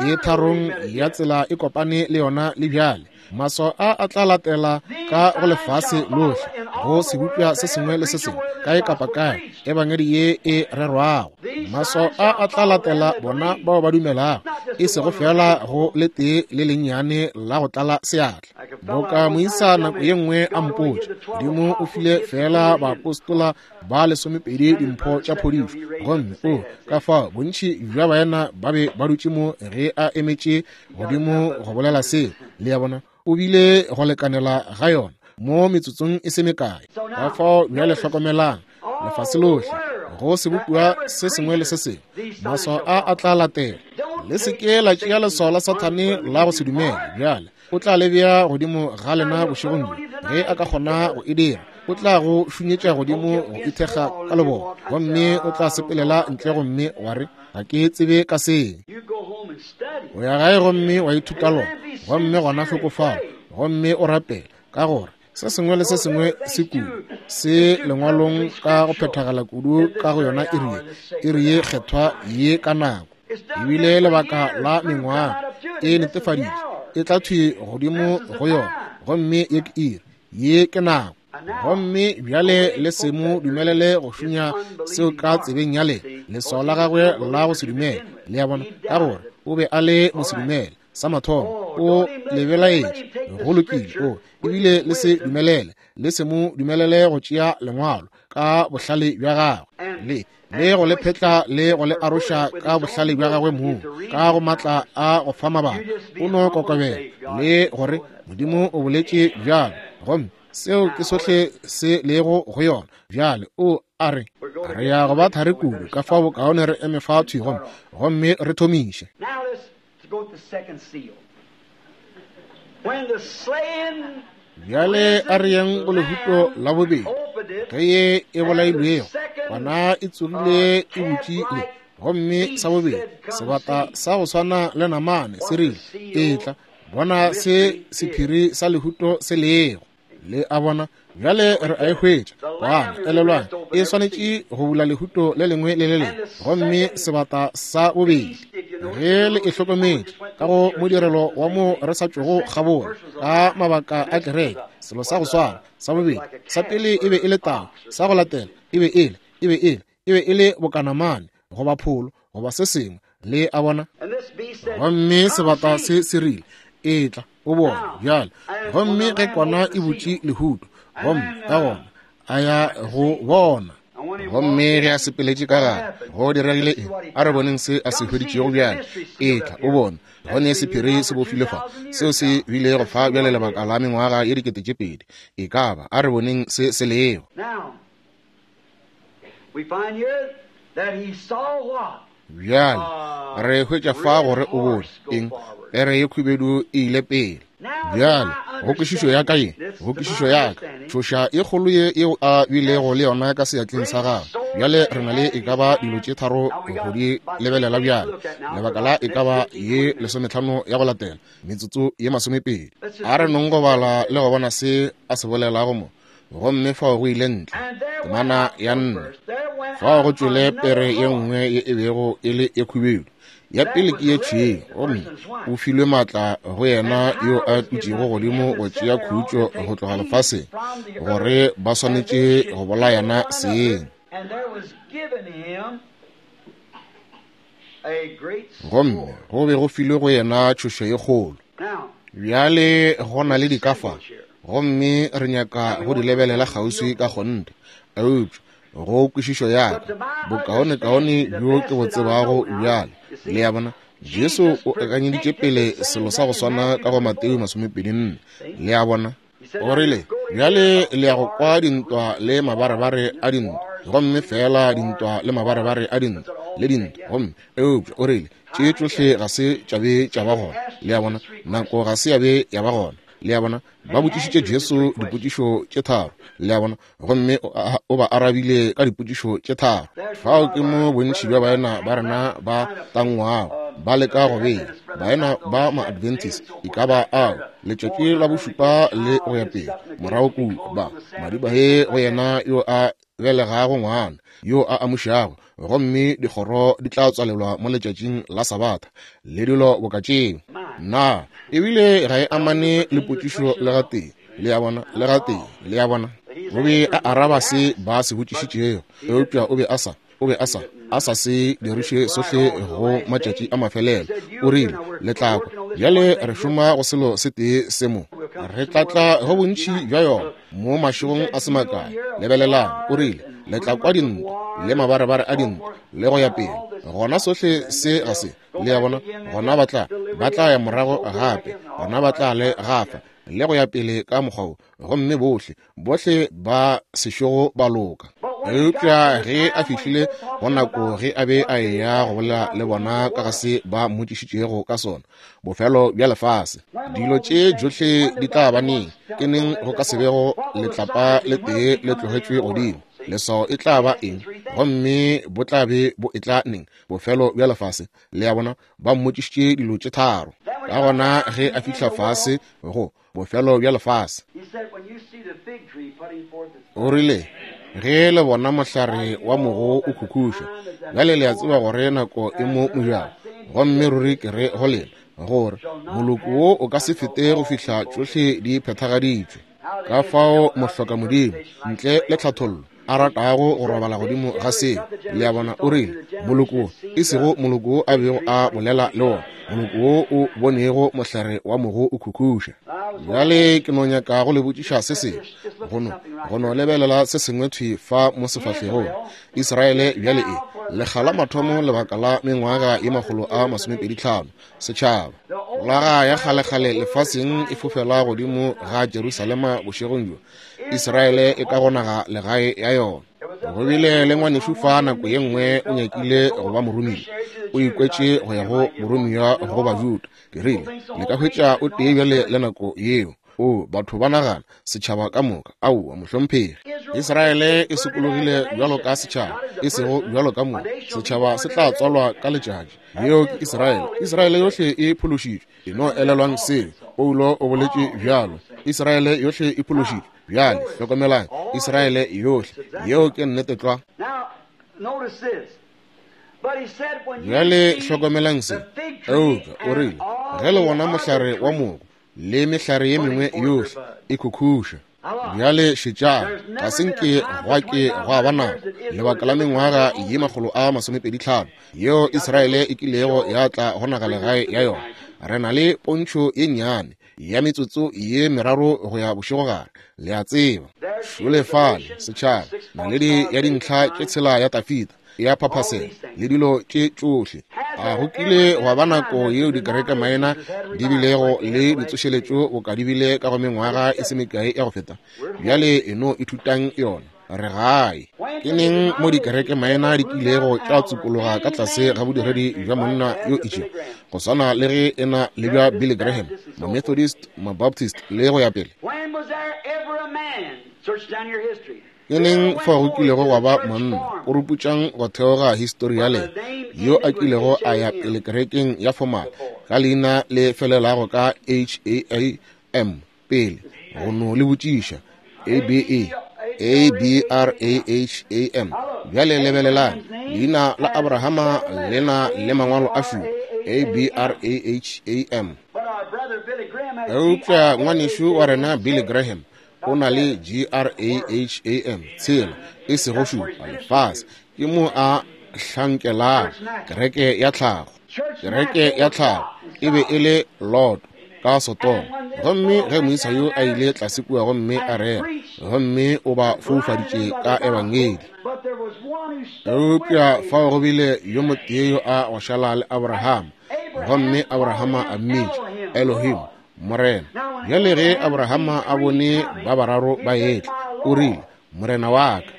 E tharong ya tsela e kopane le yona le bjale. Maswao a a tla latela ka go lefase lohle, go sebopša se sengwe le se sengwe, kae kapa kae ebangedi ye e rerwago. Maswao a a tla latela bona bao ba dumelago, e sego fela go le tee le lennyane la go tlala seatla. Boka moisa nako ye nngwe a mpotša, Modimo o file fela baapostola ba lesomepedi dimpho tša phodišo, gomme o ka fao bontši bja baena ba be ba dutše mo ge a emetše godimo go bolela seo. Le a bona, o bile go lekanela ga yona mo metsotsong e se mekae. Ka fao bjale hlokomelang, lefase lohle, go sebopiwa se sengwe le se sengwe, maswao a a tla latela. Le se ke la tšea leswao la Sathane la go se dumele. Bjale o tla le bea godimo ga lena bošegong bjo, ge a ka kgona go e dira. O tla go šunyetša godimo go ithekga ka lebone, gomme o tla sepelela ntle gomme wa re, ga ke tsebe ka seng. O ya gae gomme wa ithuta lona, gomme gona hlokofala, gomme o rapele, ka gore se sengwe le se sengwe se kudu se lengwalong ka go phethagala kudu ka go yona iri ye, iri ye kgethwa ye ka nako. Ebile lebaka la mengwaga e netefaditše, e tla thwi godimo go yona, gomme ye ke iri, ye ke nako. Gomme bjale le se mo dumelele go šunya seo ka tsebeng ya lena, leswao la gagwe la go se dumele. Le a bona, ka gore o be a le mosedumele sa mathomo, o le belaetše. Go lokile, o ebile le se dumelele, le se mo dumelele go tšea lengwalo ka bohlale bja gagwe, le le go le phetla le go le aroša ka bohlale bja gagwe mong, ka go matla a go fa mabaka. O no kokobela le gore Modimo o boletše bjalo, gomme seo ke sohle se lego go yona. Bjale o a re, re ya go ba thari kudu, ka fao bokaone re eme fa thwi gomme gomme re thomiše. Bjale a re yeng go lehuto la bobedi. Ge ye e bolailwego, kwana e tsogile e butše le, gomme sa bobedi sebata sa go swana le namane se rile, etla bona se sephiri sa lehuto se lego. Le a bona, bjale re a e hwetša. Kwana, elelwang, e swanetše go bula lehuto le lengwe le le lengwe. Gomme sebata sa bobedi, ge le e hlokometše ka go modirelo wa mo re sa tšwego kgabola ka mabaka a kereke, selo sa go swana sa bobedi, sa pele e be e le tau, sa go latela e be e le e be e le e be e le bokanamane goba pholo goba se sengwe. Le a bona. Gomme sebata se se rile, etla o bone bjale. Gomme ge kwana e butše lehuto, gomme ka gona a ya go bona. Gomme ge a sepeletše ka gare, go diregile eng? A re boneng se a se hweditšego bjale. Etla o bone, go ne sephiri se bofile fa, seo se bile go fa bjale lebaka la mengwaga ye dikete tše pedi. E ka ba, a re boneng se se lego. Bjale re hwetša fa gore o bone eng? Pere ye khubedu e ile pele. Bjale go kwešišo ya ka ye, go kwešišo ya ka, tšhoša ye kgolo ye yeo a bilego le yona ka seatleng sa gagwe. Bjale re na le e ka ba dilo tše tharo go di lebelela bjale, lebaka la e ka ba ye lesometlhano ya go latela, metsotso ye masomepedi. A re nong go bala le go bona se a se bolelago mo. Gomme fao go ile ntle temana ya nne, fao go tšwele pere ye nngwe ye e bego e le e khubedu, ya pele ke ye tšhweu, gomme o filwe maatla go yena yo a dutšego godimo go tšea khutšo go tloga lefaseng, gore ba swanetše go bolayana seng. Gomme go be go filwe go yena tšhošo ye kgolo. Bjale go na le dikafa, gomme re nyaka go di lebelela kgauswi ka kgonthe, eupša go kwešišo ya ka, bokaonekaone bjo ke bo tsebago bjale. Le a bona, Jesu o akanyeditše pele selo sa go swana ka go Mateo masomepedi nne. Le a bona, o rile, bjale le ya go kwa dintwa le mabarebare a dintwa, gomme fela dintwa le mabarebare a dintwa le dintwa, gomme eupša o rile tše tšohle ga se tša be tša ba gona. Le a bona, nako ga se ya be ya ba gona. Le a bona, ba botšišitše Jesu dipotšišo tše tharo. Le a bona, gomme o ba arabile ka dipotšišo tše tharo. Fao ke mo bontši bja baena ba rena ba tangwago, ba leka go bea baena ba ma-Adventist e ka ba ao letšatši la bošupa le go ya pele morago kua, ba madiba he go yena yo a belegago ngwana, yo a amušago, gomme dikgoro di tla tswalelwa mo letšatšing la Sabatha, le dilo boka tšeo. Na ebile ga e amane le potšišo le gatee, le a bona, le gatee, le a bona. O be a araba se ba se botšišitšego, eupša o be a sa, o be a sa, a sa se diriše sohle go matšatši a mafelelo. O rile, le tla kwa bjale re šoma go selo se tee se mo, re tla tla go bontši bja yona mo mašegong a se makae. Lebelelang, o rile, le tla kwa dintwa le mabarebare a dintwa le go ya pele. Gona sohle se ga se, le a bona, gona ba tla, ba tla ya morago gape, gona ba tla le gafa le go ya pele ka mokgwa wo, gomme bohle, bohle ba sešogo ba loka. Eupša ge a fihlile go nako ge a be a eya go bolela le bona ka ga se ba mmotšišitšego ka sona, bofelo bja lefase, dilo tše tšohle di tla ba neng, ke neng go ka se bego letlapa le tee le tlogetšwe godimo, leswao e tla ba eng, gomme bo tla be bo etla neng, bofelo bja lefase. Le a bona, ba mmotšišitše dilo tše tharo. Ka gona ge a fihla fase go bofelo bja lefase, o rile, ge le bona mohlare wa mogo o khukhuša, bjale le a tseba gore nako e mo mojako. Gomme ruri ke re go lena gore moloko wo o ka se fete go fihla tšohle di phethagaditšwe. Ka fao mohloka modimo ntle le tlhathollo a ratago go robala godimo ga seo, le a bona. O rile moloko wo, e sego moloko wo a bego a bolela le wona, moloko wo o bonego mohlare wa mogo o khukhuša. Bjale ke no nyaka go le botšiša se sengwe, go no, go no lebelela se sengwe thwi fa mo sefahlegong. Israele bjale e lekga la mathomo lebaka la mengwaga ye makgolo a masomepedi tlhano, setšhaba. Folaga ya kgalekgale lefaseng e fofela godimo ga Jerusalema bošegong bjo. Israele e ka go naga legae ya yona. Go bile le ngwanešu fa nako ye nngwe o nyakile go ba moromiwa, o ikwetše go ya go boromiwa go Bajuda. Ke rile, le ka hwetša o tee bjale le nako yeo. O, batho ba nagana setšhaba ka moka. Aowa, mohlomphegi. Israele e sokologile bjalo ka setšhaba, e sego bjalo ka moka. Setšhaba se tla tswalwa ka letšatši. Yeo ke Israele. Israele yohle e phološitšwe. E no elelwang seo. Paulo o boletše bjalo. Israele yohle e phološitšwe. Bjale hlokomelang, Israele yohle. Yeo ke nnete tlwa. Bjale hlokomelang se. Eupša o rile, ge le bona mohlare wa mogo le mehlare ye mengwe yohle e khukhuša. Bjale šetšang, ga se nke gwa ke gwa ba nako lebaka la mengwaga ye makgolo a masomepedi tlhano yeo Israele e kilego ya tla go naga legae ya yona. Re na le pontšho ye nnyane ya metsotso ye meraro go ya bošegogare, le a tseba. Šole fale setšhaba, naledi ya dintlha tše tshela ya Tafita ya phaphasela le dilo tše tšohle. A go kile gwa ba nako yeo dikereke maina di bilego le ditsošeletšo boka di bile ka go mengwaga e se mekae ya go feta? Bjale e no ithutang yona. Re gae. Ke neng mo dikereke maina di kilego tša tsupologa ka tlase ga bodiredi bja monna yo itšego, go swana le ge e na le bja Billy Graham, ma-Methodist, ma-Baptist le go ya pele? Ke neng fa go kilego gwa ba monna, o ruputšang go theoga histori ya lena, yo a kilego a ya pele kerekeng ya formal ka leina le felelago ka H A A M pele, go no le botšiša A B A A B R A H A M. Bjale lebelelang, leina la Abrahama le na le mangwalo a šupa, A B R A H A M. Eupša ngwanešu wa rena Billy Graham o na le G R A H A M tshela, e sego šupa. Lefase ke mo a hlankelago kereke ya tlhago. Kereke ya tlhago e be e le Lot ka Sodoma, gomme ge moisa yo a ile tlase kua gomme a rera, gomme o ba foufaditše ka ebangedi. Eupša fao go bile yo motee yo a go šala le Abrahama, gomme Abrahama a mmitša Elohim, Morena. Bjale ge Abrahama a bone ba bararo ba etla, o rile, Morena wa ka.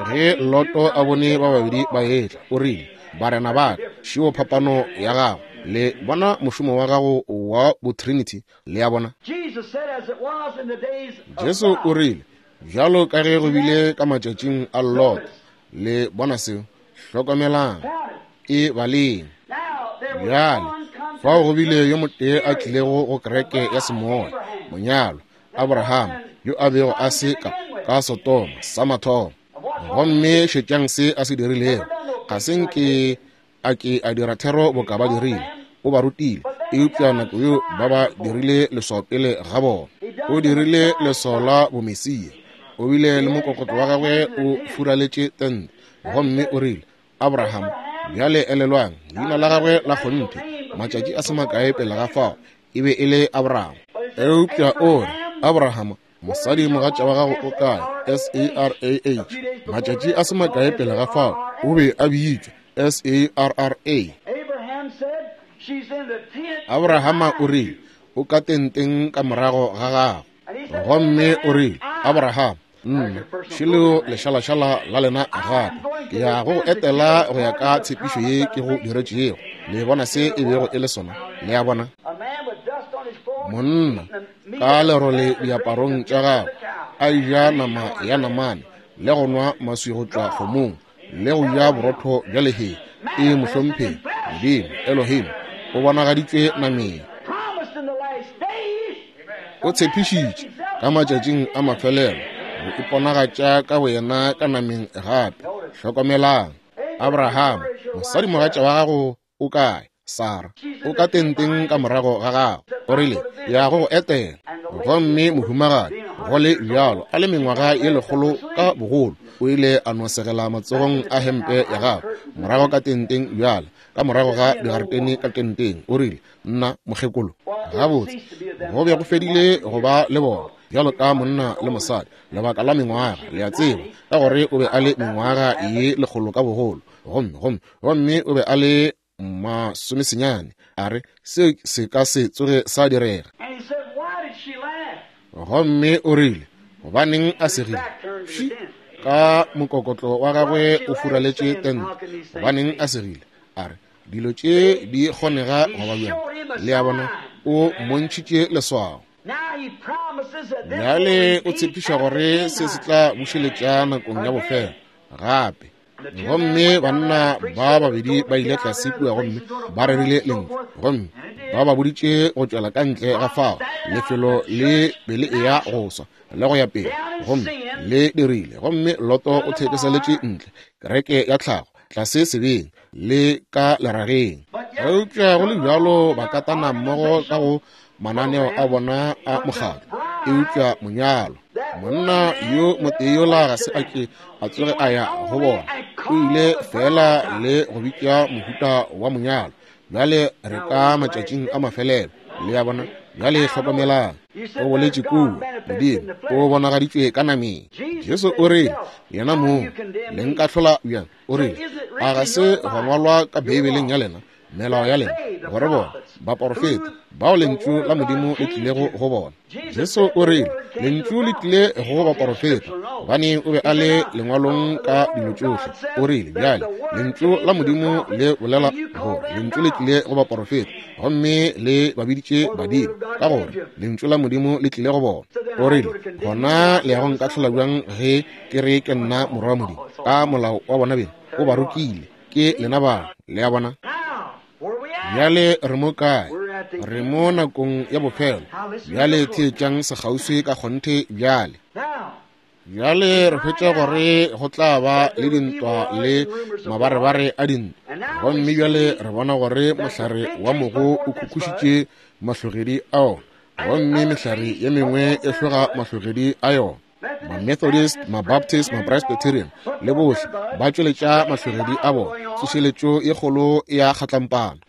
Ge Loto a bone ba babedi ba etla, o rile, Barena ba ka. Šeo phapano ya gago. Le bona mošomo wa gago wa botrinity, le a bona. Jesu o rile, bjalo ka ge go bile ka matšatšing a Lot. Le bona seo? Hlokomelang, e baleng. Bjale fao go bile yo motee a tlilego go kereke ya semoya, monyalwa Abraham, yo a bego a se ka ka Sodoma sa mathomo. Gomme šetšang se a se dirilego. Ga se nke a ke a dira thero boka ba dirile. O ba rutile, eupša nako yeo ba ba dirile leswao pele ga bona. O dirile leswao la bomesia. O bile le mokokotlo wa gagwe o furaletše tente, gomme o rile, Abraham, bjale elelwang, leina la gagwe la kgonthe, matšatši a se makae pele ga fao, e be e le Abraham. Eupša o re, Abraham, mosadi mogatša wa gago o kae? S A R A H. Matšatši a se makae pele ga fao, o be a bitšwa S A R R A. Abrahama o rile, o ka tenteng ka morago ga gago. Gomme o rile, Abraham, nna šeleo lešalašala la lena gape, ke ya go etela go ya ka tshepišo ye ke go diretšego. Le bona se e bego e le sona? Le a bona? Monna ka lerole diaparong tša gagwe, a ja nama ya namane, le go nwa maswi go tšwa kgomong, le go ja borotho bja lehea. E mohlomphegi Modimo Elohim o bonagaditšwe nameng. O tshepišitše ka matšatšing a mafelelo go iponagatša ka boyena ka nameng gape. Hlokomelang, Abraham, mosadi mogatša wa gago o kae? Sara, o ka tenteng ka morago ga gago. O rile, ya go go etela. Gomme mohumagadi, go le bjalo, a le mengwaga ye lekgolo ka bogolo, o ile a no segela matsogong a hempe ya gagwe morago ka tenteng bjale, ka morago ga digaretene ka tenteng. O rile, nna mokgekolo. Gabotse, go be go fedile go ba le bona bjalo ka monna le mosadi lebaka la mengwaga, le a tseba, ka gore o be a le mengwaga ye lekgolo ka bogolo, gomme gomme gomme o be a le masomesenyane. A re, seo se ka se tsoge sa direga. Gomme o rile, gobaneng a segile? Ka mokokotlo wa gagwe o furaletše tente. Gobaneng a segile? A re, dilo tše di kgonega goba bjang? Le a bona, o mmontšhitše leswao. Bjale o tshepiša gore se se tla bušeletša nakong ya bofelo gape. Gomme banna ba babedi ba ile tlase kua gomme ba rerile lentšu, gomme ba ba boditše go tšwela ka ntle ga fao lefelo le be le eya go swa le go ya pele, gomme le dirile. Gomme Loto o thekeseletše ntle kereke ya tlhago tlase sebeng le ka lerageng. Eupša go le bjalo ba katana mmogo ka go mananeo a bona a mokgatlo. Eupša monyalo, monna yo motee yola ga se a ke a tsoge a ya go bona, o ile fela le go bitša mohuta wa monyalo. Bjale re ka matšatšing a mafelelo, le a bona. Bjale hlokomelang, o boletše kua, Modimo o bonagaditšwe ka nameng. Jesu o rile, yena mong, le nkahlola bjang? O rile, a ga se gwa ngwalwa ka Beibeleng ya lena, melao ya lena, gore bona baporofeta bao lentšu la Modimo le tlilego go bona? Jesu o rile, lentšu le tlile go baporofeta, gobane o be a le lengwalong ka dilo tšohle. O rile, bjale lentšu la Modimo le bolela gore lentšu le tlile go baporofeta, gomme le ba biditše badimo, ka gore lentšu la Modimo le tlile go bona. O rile, gona le ya go nkahlola bjang ge ke re ke nna morwa wa Modimo? Ka molao wa bona beng o ba rokile, ke lena bao. Le a bona? Bjale re mo kae? Re mo nakong ya bofelo. Bjale theetšang sekgauswi ka kgonthe bjale. Bjale re hwetša gore go tla ba le dintwa le mabarebare a dintwa. Gomme bjale re bona gore mohlare wa mogo o khukhušitše mahlogedi a ona, gomme mehlare ye mengwe e hloga mahlogedi a yona. Ma-Methodist, ma-Baptist, ma-Presbyterian le bohle ba tšweletša mahlogedi a bona. Tsošeletšo ye kgolo ya kgatlampana.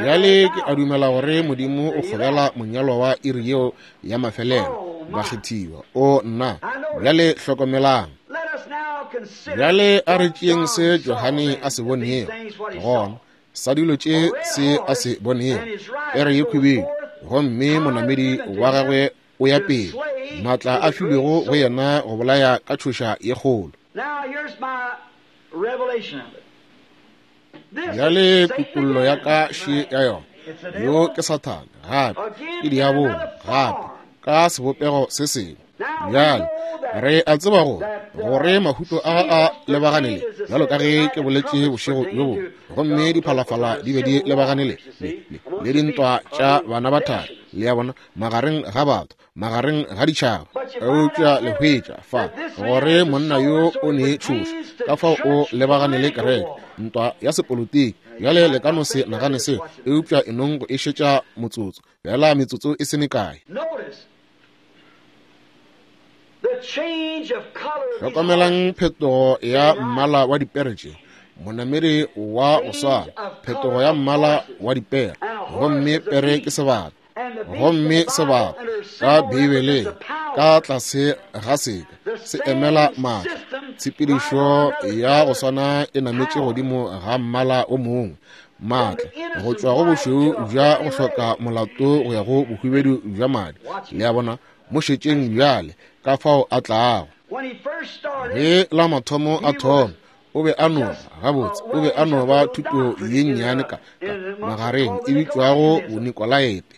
Bjale ke a dumela gore Modimo o kgobela monyalwa wa iri yeo ya mafelelo, bakgethiwa. O nna, bjale hlokomelang. Bjale a re tšeeng se Johane a se bonego gona, sa dilo tše se a se bonego, pere ye khwibidu, gomme monamedi wa gagwe o ya pele, maatla a filwego go yena go bolaya ka tšhoša ye kgolo. Bjale kutollo ya ka še ya yona. Yo ke Sathane gape, ke diabolo gape, ka sebopego se sengwe. Bjale re a tseba gore gore mahuto a a lebagane le, bjalo ka ge ke boletše bošego bjo bongwe, gomme diphalafala di be di lebagane le le le dintwa tša bana ba thari, le a bona, magareng ga batho, magareng ga ditšhaba. Eupša le hwetša fa gore monna yo o ne tšhoša, ka fao o lebagane le kereke, ntwa ya sepolotiki. Bjale le ka no se nagane seo, eupša e nong go e šetša motsotso, bjala metsotso e se mekae. Hlokomelang phetogo ya mmala wa dipere tše, monamedi wa go swana, phetogo ya mmala wa dipere, gomme pere ke sebata, gomme sebata ka Beibeleng ka tlase ga seka se emela maatla. Tshepedišo ya go swana e nametše godimo ga mmala o mongwe, maatla, go tšwa go bošweu bja go hloka molato go ya go bohubedu bja madi. Le a bona, mo šetšeng bjale ka fao a tlago. Ge la mathomo a thoma, o be a no gabotse, o be a no ba thuto ye nnyane ka, ka magareng e bitšwago bonikolaete.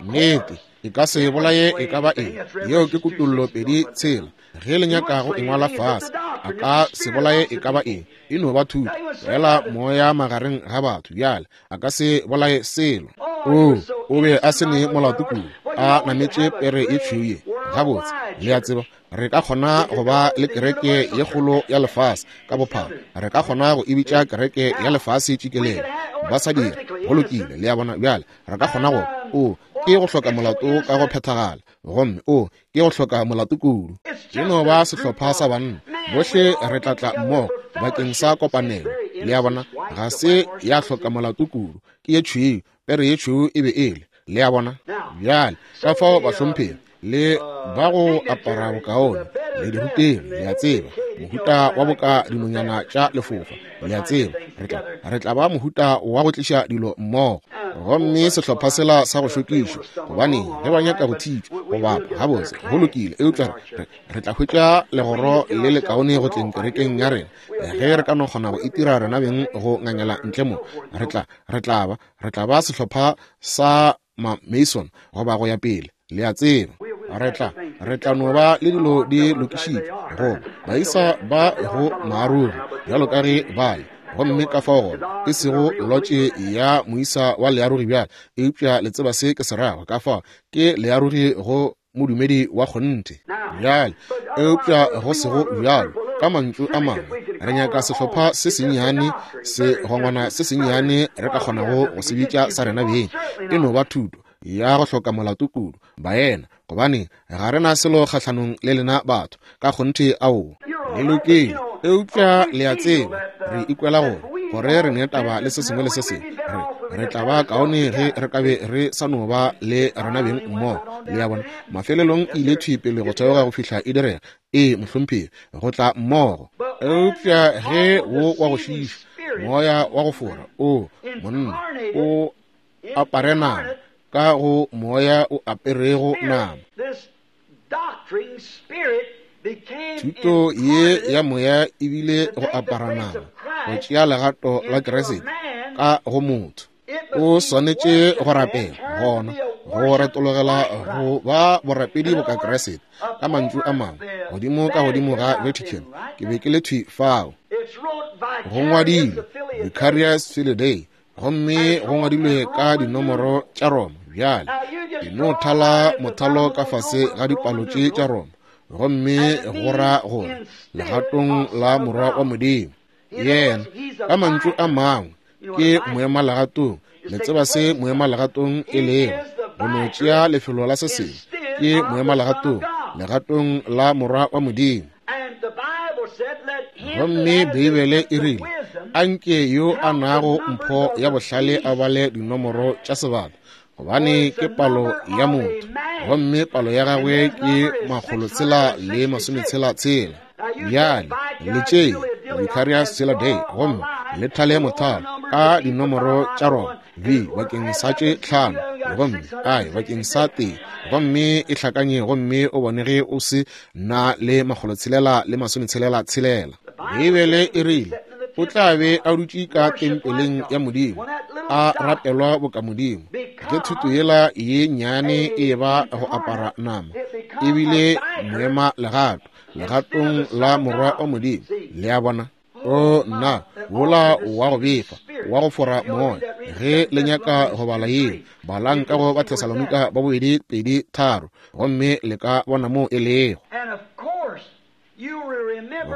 Nnete, e ka se bolaye e ka ba eng. Yeo ke kutollo pedi tshela. Ge le nyaka go engwala fase, a ka se bolaye e ka ba eng. E no ba thuto, fela moya magareng ga batho. Bjale a ka se bolaye selo. O, o be a se ne molato kudu, a nametše pere e tšhweu ye. Gabotse, le a tseba, re ka kgona go ba le kereke ye kgolo ya lefase ka bophara. Re ka kgona go e bitša kereke ya lefase tšikelelo. Ba sa dira, go lokile, le a bona. Bjale re ka kgona go, o, ke go hloka molato ka go phethagala, gomme o, ke go hloka molato kudu. E no ba sehlopha sa banna, bohle re tla tla mmogo bakeng sa kopanelo. Le a bona, ga se ya hloka molato kudu, ke ye tšhweu, pere ye tšhweu e be e le. Le a bona? Bjale ka fao bahlomphegi le ba go apara bokaone le dirutegi, le a tseba, mohuta wa boka dinonyana tša lefofa, le a tseba, re tla re tla ba mohuta wa go tliša dilo mmogo. Gomme sehlopha sela sa go šokišwa, gobane ge ba nyaka go thitšwa go bapa, gabotse, go lokile, eupša re, re tla hwetša legoro le lekaone go tleng kerekeng ya rena ge re ka no kgona go itira rena beng go ngangela ntle mo. Re tla re tla ba re tla ba sehlopha sa ma Mason goba go ya pele, le a tseba. Re tla re tla no ba le dilo di lokišitšwe go baisa ba go maarogi bjalo ka ge ba le, gomme ka fao gona e sego lotše ya moisa wa learogi bjale, eupša le tseba se ke se rago, ka fao ke learogi go modumedi wa kgonthe bjale, eupša go sego bjalo. Ka mantšu a mangwe, re nyaka sehlopha se sennyane, segongwana se sennyane re ka kgonago go se bitša sa rena beng. E no ba thuto ya go hloka molato kudu, baena, gobane ga re na selo kgahlanong le lena batho, ka kgonthe ao le lokile, eupša le a tseba, re ikwela gore gore re ne taba le se sengwe le se sengwe. Re re tla ba kaone ge re ka be re sa no ba le rena beng mmogo. Le a bona, mafelelong e ile thwi pele go theoga go fihla e direga. Ee, mohlomphegi, go tla mmogo. Eupša ge wo wa go šiiša, moya wa go fora, o monna o apare nama, ka go moya o aperego nama. Thuto ye ya moya ebile go apara nama, go tšea legato la Kriste ka go motho. O swanetše go rapela gona, go retologela go ba borapedi boka Kriste. Ka mantšu a mangwe, godimo ka godimo ga Vatican, ke be ke le thwi fao. Go ngwadilwe Vicarius Filii Dei, gomme go ngwadilwe ka dinomoro tša Roma. Bjale ke no thala mothalo ka fase ga dipalo tše tša Roma, gomme go ra gore legatong la Morwa wa Modimo. Yena, ka mantšu a mangwe, ke moema legatong. Le tseba se moema legatong e lego, go no tšea lefelo la se sengwe. Ke moema legatong, legatong la Morwa wa Modimo. Gomme Beibele e rile, anke yo a nago mpho ya bohlale a bale dinomoro tša sebata, gobane ke palo ya motho, gomme palo ya gagwe ke makgolotshela le masometshela tshela. Bjale le tšee Vicarius Filii Dei gomme le thale mothalo ka dinomoro tša Roma, V bakeng sa tše tlhano, gomme I bakeng sa tee, gomme e hlakanye gomme o bone ge o se na le makgolotshelela le masometshelela tshelela. Beibele e rile o tla be a dutše ka tempeleng ya Modimo, a rapelwa boka Modimo. Ge thuto yela ye nnyane e ba go apara nama, ebile moema legato, legatong la Morwa wa Modimo. Le a bona? O nna, wola wa go befa, wa go fora moya, Ge le nyaka go bala yeo, balang ka go Bathesalonika ba bobedi pedi tharo, gomme le ka bona mo e lego.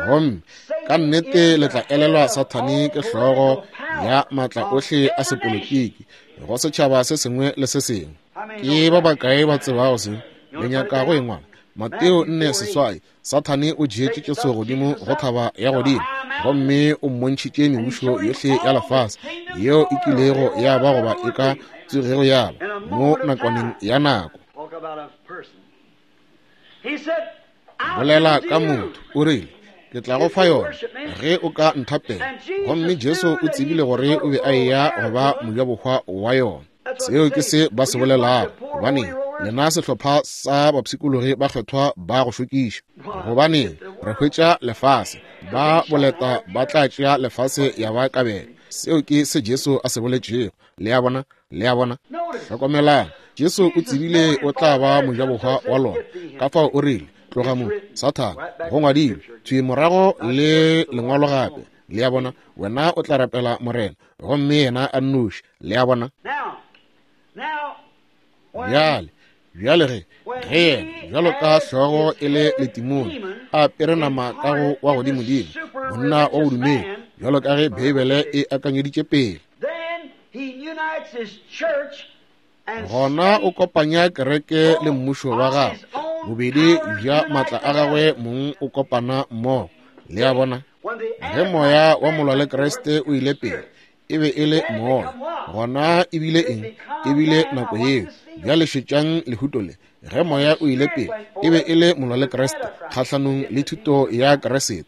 Gomme ka nnete le tla elelwa Sathane ke hlogo ya maatla ohle a sepolotiki go setšhaba se sengwe le se sengwe. Ke ba bakae ba tsebago se? Le nyaka go engwala? Mateo nne seswai, Sathane o tšeetše Jesu godimo go thaba ya godimo, gomme o mmontšhitše mebušo yohle ya lefase yeo e kilego ya ba goba e ka tsogego ya ba mo nakwaneng ya nako. Bolela ka motho, o rile, ke tla go fa yona ge o ka nthapela. Gomme Jesu o tsebile gore o be a eya go ba mojabohwa wa yona. Seo ke se ba se bolelago. Gobaneng, lena sehlopha sa bapshikologi ba kgethwa ba go šokiša. Gobaneng, re hwetša lefase, ba boleta ba tla tšea lefase ya ba kabelo. Seo ke se Jesu a se boletšego. Le a bona? Le a bona? Hlokomelang, Jesu o tsebile o tla ba mojabohwa wa lona. Ka fao o rile, tloga mo, Sathane, go ngwadilwe, thwi morago le lengwalo gape. Le a bona? Wena o tla rapela Morena, gomme yena a nnoši. Le a bona? Bjale, bjale ge, ge yena, bjalo ka hlogo e le letimone, a apere nama ka go wa godimodimo, monna wa bodumedi, bjalo ka ge Beibele e akanyeditše pele, gona o kopanya kereke le mmušo wa gagwe, bobedi bja maatla a gagwe mong o kopana mmogo. Le a bona? Ge moya wa molwa le Kriste o ile pele, e be e le moya. Gona e bile eng? E bile nako yeo. Bjale šetšang lehuto le. Ge moya o ile pele, e be e le molwa le Kriste kgahlanong le thuto ya Kriste.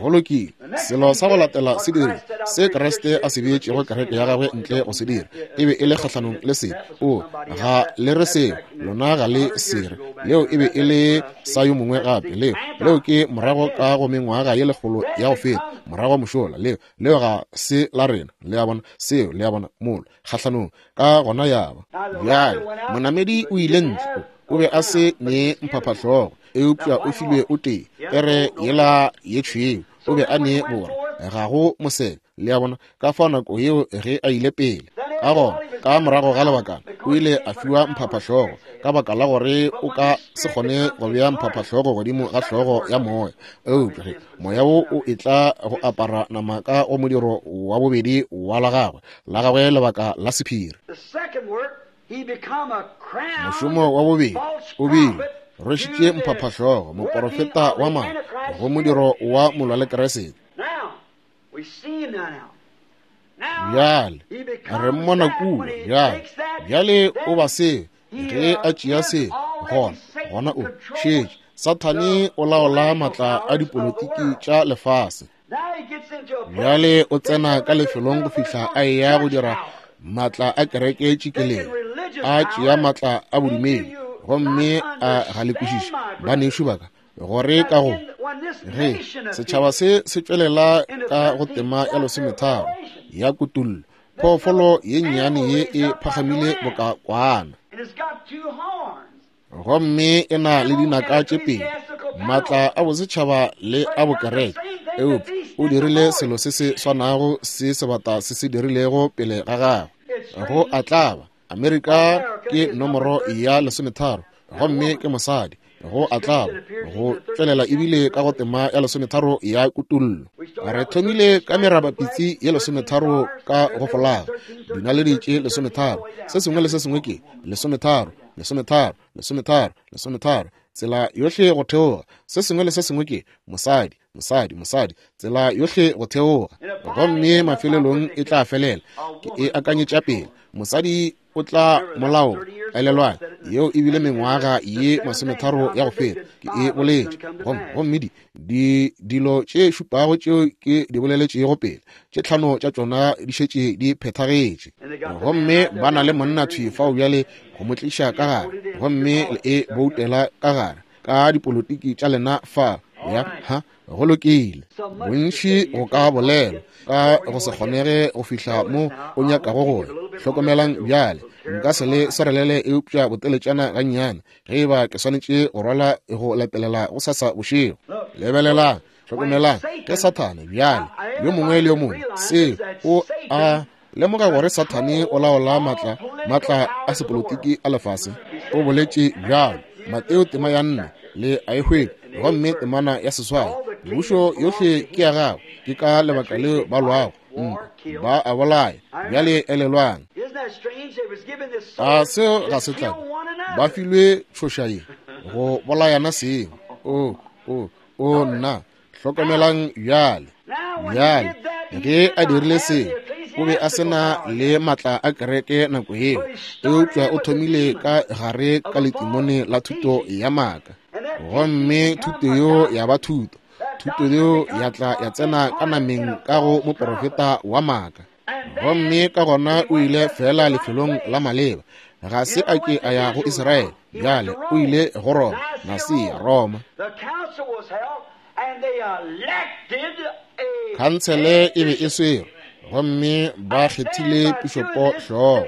Go lokile. Selo sa go latela se dire se Kriste a se beetšego kereke ya gagwe ntle go se dira, e be e le kgahlanong le se. O ga le re seo, lona ga le sere. Leo e be e le sa yo mongwe gape. Leo, leo ke morago ka go mengwaga ye lekgolo ya go feta, morago mošola. Leo, leo ga se la rena. Le a bona? Seo, le a bona, molo kgahlanong ka gona ya ba. Bjale monamedi o ile ntle, o be a se ne mphaphahlogo, eupša o filwe o tee, pere yela ye tšhweu, o be a ne bora, ga go mosebe. Le a bona? Ka fao nako yeo ge a ile pele, ka gona ka morago ga lebakana o ile a fiwa mphaphahlogo, ka baka la gore o ka se kgone go bea mphaphahlogo godimo ga hlogo ya moya. Eupša ge moya wo o etla go apara nama ka go modiro wa bobedi wa la gagwe, la gagwe lebaka la sephiri. Mošomo wa bobedi o bile rwešitše mphaphahlogo, moporofeta wa maaka, go modiro wa molwa le Kriste. Bjale re mmona kua. Bjale, bjale o ba se ge a tšea se, gona gona o šetše. Sathane o laola maatla a dipolotiki tša lefase. Bjale o tsena ka lefelong go fihla a eya go dira maatla a kereke tšikeleng, a tšea maatla a bodumedi, gomme a ga le kwešiše, banešu ba ka, gore ka go ge setšhaba se se tšwelela ka go tema ya lesometharo ya kutullo, phoofolo ye nnyane ye e phagamile boka kwana, gomme e na le dinaka tše pedi, maatla a bosetšhaba le a bokereke. Eupša o dirile selo se se swanago se sebata se se dirilego pele ga gagwe. Go a tlaba, Amerika ke nomoro ya lesometharo, gomme ke mosadi. Go a tlaba, go tšwelela ebile ka go tema ya lesometharo ya kutullo. Re thomile ka merabapitsi ye lesometharo ka go folaga, dinaledi tše lesometharo, se sengwe le se sengwe ke lesometharo, lesometharo, lesometharo, lesometharo, tsela yohle go theoga. Se sengwe le se sengwe ke mosadi, mosadi, mosadi, tsela yohle go theoga. Gomme mafelelong e tla felela. Ke e akanyetša pele, mosadi o tla molao. Elelwang, yeo e bile mengwaga ye masometharo ya go feta ke e boletše. Gomme gomme di di dilo tše šupago tšeo ke di boleletšego pele, tše tlhano tša tšona di šetše di phethagetše. Gomme ba na le monna thwi fao bjale go mo tliša ka gare, gomme le e boutela ka gare ka dipolotiki tša lena fa. Ya ha, go lokile. Bontši go ka bolelwa ka go se kgonege go fihla mo o nyakago go ya. Hlokomelang bjale, nka se le swarelele eupša boteletšana gannyane, ge e ba ke swanetše go rwala go latelela go sasa bošego. Lebelelang, hlokomelang, ke Sathane bjale, yo mongwe le yo mongwe, se o a Lemoga gore Sathane o laola matla, matla a sepolotiki a lefase. O boletše bjalo Mateo tema ya nne le a e hwetša, gomme temana ya seswai. Mebušo yohle ke ya gagwe, ke ka lebaka leo ba lwago ntwa, ba a bolaya. Bjale elelwang, a seo ga se tlabe ba filwe tšhoša ye go bolayana seng. O o o nna, hlokomelang bjale. Bjale ge a dirile seo, o be a se na le matla a kereke nako yeo, eupša o thomile ka gare ka letimone la thuto ya maaka, gomme thuto yeo ya ba thuto. Thuto yeo ya tla ya tsena ka nameng ka go moprofeta wa maaka, gomme ka gona o ile fela lefelong la maleba. Ga se a ke a ya go Israele, bjale o ile go Roma, Nasia, Roma. Khansele e be e swerwe, gomme ba kgethile pišopo hlogo,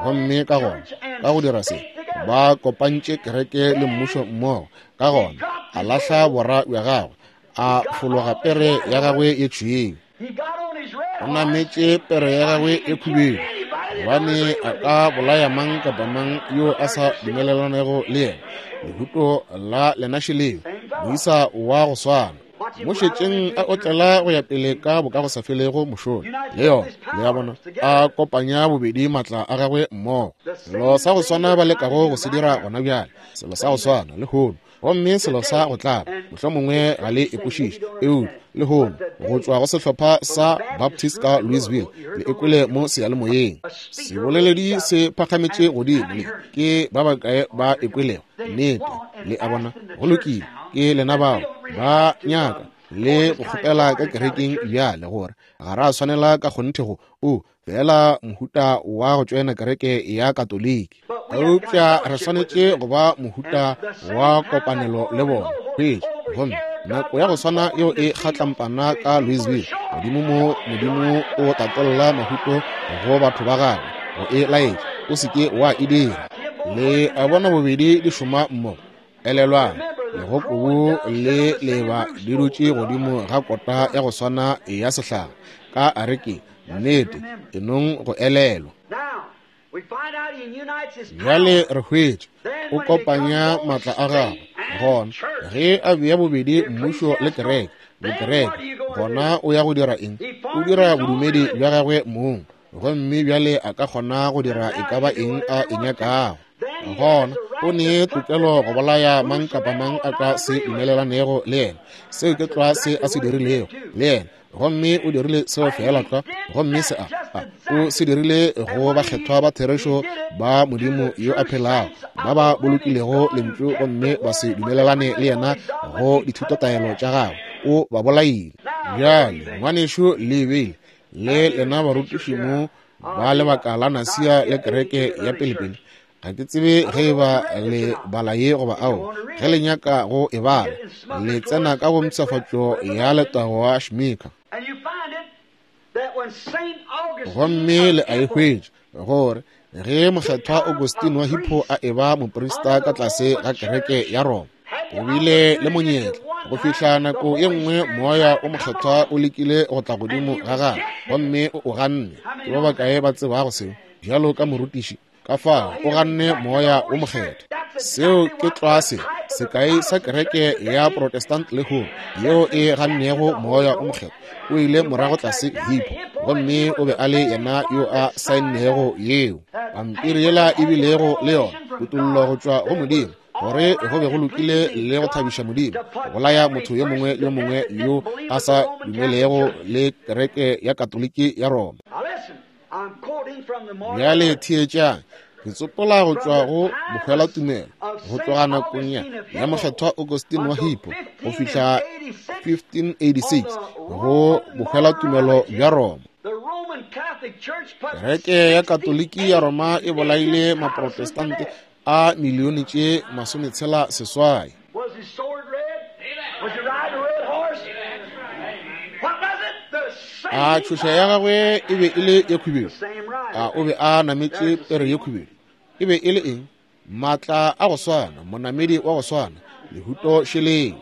gomme ka gona ka go dira se ba kopantše kereke le mmušo mmogo. Ka gona a lahla bora bja gagwe, a fologa pere ya gagwe ye tšhweu. O nametše pere ya gagwe ye khubedu, gobane a ka bolaya mang kapa mang yo a sa dumelelanego le yena. Lehuto la lenaše leo, moisa wa go swana, mo šetšeng a otlela go ya pele ka bokagosafelego mošola le yona. Le a bona, a kopanya bobedi matla a gagwe mmogo. Selo sa go swana ba lekago go se dira gona bjale, selo sa go swana lehono, gomme selo sa go tlaba mohlomongwe ga le e kwešiše, eupša lehono go tšwa go sehlopha sa Baptist ka Louisville, le ekwele mo seyalemoyeng, seboleledi se phagametše godimo le ke ba bakae ba ekwelego? Nnete, le a bona, go lokile, ke lena bao ba nyaka le go kgopela ka kerekeng bjale gore ga ra swanela ka kgonthe go o fela mohuta wa go tšoena kereke ya Katoliki, eupša re swanetše go ba mohuta wa kopanelo le bona. Hwetša, gomme nako ya go swana yeo e kgatlampana ka Louisville, godimo mo Modimo o tatolla mahuto go batho ba gagwe go e laetša, o se ke wa e dira. Le a bona bobedi di šoma mmogo. Elelwang, legokobu le leba di dutše godimo ga kota ya go swana ya sehlare ka arekeng. Nnete, enong go elelwa. Bjale re hwetša o kopanya matla a gagwe. Gona ge a bea bobedi mmušo le kereke, bokereke, gona o ya go dira eng? O dira bodumedi bja gagwe mong, gomme bjale a ka kgona go dira e ka ba eng a e nyakago. Gona o ne tokelo go bolaya mang kapa mang a ka se dumelelanego le yena. Seo ke tlwa se a se dirilego le yena, gomme o dirile seo fela tlwa. Gomme se a, a o se dirile go bakgethwa ba therešo ba Modimo yo a phelago, ba ba bolokilego lentšu gomme ba se dumelelane le yena go dithutotaelo tša gagwe. O ba bolaile. Bjale ngwanešu le beile le lena barutiši mo ba lebaka la Nasia le kereke ya pelepele. Ga ke tsebe ge e ba le bala ye goba ao. Ge le nyaka go e bala, le tsena ka go mpshafatšo ya letago wa Shmika, gomme le a e hwetša gore ge mokgethwa Augustine wa Hippo a eba moprista ka tlase ga kereke ya Roma, o bile le monyetla go fihla nako ye nngwe moya o mokgethwa o lekile go tla godimo ga gagwe, gomme o o ganne. Ke ba bakae ba tsebago seo? Bjalo ka morutiši, ka fao o ganne moya o mokgethwa. Seo ke tlwa se sekai sa kereke ya Protestant lehono yeo e gannego moya o mokgethwa. O ile morago tlase Hippo, gomme o be a le yena yo a saennego yeo pampiri yela e bilego le yona kutollo go tšwa go Modimo, gore go be go lokile le go thabiša Modimo go bolaya motho yo mongwe le yo mongwe yo a sa dumelego le kereke ya Katoliki ya Roma. Bjale theetšang, ke tsopola go tšwa go bohwelatumelo go tloga nakong ya ya mokgethwa Augustine wa Hippo go fihla fifteen eighty-six go bohwelatumelo bja Roma. Kereke ya Katoliki ya Roma e bolaile maprotestante a milione tše masometshela seswai. A tšhoša ya gagwe e be e le ye khubedu? A o be a nametše pere ye khubedu? E be e le eng? Matla a go swana, monamedi wa go swana, lehuto šeleng.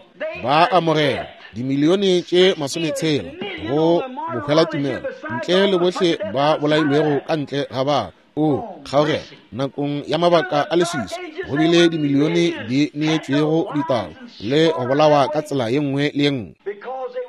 Ba amogela dimilione tše masometshela go bohwelatumelo, ntle le bohle ba bolailwego ka ntle ga batho. O kgaogela nakong ya mabaka a leswiswi, go bile dimilione di neetšwego ditao le go bolawa ka tsela ye nngwe le ye nngwe,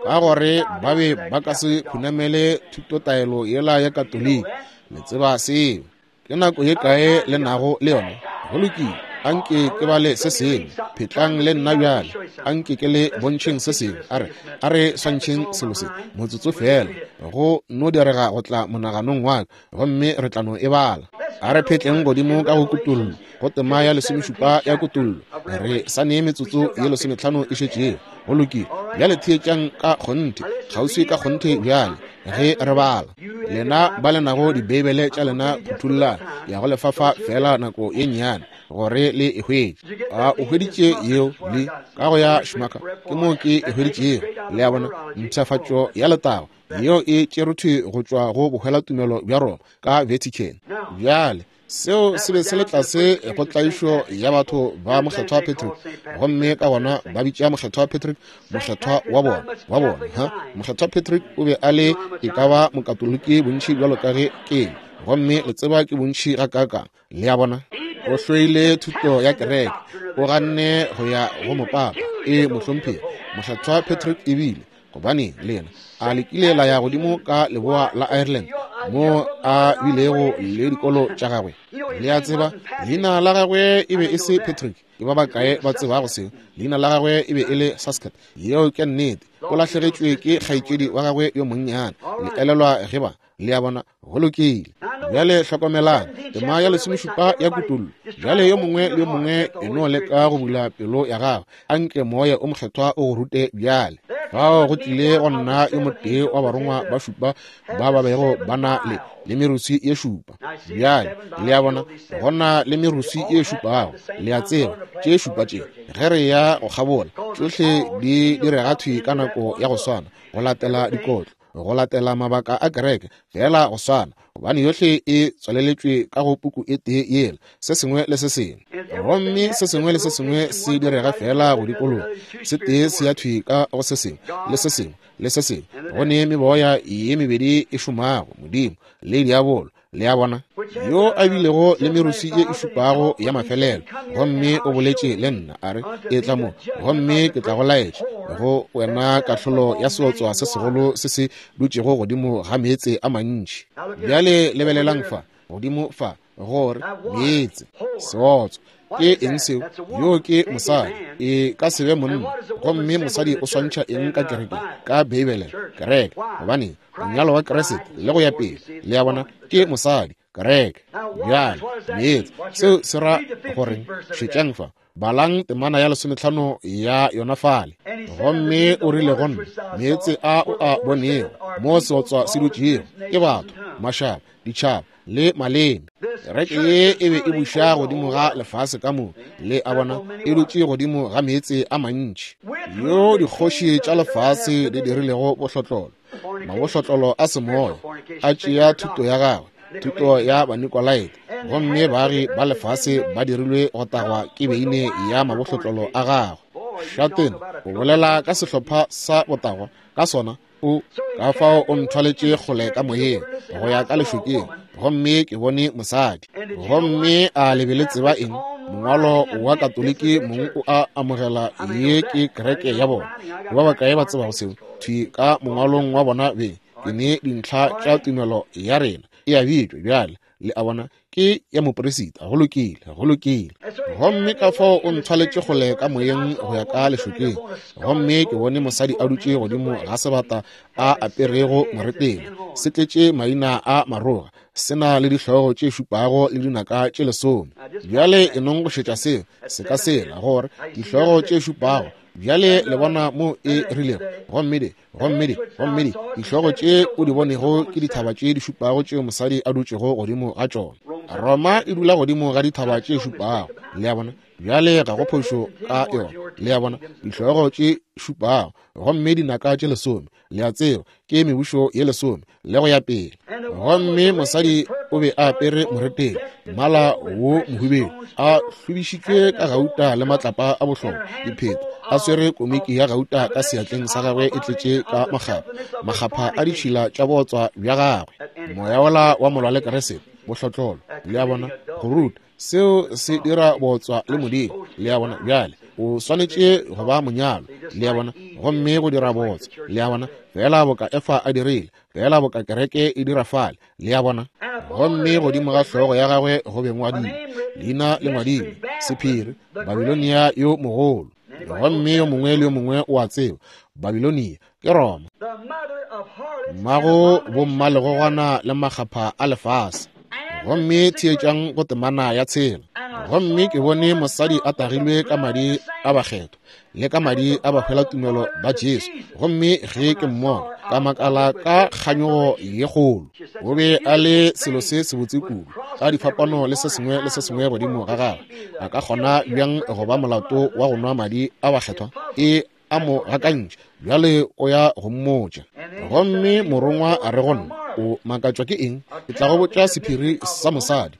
ka gore ba be ba ka se khunamele thutotaelo yela ya Katoliki. Le tseba seo. Ke nako ye kae le nago le yona? Go lokile, anke ke bale se sengwe. Phetlang le nna bjale, anke ke le bontšheng se sengwe. A re, a re swantšheng selo se motsotso fela, go no direga go tla monaganong wa ka, gomme re tla no e bala. A re phetleng godimo ka go Kutollo, go tema ya lesomešupa ya Kutollo. Re sa nee metsotso ye lesometlhano e šetšego. Go lokile, bjale theetšang ka kgonthe, kgauswi ka kgonthe bjale ge re bala. Lena ba le nago dibeibele tša lena, phuthulla ya go lefafa fela nako ye nnyane gore le e hwetše. A o hweditše yeo le ka go ya Schmucker? Ke moo ke e hweditšego. Le a bona, mpshafatšo ya letago yeo e tšerwe go tšwa go bohwelatumelo bja Roma ka Vatican. Bjale seo se be se le tlase go tlaišo ya batho ba Mokgethwa Patrick, gomme ka gona ba bitša Mokgethwa Patrick mokgethwa wa bona, wa bona. Ha Mokgethwa Patrick o be a le e ka ba mokatoliki bontši bjalo ka ge ke, gomme le tseba ke bontši ga kaakang. Le a bona, o hloile thuto ya kereke, o ganne go ya go mopapa. E mohlomphegi Mokgethwa Patrick ebile, gobane le yena a lekile la ya godimo ka leboa la Ireland mo a bilego le dikolo tša gagwe. Le a tseba, leina la gagwe e be e se Patrick. Ke ba bakae ba tsebago seo? Leina la gagwe e be e le Saskat. Yeo ke nnete. O lahlegetšwe ke kgaetšedi wa gagwe yo monnyane. Le elelwa ge ba, le a bona, go lokile. Bjale hlokomelang tema ya lesomešupa ya Kutollo. Bjale yo mongwe le yo mongwe e no leka go bula pelo ya gagwe, anke Moya o Mokgethwa o go rute bjale. Fao go tlile go nna yo motee wa barongwa ba šupa ba ba bego ba na le le meruswi ye šupa. Bjale le a bona, go na le meruswi ye šupago. Le a tseba tše šupa tše ge re ya go kgabola, tšohle di direga thwi ka nako ya go swana, go latela dikotlo, go latela mabaka a kereke, fela go swana, gobane yohle e tswaleletšwe ka go puku e tee yela, se sengwe le se sengwe. Gomme se sengwe le se sengwe se direga fela go dikologa, se tee se ya thwi ka go se sengwe le se sengwe le se sengwe. Go ne meboya ye mebedi e šomago, Modimo le diabolo. Le a bona, yo a bilego le meruswi ye e šupago ya mafelelo, gomme o boletše le nna a re, etla mo, gomme ke tla go laetša go wena kahlolo ya seotswa se segolo se se dutšego godimo ga meetse a mantši. Bjale lebelelang fa, godimo fa, gore meetse, seotswa ke eng seo? Yo ke mosadi, e ka se be monna. Gomme mosadi o swantšha eng ka kereke? Ka Beibele, kereke. Gobane monyalo wa Kriste le go ya pele, le a bona, ke mosadi, kereke. Bjale meetse, seo se ra goreng? Šetšang fa, balang temana ya lesometlhano ya yona fale. Gomme o rile go nna, meetse a o a bonego mo seotswa se dutšego ke batho, mašaba, ditšhaba le maleme. Kereke ye e be e buša godimo ga lefase ka moka. Le a bona, e dutše godimo ga meetse a mantši, yo dikgoši tša lefase di dirilego bohlotlolo, mabohlotlolo a semoya, a tšea thuto ya gagwe, thuto ya Banikolaite, gomme baagi ba lefase ba dirilwe go tagwa ke beine ya mabohlotlolo a gagwe. Šatene o bolela ka sehlopha sa botagwa ka sona. O ka fao o nthwaletše kgole ka moyeng go ya ka lešokeng, gomme ke bone mosadi. Gomme a le be le tseba eng? Mongwalo wa Katoliki mong o a amogela ye ke kereke ya bona. Ke ba bakae ba tsebago seo? Thwi ka mongwalong wa bona beng, ke ne dintlha tša tumelo ya rena e a bitšwa bjale. Le a bona, ke ya moperisita. Go lokile, go lokile. Gomme ka fao o nthwaletše kgole ka moyeng go ya ka lešokeng, gomme ke bone mosadi a dutše godimo ga sebata a aperego moretele, se tletše maina a maroga, se na le dihlogo tše šupago le dinaka tše lesome. Bjale e nong go šetša seo se ka sela, gore dihlogo tše šupago. Bjale le bona mo e rilego, gomme di, gomme di, gomme di dihlogo tše o di bonego ke dithaba tše di šupago tšeo mosadi a dutšego godimo ga tšona. Roma e dula godimo ga dithaba tše šupago. Le a bona, Bjale ga go phošo ka yona. Le a bona, dihlogo tše šupago gomme dinaka tše lesome, le a tseba, ke mebušo ye lesome le go ya pele. Gomme mosadi o be a apere moretele, mmala wo mohubedu, a hlobišitšwe ka gauta le matlapa a bohlokwa, dipheta, a swere komiki ya gauta ka seatleng sa gagwe e tletše ka makgapha, makgapha a ditšhila tša bootswa bja gagwe. Moya wola wa molwa le Keresete, bohlotlolo, le a bona, go ruta, seo se dira bootswa le Modimo, le a bona. Bjale o swanetše go ba monyalo, le a bona, gomme go dira bootswa, le a bona, fela boka Efa a dirile, fela boka kereke e dira fale, le a bona. Gomme godimo ga hlogo ya gagwe go be ngwadilwe leina le ngwadilwe, sephiri, Babilonia yo mogolo. Gomme yo mongwe le yo mongwe o a tseba Babilonia ke Roma, mmago bommalegogwana le makgapha a lefase. Gomme theetšang go temana ya tshela. Gomme ke bone mosadi a tagilwe ka madi a bakgethwa le ka madi a bahwelatumelo ba Jesu. Gomme ge ke mmona, ka makala ka kganyogo ye kgolo. O be a le selo se sebotse kudu, ka difapano le se sengwe le se sengwe godimo ga gagwe. A ka kgona bjang go ba molato wa go nwa madi a bakgethwa? E a mo gakantšha, bjale o ya go mmotša. Gomme morongwa a re go nna, o makatšwa ke eng? Ke tla go botša sephiri sa mosadi,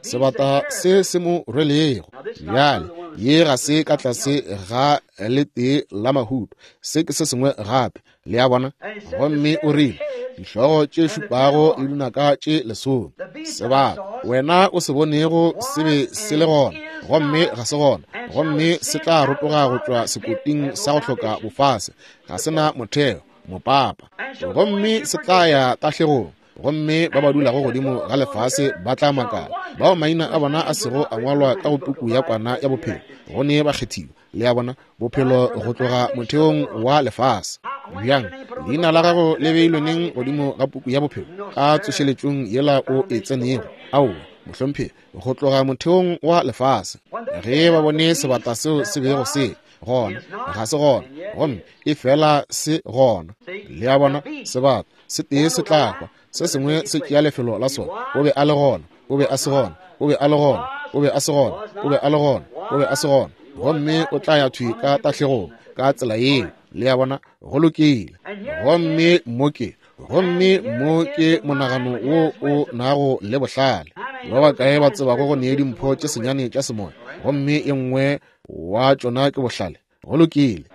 sebata se se mo rwelego. Bjale ye ga se ka tlase ga letee la mahuto, se ke se sengwe gape, le a bona. Gomme o rile, dihlogo tše šupago le dinaka tše lesome, sebata wena o se bonego se be se le gona, gomme ga se gona, gomme se tla rotoga go tšwa sekoting sa go hloka bofase, ga se na motheo, mopapa, gomme se tla ya tahlegong. Gomme ba ba dulago godimo ga lefase ba tla makala, bao maina a bona a sego a ngwalwa ka go puku ya kwana ya bophelo, go ne ba kgethiwa, le a bona, bophelo go tloga motheong wa lefase. Bjang leina la gago le beilwe neng godimo ga puku ya bophelo? Ka tsošeletšong yela o e tsenego? Aowa, mohlomphegi, go tloga motheong wa lefase. Ge ba bone sebata seo se bego se gona, ga se gona, gomme e fela se gona, le a bona, sebata se tee se tla hwa, se sengwe se tšea lefelo la sona. O be a le gona, o be a se gona, o be a le gona, o be a se gona, o be a le gona, o be a se gona, gomme o tla ya thwi ka tahlegong ka tsela yeo, le a bona. Go lokile. Gomme mo ke, gomme mo ke monagano wo o nago le bohlale. Ba bakae ba tsebago go nee dimpho tše senyane tša semoya, gomme e nngwe wa tšona ke bohlale? Go lokile.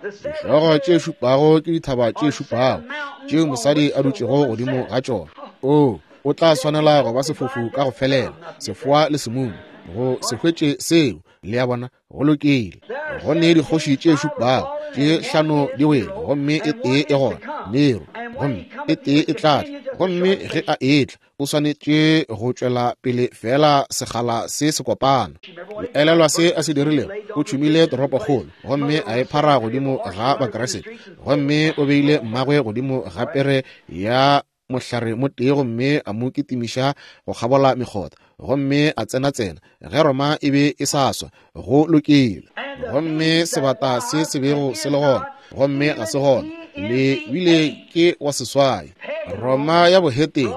Dihlogo tše šupago ke dithaba tše šupago tšeo mosadi a dutšego godimo ga tšona. O o tla swanela go ba sefofu ka go felela, sefoa le semumu, go se hwetše seo, le a bona. Go lokile. Go ne dikgoši tše šupago, tše hlano di wele, gomme e tee e gona, Nero, gomme e tee e tla tla, gomme ge a etla o swanetše go tšwela pele fela segala se se kopana. Le elelwa se a se dirilego? O tšhumile toropokgolo gomme a e phara godimo ga Bakeresete, gomme o beile mmagwe godimo ga pere ya mohlare motee gomme a mo kitimiša go kgabola mekgotha, gomme a tsena-tsena ge Roma e be e sa swa. Go lokile. Gomme sebata se se bego se le gona, gomme ga se gona, le bile ke wa seswai. Roma ya bohetene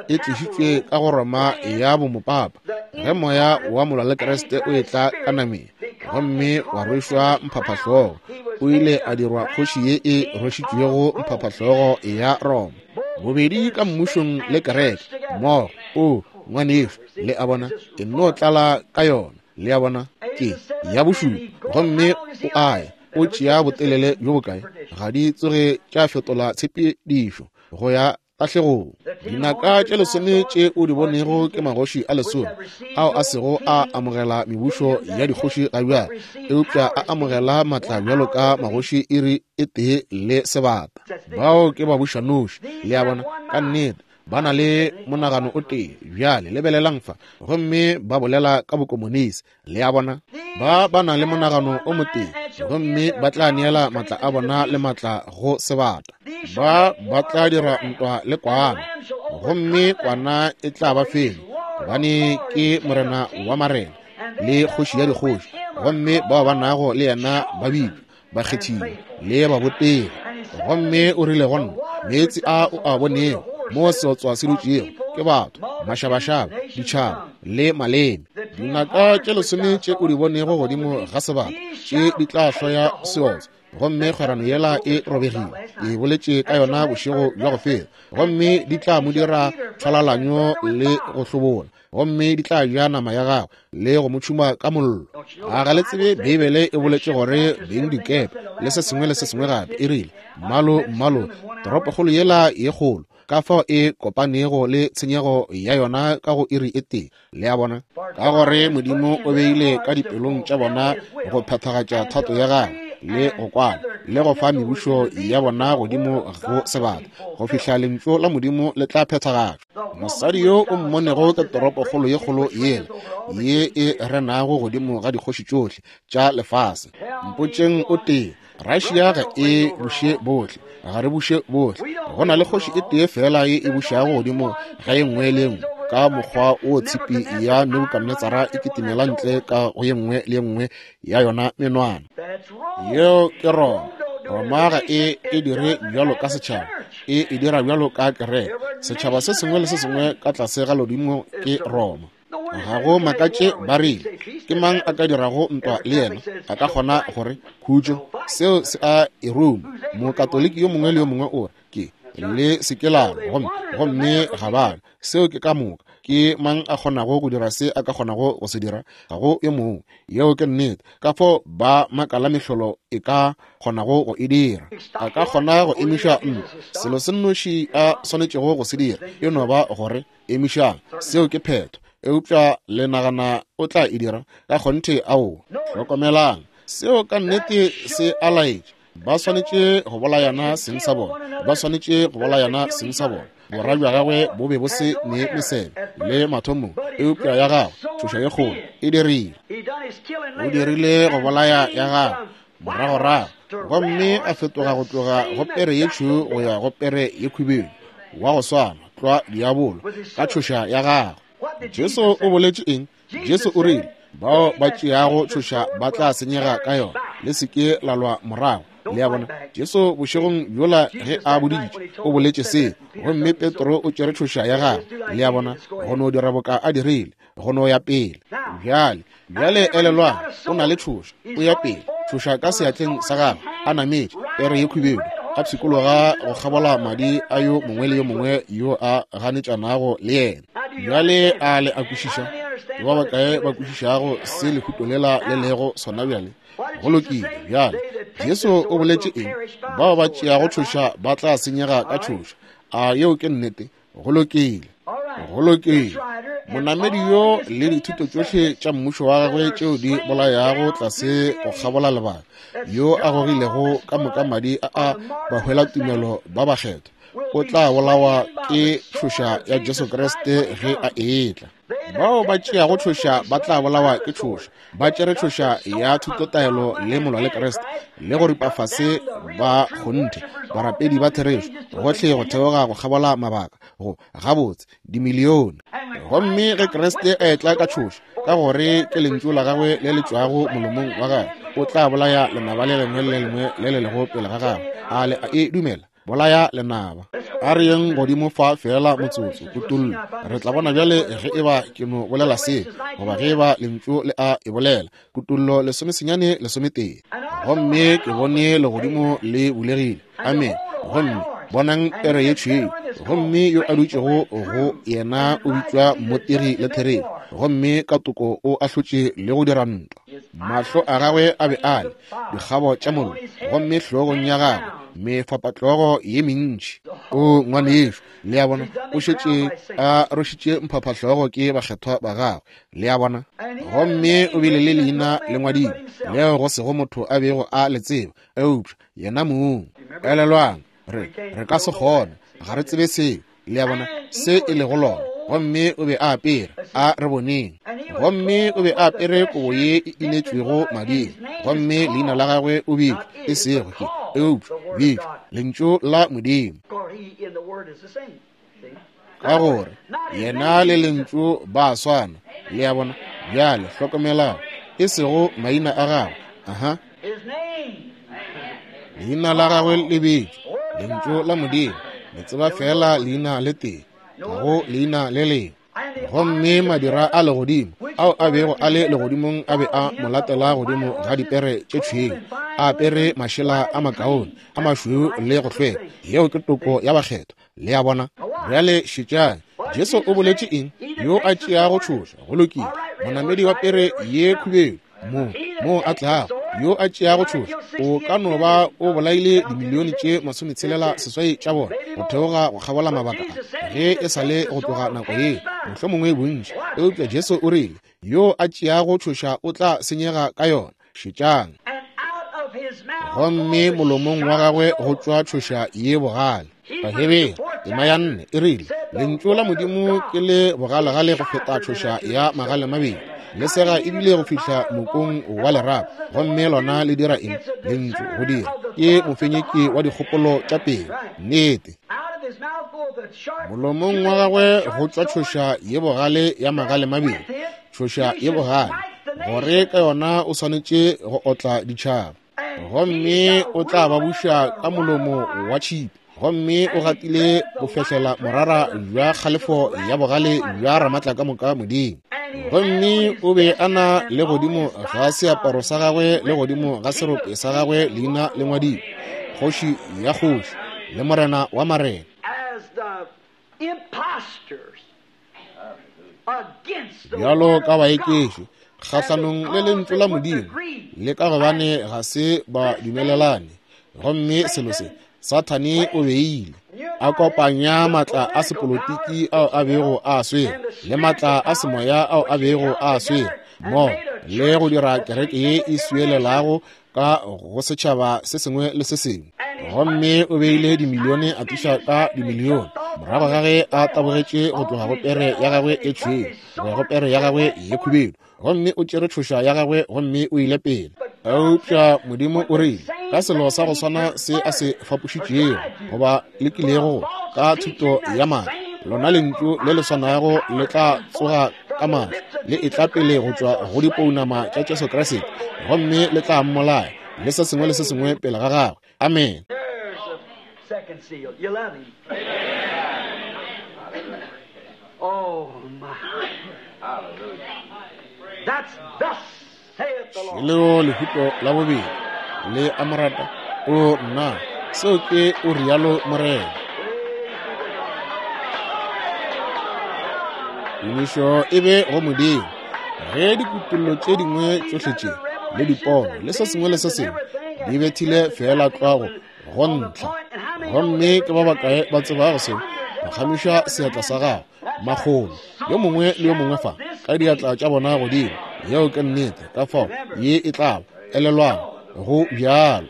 e tlišitšwe ka go Roma ya bomopapa, ge moya wa molwa le Kriste o etla ka nameng gomme wa rwešwa mphaphahlogo, o ile a dirwa kgoši ye e rwešitšwego mphaphahlogo ya Roma, bobedi ka mmušong le kereke mmogo. O ngwanešu, le a bona, e nno tlala ka yona, le a bona, ke ya bošupa. Gomme o a ya, o tšea botelele bjo bokae? Ga di tsoge tša fetola tshepedišo go ya tahlegong. Dinaka tše lesome tše o di bonego ke magoši a lesome ao a sego a amogela mebušo ya dikgoši ga bjale, eupša a amogela matla bjalo ka magoši iri e tee le sebata. Bao ke babušanoši, le a bona, ka nnete ba na le monagano o tee. Bjale lebelelang fa, gomme ba bolela ka bokomonisi, le a bona, ba ba na le monagano o motee, gomme ba tla neela matla a bona le matla go sebata. Ba ba tla dira ntwa le kwana, gomme kwana e tla ba fenya, gobane ke morena wa marena le kgoši ya dikgoši, gomme bao ba nago le yena ba bitšwa bakgethiwa le babotegi. Gomme o rile go nna, meetse a o a bonego mo seotswa se dutšego ke batho, mašabašaba, ditšhaba le maleme. Dinaka tše lesome tše o di bonego godimo ga sebata tše di tla hloya seotswa, gomme kgwerano yela e robegile. Ke boletše ka yona bošego bja go feta. Gomme di tla mo dira tšhwalalanyo le go hlobola, gomme di tla ja nama ya gagwe le go mo tšhuma ka mollo. A ga le tsebe Beibele e boletše gore beng dikepe le se sengwe le se sengwe gape e rile mmalo mmalo toropokgolo yela ye kgolo, ka fao e kopanego le tshenyego ya yona ka go iri e tee. Le a bona? Ka gore Modimo o beile ka dipelong tša bona go phethagatša thato ya gagwe le go kwana le go fa mebušo ya bona godimo go sebata go fihla lentšu la Modimo le tla phethagatšwa. Mosadi yo o mmonego ke toropokgolo ye kgolo yela ye e renago godimo ga dikgoši tšohle tša lefase. Mpotšeng o tee, Russia ga e buše bohle, ga re buše bohle. Go na le kgoši e tee fela ye e bušago godimo ga ye nngwe le nngwe, ka mokgwa o tshipi ya Nebukadnetsara e kitimela ntle ka go ye nngwe le nngwe ya yona menwana. Yeo ke Roma. Roma ga e e dire bjalo ka setšhaba, e e dira bjalo ka kereke. Setšhaba se sengwe le se sengwe ka tlase ga lodimo ke Roma. Ga go makatše ba rile, ke mang a ka dirago ntwa le yena? A ka kgona gore khutšo. Seo se a e ruma. Mokatoliki yo mongwe le yo mongwe o re ke le se ke la gomme gomme ga ba. Seo ke ka moka. Ke mang a kgonago go dira se a ka kgonago go se dira? Ga go yo mongwe. Yeo ke nnete. Ka fao ba makala mehlolo e ka kgonago go e dira. A ka kgona go emiša ntwa. Selo se nnoši a swanetšego go se dira e no ba gore emišang. Seo ke phetho. Eupša le nagana o tla e dira? Ka kgonthe ao. Hlokomelang, seo ka nnete se a laetša. Ba swanetše go bolayana seng sa bona, ba swanetše go bolayana seng sa bona. Bora bja gagwe bo be bo se ne mesebe le mathomong, eupša ya gagwe tšhoša ye kgolo e dirile. O dirile go bolaya ya gagwe moragorago, gomme a fetoga go tloga go pere ye tšhweu go ya go pere ye khubedu, wa go swana tlwa diabolo ka tšhoša ya gagwe. Jesu o boletše eng? Jesu o rile, bao ba tšeago tšhoša ba tla senyega ka yona, le se ke la lwa morago. Le a bona? Jesu bošegong bjola ge a boditše o boletše se, gomme Petro o tšere tšhoša ya gagwe. Le a bona? Go no dira boka a dirile, go no ya pele. Bjale, bjale elelwang, o na le tšhoša, o ya pele, tšhoša ka seatleng sa gagwe, a nametše pere ye khubedu, a pshikologa go kgabola madi a yo mongwe le yo mongwe yo a ganetšanago le yena. Bjale a le a kwešiša? Ke ba bakae ba kwešišago se lehuto lela le lego sona bjale? Go lokile. Bjale Jesu o boletše eng? Bao ba tšeago tšhoša ba tla senyega ka tšhoša. A yeo ke nnete? Go lokile. Go lokile. Monamedi yo le dithuto tšohle tša mmušo wa gagwe tšeo di bolayago tlase go kgabola lebaka, yo a gogilego ka moka madi a a bahwela tumelo ba bakgethwa, o tla bolawa ke tšhoša ya Jesu Kriste ge a etla. Bao ba tšeago tšhoša ba tla bolawa ke tšhoša. Ba tšere tšhoša ya thutotaelo le molwa le Kriste le go ripa fase ba kgonthe barapedi ba therešo gohle go theoga go kgabola mabaka go gabotse dimilione. Gomme ge Kriste a etla ka tšhoša, ka gore ke lentšu la gagwe le le tšwago molomong wa gagwe, o tla bolaya lenaba le lengwe le lengwe le le lego pele ga gagwe. A le a e dumela? Bolaya lenaba. A re yeng godimo fa fela motsotso, kutollo. Re tla bona bjale ge eba ke no bolela se, goba ge eba lentšu le a e bolela. Kutollo lesomesenyane lesometee. Gomme ke bone legodimo le bulegile. Amen. Gomme bonang pere ye tšhweu, gomme yo a dutšego go yena o bitšwa Mmotegi le Therešo, gomme ka toko o ahlotše le go dira ntwa. Mahlo a gagwe a be a le dikgabo tša mollo, gomme hlogong ya gagwe mefapatlogo ye mentši. O ngwanešo, le a bona, o šetše a rošitše mphaphahlogo ke bakgethwa ba gagwe. Le a bona? Gomme o bile le leina le ngwadilwe leo go sego motho a bego a le tseba eupša yena mong. Elelwang, re re ka se kgone, ga re tsebe seo. Le a bona se e lego lona. Gomme o be a apere, a re boneng, gomme o be a apere kobo ye e inetšwego mading, gomme leina la gagwe o bitšwa e sego ke, eupša bitšwa Lentšu la Modimo, ka gore yena le Lentšu ba swana. Le a bona? Bjale hlokomelang, e sego maina a gagwe. Aha, leina la gagwe le bitšwa Lentšu la Modimo. Le tseba fela leina le tee, ga go leina le lengwe. Gomme madira a legodimo ao a bego a le legodimong a be a mo latela godimo ga dipere tše tšhweu, a apere mašela a makaone a mašweu le go hlweka. Yeo ke toko ya bakgethwa. Le a bona? Bjale šetšang. Jesu o boletše eng? Yo a tšeago tšhoša, go lokile, monamedi wa pere ye khubedu, mo mo a tlago, yo a tšeago tšhoša, o ka no ba o bolaile dimilione tše masometshelela seswai tša bona go theoga go kgabola mabaka a, ge e sa le go tloga nako ye, mohlomongwe bontši. Eupša Jesu o rile, yo a tšeago tšhoša o tla senyega ka yona. Šetšang. Gomme molomong wa gagwe go tšwa tšhoša ye bogale. Bahebere tema ya nne e rile, lentšu la Modimo ke le bogalegale go feta tšhoša ya magale mabedi, le sega ebile go fihla mokong wa lerapo. Gomme lona le dira eng? Lentšu go dira ke mofenyeki wa dikgopolo tša pelo. Nnete. Molomong wa gagwe go tšwa tšhoša ye bogale ya magale mabedi, tšhoša ye bogale, gore ka yona o swanetše go otla ditšhaba. Gomme o tla ba buša ka molomo wa tšhipi. Gomme o gatile go fehlela morara bja kgalefo ya bogale bja Ramatlakamoka Modimo. Gomme o be a na le godimo ga seaparo sa gagwe le godimo ga serope sa gagwe leina le ngwadilwe, Kgoši ya kgoši le Morena wa marena. Bjalo ka baekeši kgahlanong le lentšu la Modimo, le ka gobane ga se ba dumelelane. Gomme selo se Sathane o beile a kopanya matla a sepolotiki ao a bego a swere le matla a semoya ao a bego a swere mo, le go dira kereke ye e swielelago ka go setšhaba se sengwe le se sengwe. Gomme o beile dimilione a tliša ka dimilione morago ga ge a tabogetše go tloga go pere ya gagwe e tšhweu go ya go pere ya gagwe ye khubedu. Gomme o tšere tšhoša ya gagwe gomme o ile pele. Eupša Modimo o rile, ka selo sa go swana se a se fapošitšego goba lekilego ka thuto ya maaka, lona lentšu le le swanago le tla tsoga ka maatla le etla pele go tšwa go dipounama tša Jesu Kriste, gomme le tla mmolaya le se sengwe le se sengwe pele ga gagwe. Amen. Leo lehuto la bobedi le amorata. O nna, seo ke o rialo Morena. Tumišo e be go Modimo. Ge dikutullo tše dingwe tšohle tše le dipono le se sengwe le se sengwe di bethile fela tlwago go ntlha, gomme ke ba bakae ba tsebago seo? Phagamiša seatla sa gago, makgolo, yo mongwe le yo mongwe fa ka diatla tša bona godimo. Yeo ke nnete. Ka fao ye e tla ba, elelwang, go bjalo.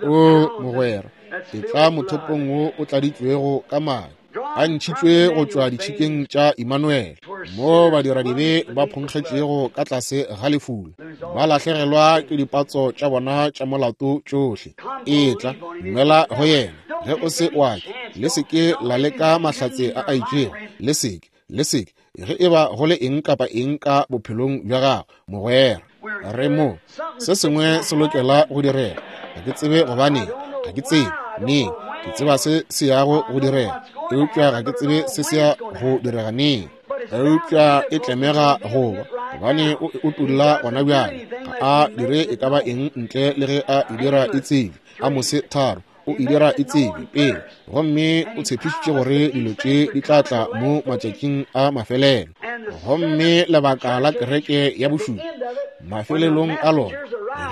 O mogwera, e tla mothopong wo o tladitšwego ka madi, a ntšhitšwe go tšwa ditšhikeng tša Immanuel, mo badiradibe ba phonkgetšego ka tlase ga lefula, ba lahlegelwa ke dipatso tša bona tša molato tšohle. Etla, dumela go yena. Ge o se wa ke, le se ke la leka mahlatse a a itšego, le se ke, le se ke, ge e ba go le eng kapa eng ka bophelong bja gago, mogwera. Re mo, se sengwe se lokela go direga. Ga ke tsebe gobaneng, ga ke tsebe neng, ke tseba se se yago go direga, eupša ga ke tsebe se se ya go direga neng. Eupša e tlemega go ba, gobane o e utolla gona bjale. Ga a dire e ka ba eng ntle le ge a e dira e tsebe. Amose tharo, o e dira e tsebe pele, gomme o tshepišitše gore dilo tše di tla tla mo matšatšing a mafelelo. Gomme lebaka la kereke ya bošupa, mafelelong a lona,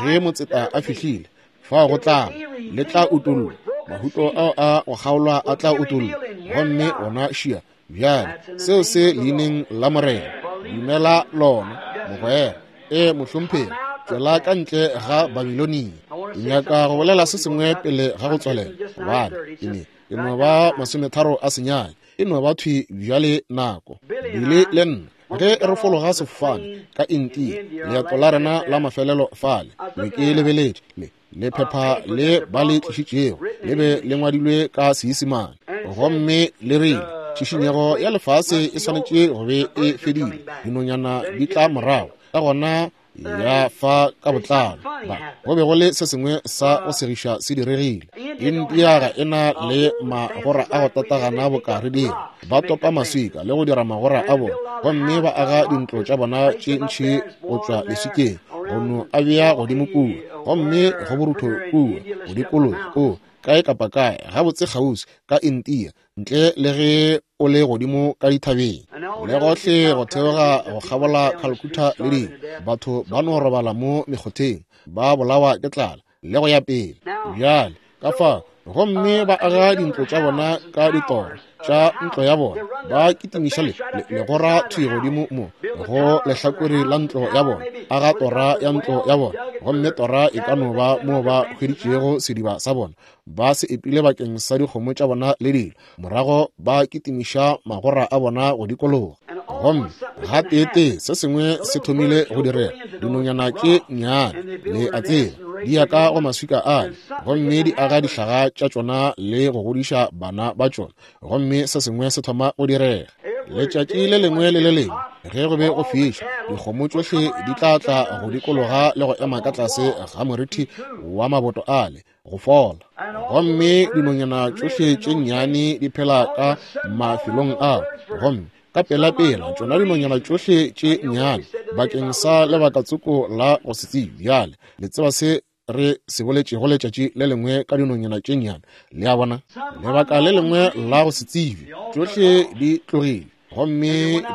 ge motseta a fihlile, fao go tla le tla utollwa, mahuto ao a go kgaolwa a tla utollwa, gomme ona šia bjale seo se leineng la Morena. Dumela lona, mogwera. E mohlomphegi, tšwela ka ntle ga Babilonia. Ke nyaka go bolela se sengwe pele ga go tswalela, gobane ke ne ke no ba masometharo a senyane, e no ba thwi bjale nako. Bile le nna ge re fologa sefofane ka India, leeto la rena la mafelelo fale, be ke lebeletše le lephepha le ba le tlišitšego, le be le ngwadilwe ka Seisemane, gomme le rile tšhišinyego ya lefase e swanetše go be e fedile, dinonyana di tla morago, ka gona ya fa ka botlalo. Ba go be go le se sengwe sa go segiša se diregile. India ga e na le magora a go tatagana boka re dira. Ba topa maswika le go dira magora a bona, gomme ba aga dintlo tša bona tše ntši go tšwa leswikeng, go no a bea godimo kua, gomme go borutho kua, go dikologa o kae kapa kae, gabotse kgauswi ka India, ntle le ge o le godimo ka dithabeng le gohle go theoga go kgabola Calcutta le dingwe. Batho ba no robala mo mekgotheng, ba bolawa ke tlala le go ya pele. Bjale ka fao, gomme ba aga dintlo tša bona ka ditora tša ntlo ya bona, ba kitimiša le legora thwi godimo mo go lehlakore la ntlo ya bona, aga tora ya ntlo ya bona, gomme tora e ka no ba mo ba hweditšego sediba sa bona, ba se epile bakeng sa dikgomo tša bona le dilo, morago ba kitimiša magora a bona go dikologa. Gomme gateetee se sengwe se thomile go direga. Dinonyana tše nnyane, le a tseba, di ya ka go maswika ale, gomme di aga dihlaga tša tšona le go godiša bana ba tšona, gomme se sengwe se thoma go direga. Letšatši le lengwe le le lengwe ge go be go fiša, dikgomo tšohle di tla tla go dikologa le go ema ka tlase ga morithi wa maboto ale go fola. Gomme dinonyana tšohle tše nnyane di phela ka mafelong ao, gomme ka pelapela tšona dinonyana tšohle tše nnyane bakeng sa lebakatsoko la go se tsebe. Bjale le tseba se re se boletšego letšatši le lengwe ka dinonyana tše nnyane, le a bona, lebaka le lengwe la go se tsebe, tšohle di tlogile gomme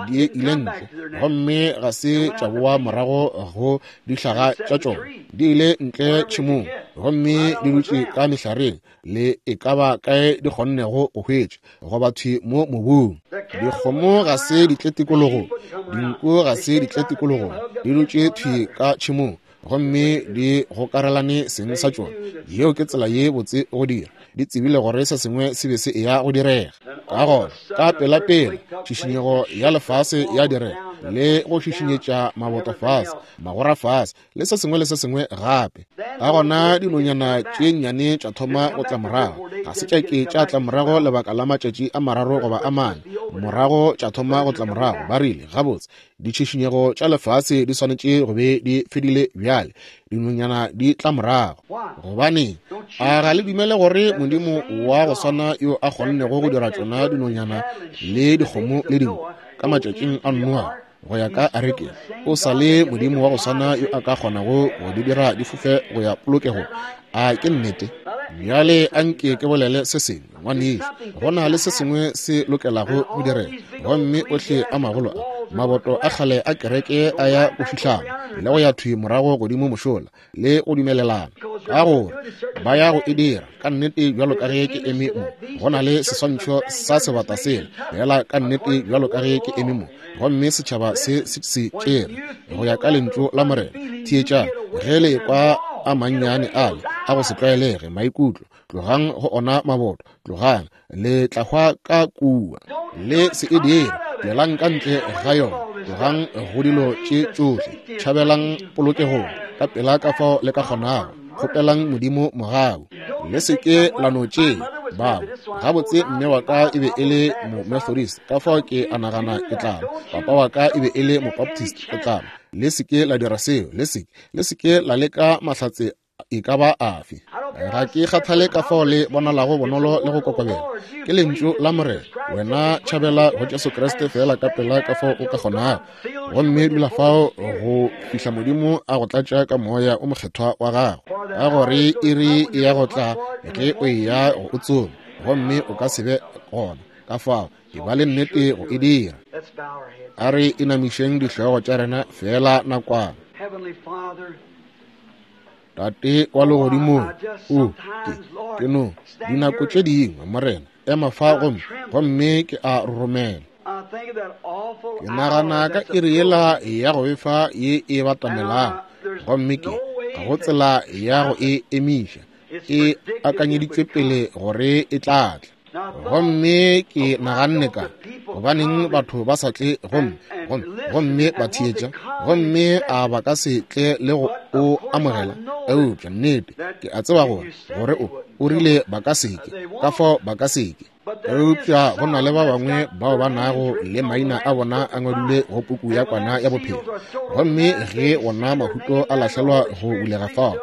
di ile ntle, gomme ga se tša boa morago go dihlaga tša tšona. Di ile ntle tšhemong gomme di dutše ka mehlareng le e ka ba kae di kgonnego go hwetša, goba thwi mo mobung. Dikgomo ga se di tle tikologong, dinku ga se di tle tikologong, di dutše thwi ka tšhemong gomme di gokarelane seng sa tšona. Yeo ke tsela ye botse go dira. Di tsebile gore se sengwe se be se eya go direga. Ka gona ka pelapela tšhišinyego ya lefase ya direga, le go šišinyetša maboto fase, magora fase, le se sengwe le se sengwe gape. Ka gona dinonyana tše nnyane tša thoma go tla morago. Ga se tša ke tša tla morago lebaka la matšatši a mararo goba a mane, morago tša thoma go tla morago. Ba rile, gabotse, ditšhišinyego tša lefase di swanetše go be di fedile bjale, dinonyana di tla morago. Gobane a ga le dumele gore Modimo wa go swana yo a kgonnego go dira tšona dinonyana le dikgomo le dinku ka matšatšing a Noa go ya ka arekeng, o sa le Modimo wa go swana yo a ka kgonago go di dira di fofe go ya polokego? A ke nnete? Bjale a nke ke bolele se sengwe, ngwanešu. Go na le se sengwe se lokelago go direga, gomme ohle a magolo a maboto a kgale a kereke a ya go fihlana le go ya thwi morago godimo mošola le go dumelelana, ka gore ba ya go e dira ka nnete bjalo ka ge ke eme mo. Go na le seswantšho sa sebata sela fela ka nnete bjalo ka ge ke eme mo, gomme setšhaba se se se tšere go ya ka lentšu la Morena. Theetšang ge le kwa a mannyane ale a go se tlwaelege maikutlo, tlogang go ona maboto, tlogang, le tla hwa ka kua. Le se e dire, tšwelang ka ntle ga yona, tlogang go dilo tše tšohle, tšhabelang polokegong ka pela ka fao le ka kgonago, kgopelang Modimo mogau. Le se ke la no tšea bao. Gabotse, mme wa ka e be e le mo-Methodist, ka fao ke a nagana ke tla. Papa wa ka e be e le mo-Baptist, ke tla. Le se ke la dira seo, le se ke, le se ke la leka mahlatse e ka ba afe. Ga ke kgathale ka fao le bonalago bonolo le go kokobela, ke lentšu la Morena. Wena tšhabela go Jesu Kriste fela ka pela ka fao o ka kgonago, gomme dula fao go fihla Modimo a go tlatša ka moya o mokgethwa wa gago, ka gore iri e ya go tla ge o eya go o tsoma, gomme o ka se be gona. Ka fao e ba le nnete go e dira. A re inamišeng dihlogo tša rena fela nakwana. Tate wa legodimong, o ke ke no dinako tše dingwe, Morena, ema fa gomme gomme ke a roromela. Ke nagana ka iri yela ya go befa ye e batamelang, gomme ke ga go tsela ya go e emiša, e akanyeditšwe pele gore e tla tla. Gomme ke naganne ka gobaneng batho ba sa tle gomme gomme gomme ba theetša, gomme a ba ka se tle le go o amogela. Eupša nnete ke a tseba gore gore o o rile ba ka se ke, ka fao ba ka se ke. Eupša go na le ba bangwe bao ba nago le maina a bona a ngwadilwe go puku ya kwana ya bophelo. Gomme ge wona mahuto a lahlelwa go bulega fao,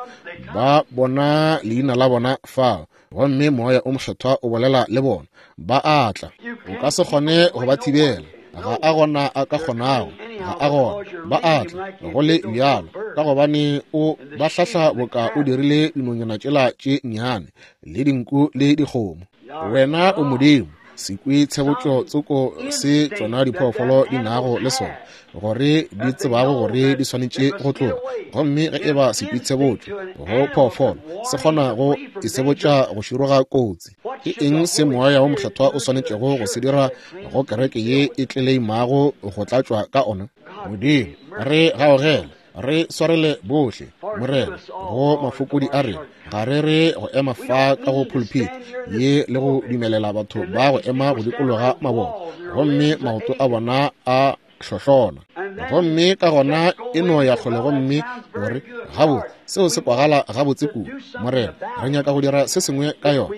ba bona leina la bona fao, gomme Moya o Mokgethwa o bolela le bona, ba a tla. O ka se kgone go ba thibela. Ga a gona a ka kgonago, ga a gona. Ba a tla go le bjalo, ka gobane o ba hlahla boka o dirile dinonyana tšela tše nnyane le dinku le dikgomo. Wena o Modimo, sekwi tshebotšo tsoko se tšona diphoofolo di nago le sona, gore di tsebago gore di swanetše go tloga. Gomme ge e ba sekwi tshebotšo go phoofolo se kgona go itshebotša go široga kotsi, ke eng se Moya wo Mokgethwa o swanetšego go se dira go kereke ye e tleleimago go tlatšwa ka ona? Modimo, re gaogele, re swarele bohle, Morena, go mafokodi a rena. Ga re re go ema fa ka go pulpit ye le go dumelela batho ba go ema go dikologa mabone, gomme maoto a bona a hlohlona, gomme ka gona e no ya kgole gomme o re, gabotse, seo se kwagala gabotse kudu. Morena, re nyaka go dira se sengwe ka yona.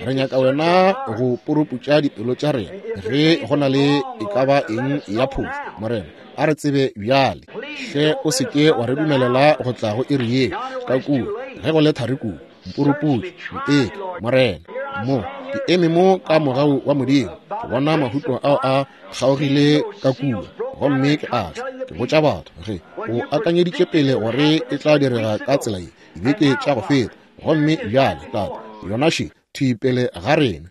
Re nyaka wena go puruputša dipelo tša rena ge go na le e ka ba eng ya phošo. Morena, a re tsebe bjale. Hle o se ke wa re dumelela go tla go iri ye ka kua ge go le thari kudu. Mpuruputše, nteke, Morena. Mo ke eme mo ka mogau wa Modimo, ke bona mahuto ao a kgaogile ka kua, gomme ke a tla ke botša batho ge o akanyeditše pele gore e tla direga ka tsela ye dibeke tša go feta, gomme bjale Tate, yona še thwi pele ga rena.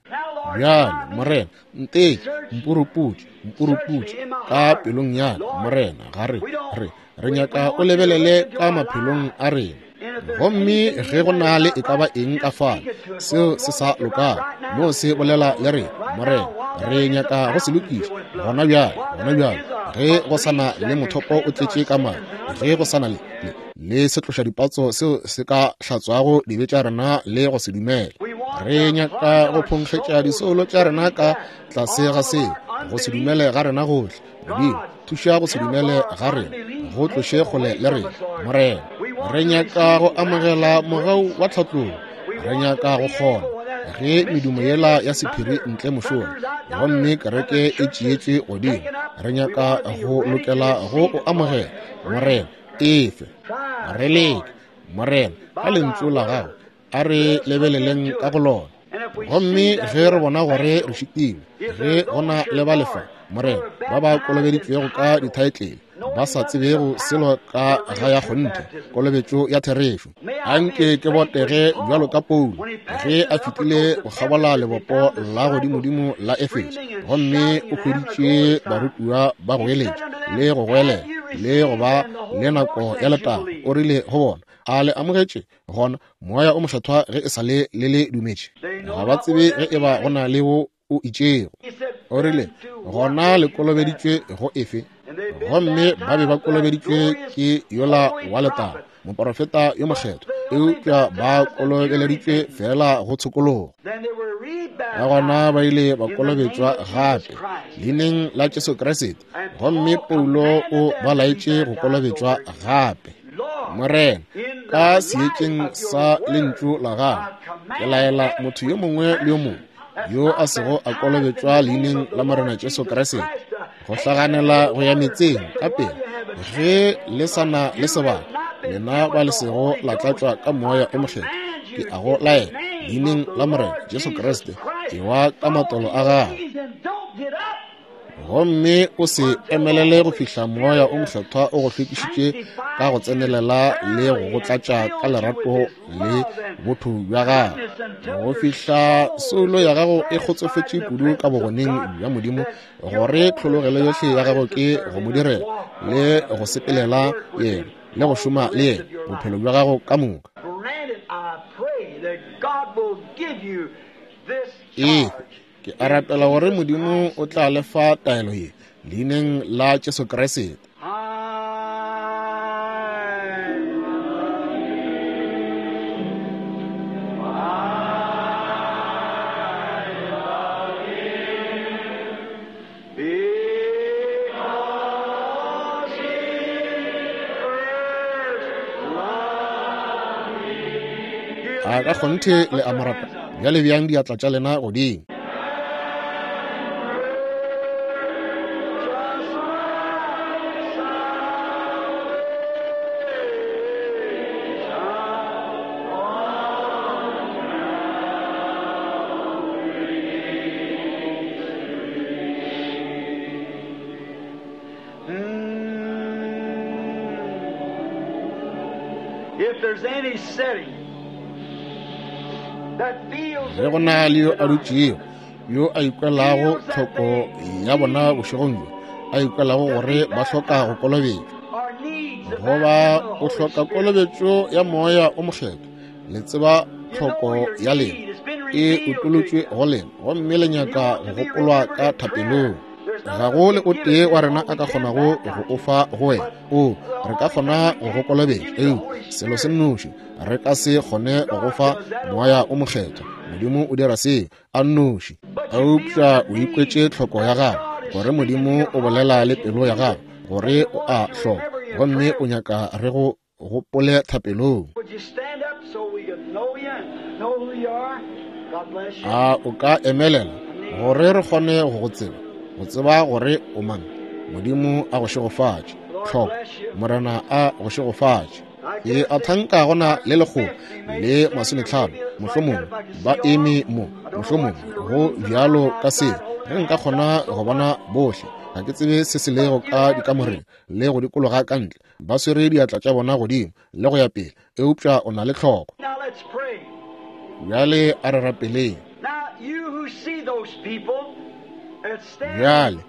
Bjale Morena, nteke, mpuruputše, mpuruputše ka pelong ya ka, Morena. Ga re re re nyaka o lebelele ka maphelong a rena. Gomme ge go na le e ka ba eng ka fale seo se sa lokago, no se bolela le rena, Morena. Re nyaka go se lokiša gona bjale, gona bjale, ge go sa na le mothopo o tletše ka madi, ge go sa na le le, le setloša dipatso seo se ka hlatswago dibe tša rena le go se dumela. Re nyaka go phonkgetša disoulo tša rena ka tlase ga seo, go se dumele ga rena gohle. Modimo, thuša go se dumele ga rena, go tloše kgole le rena, Morena. Re nyaka go amogela mogau wa tlhatlogo. Re nyaka go kgona ge medumo yela ya sephiri ntle mošola, gomme kereke e tšeetšwe godimo. Re nyaka go lokela go o amogela, Morena. Efe re leke, Morena, ka lentšu la gago, a re lebeleleng ka go lona. Gomme ge re bona gore re šitilwe, ge go na le ba lefa, Morena, ba ba kolobeditšwego ka dithaetlele, ba sa tsebego selo ka ga ya kgonthe kolobetšo ya therešo, anke ke botege bjalo ka Paulo ge a fetile go kgabola lebopo la godimodimo la Efeso, gomme o hweditše barutiwa ba go eletša le go goelela le go ba le nako ya letago. O rile go bona, a le amogetše gona Moya o Mokgethwa ge e sa le le le dumetše? Ga ba tsebe ge e ba go na le wo o itšego. O rile, gona le kolobeditšwe go efe? Gomme ba be ba kolobeditšwe ke yola wa letago, moporofeta yo mokgethwa, eupša ba kolobeleditšwe fela go tshokologo. Ka gona ba ile ba kolobetšwa gape leineng la Jesu Kriste, gomme Paulo o ba laetše go kolobetšwa gape. Morena, ka seetšeng sa lentšu la gago, ke laela motho yo mongwe le yo mongwe yo a sego a kolobetšwa leineng la Morena Jesu Kriste go hlaganela go ya metseng ka pele ge le sa na le sebaka, lena ba le sego la tlatšwa ka Moya o Mokgethwa. Ke a go laela leineng la Morena Jesu Kriste, ewa ka matolo a gago, gomme o se emelele go fihla Moya o Mokgethwa o go hlwekišitše ka go tsenelela le go go tlatša ka lerato le botho bja gago, go fihla soulo ya gago e kgotsofetše kudu ka bogoneng bja Modimo gore tlhologelo yohle ya gago ke go mo direla le go sepelela yena le go šoma le yena bophelo bja gago ka moka. Ee, ke a rapela gore Modimo o tla le fa taelo ye leineng la Jesu Kriste. A ka kgonthe le a mo rata? Bjale bjang diatla tša lena godimo. Ge go na le yo a dutšego yo a ikwelago tlhoko ya bona bošegong bjo, a ikwelago gore ba hloka go kolobetšwa, goba o hloka kolobetšo ya Moya o Mokgethwa, le tseba tlhoko ya lena e utolotšwe go lena, gomme le nyaka go gopolwa ka thapelong. Ga go le o tee wa rena a ka kgonago go o fa go wena. O re ka kgona go go kolobetša, eupša selo se nnoši re ka se kgone go go fa Moya o Mokgethwa. Modimo o dira seo a nnoši. Eupša o ikwetše tlhoko ya gago, gore Modimo o bolela le pelo ya gago, gore o a hloka, gomme o nyaka re go gopole thapelong. A o ka emelela gore re kgone go go tseba, go tseba gore o mang? Modimo a go šegofatše. Tlhoko Morena a go šegofatše. Ke a thanka gona le lekgolo le masometlhano mohlomongwe ba eme mo, mohlomongwe go bjalo ka seo. Ge nka kgona go bona bohle, ga ke tsebe se se lego ka dikamoreng le go dikologa ka ntle, ba swere diatla tša bona godimo le go ya pele, eupša o na le tlhoko. Bjale a re rapeleng. Bjale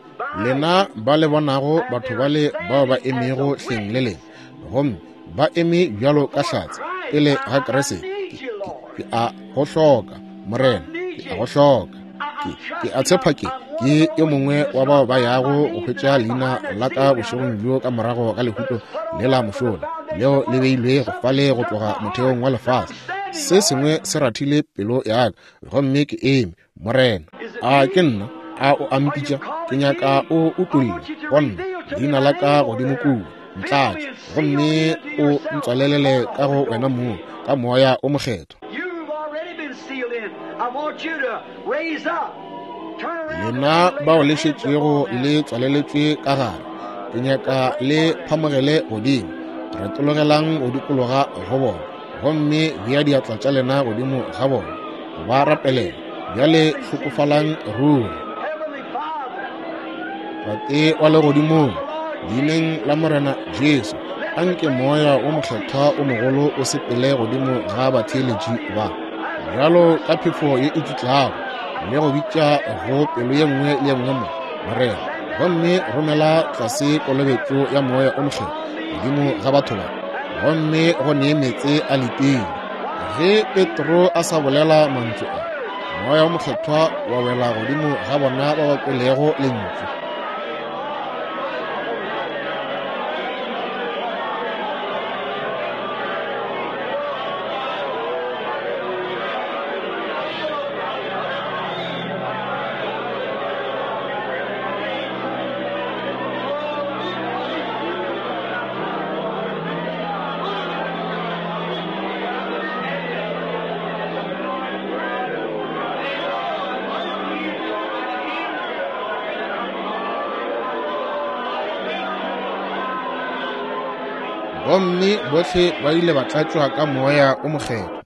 lena ba le bonago batho bale bao ba emego hleng le lena, gomme ba eme bjalo ka hlatse pele ga Kriste, ke a go hloka, Morena, ke a go hloka. Ke, ke a tshepa ke ke yo mongwe wa bao ba yago go hwetša leina la ka bošegong bjo ka morago ga lehuto le la mošola leo le beilwego fale go tloga motheong wa lefase. Se sengwe se rathile pelo ya ka, gomme ke eme. Morena, a ke nna? A o a mpitša? Ke nyaka o utolle go nna leina la ka godimo kua, ntlatše, gomme o ntswalelele ka go wena mong ka Moya o Mokgethwa. Lena bao le šetšego le tswaleletšwe ka gare, ke nyaka le phamogele godimo. Retologelang go dikologa go bona, gomme bea diatla tša lena godimo ga bona ba rapelela. Bjale hlokofalang ruri. Tate wa legodimong, leineng la Morena Jesu, anke Moya o Mokgethwa o mogolo o sepele godimo ga batheeletši ba, bjalo ka phefo ye e tšutlago, le go bitša go pelo ye nngwe le ye nngwe mo, Morena, gomme romela tlase kolobetšo ya Moya o Mokgethwa godimo ga batho ba, gomme go nee meetse a letile. Ge Petro a sa bolela mantšu a, Moya o Mokgethwa wa wela godimo ga bona ba ba kwelego lentšu. Gomme bohle ba ile ba tlatšwa ka Moya o Mokgethwa,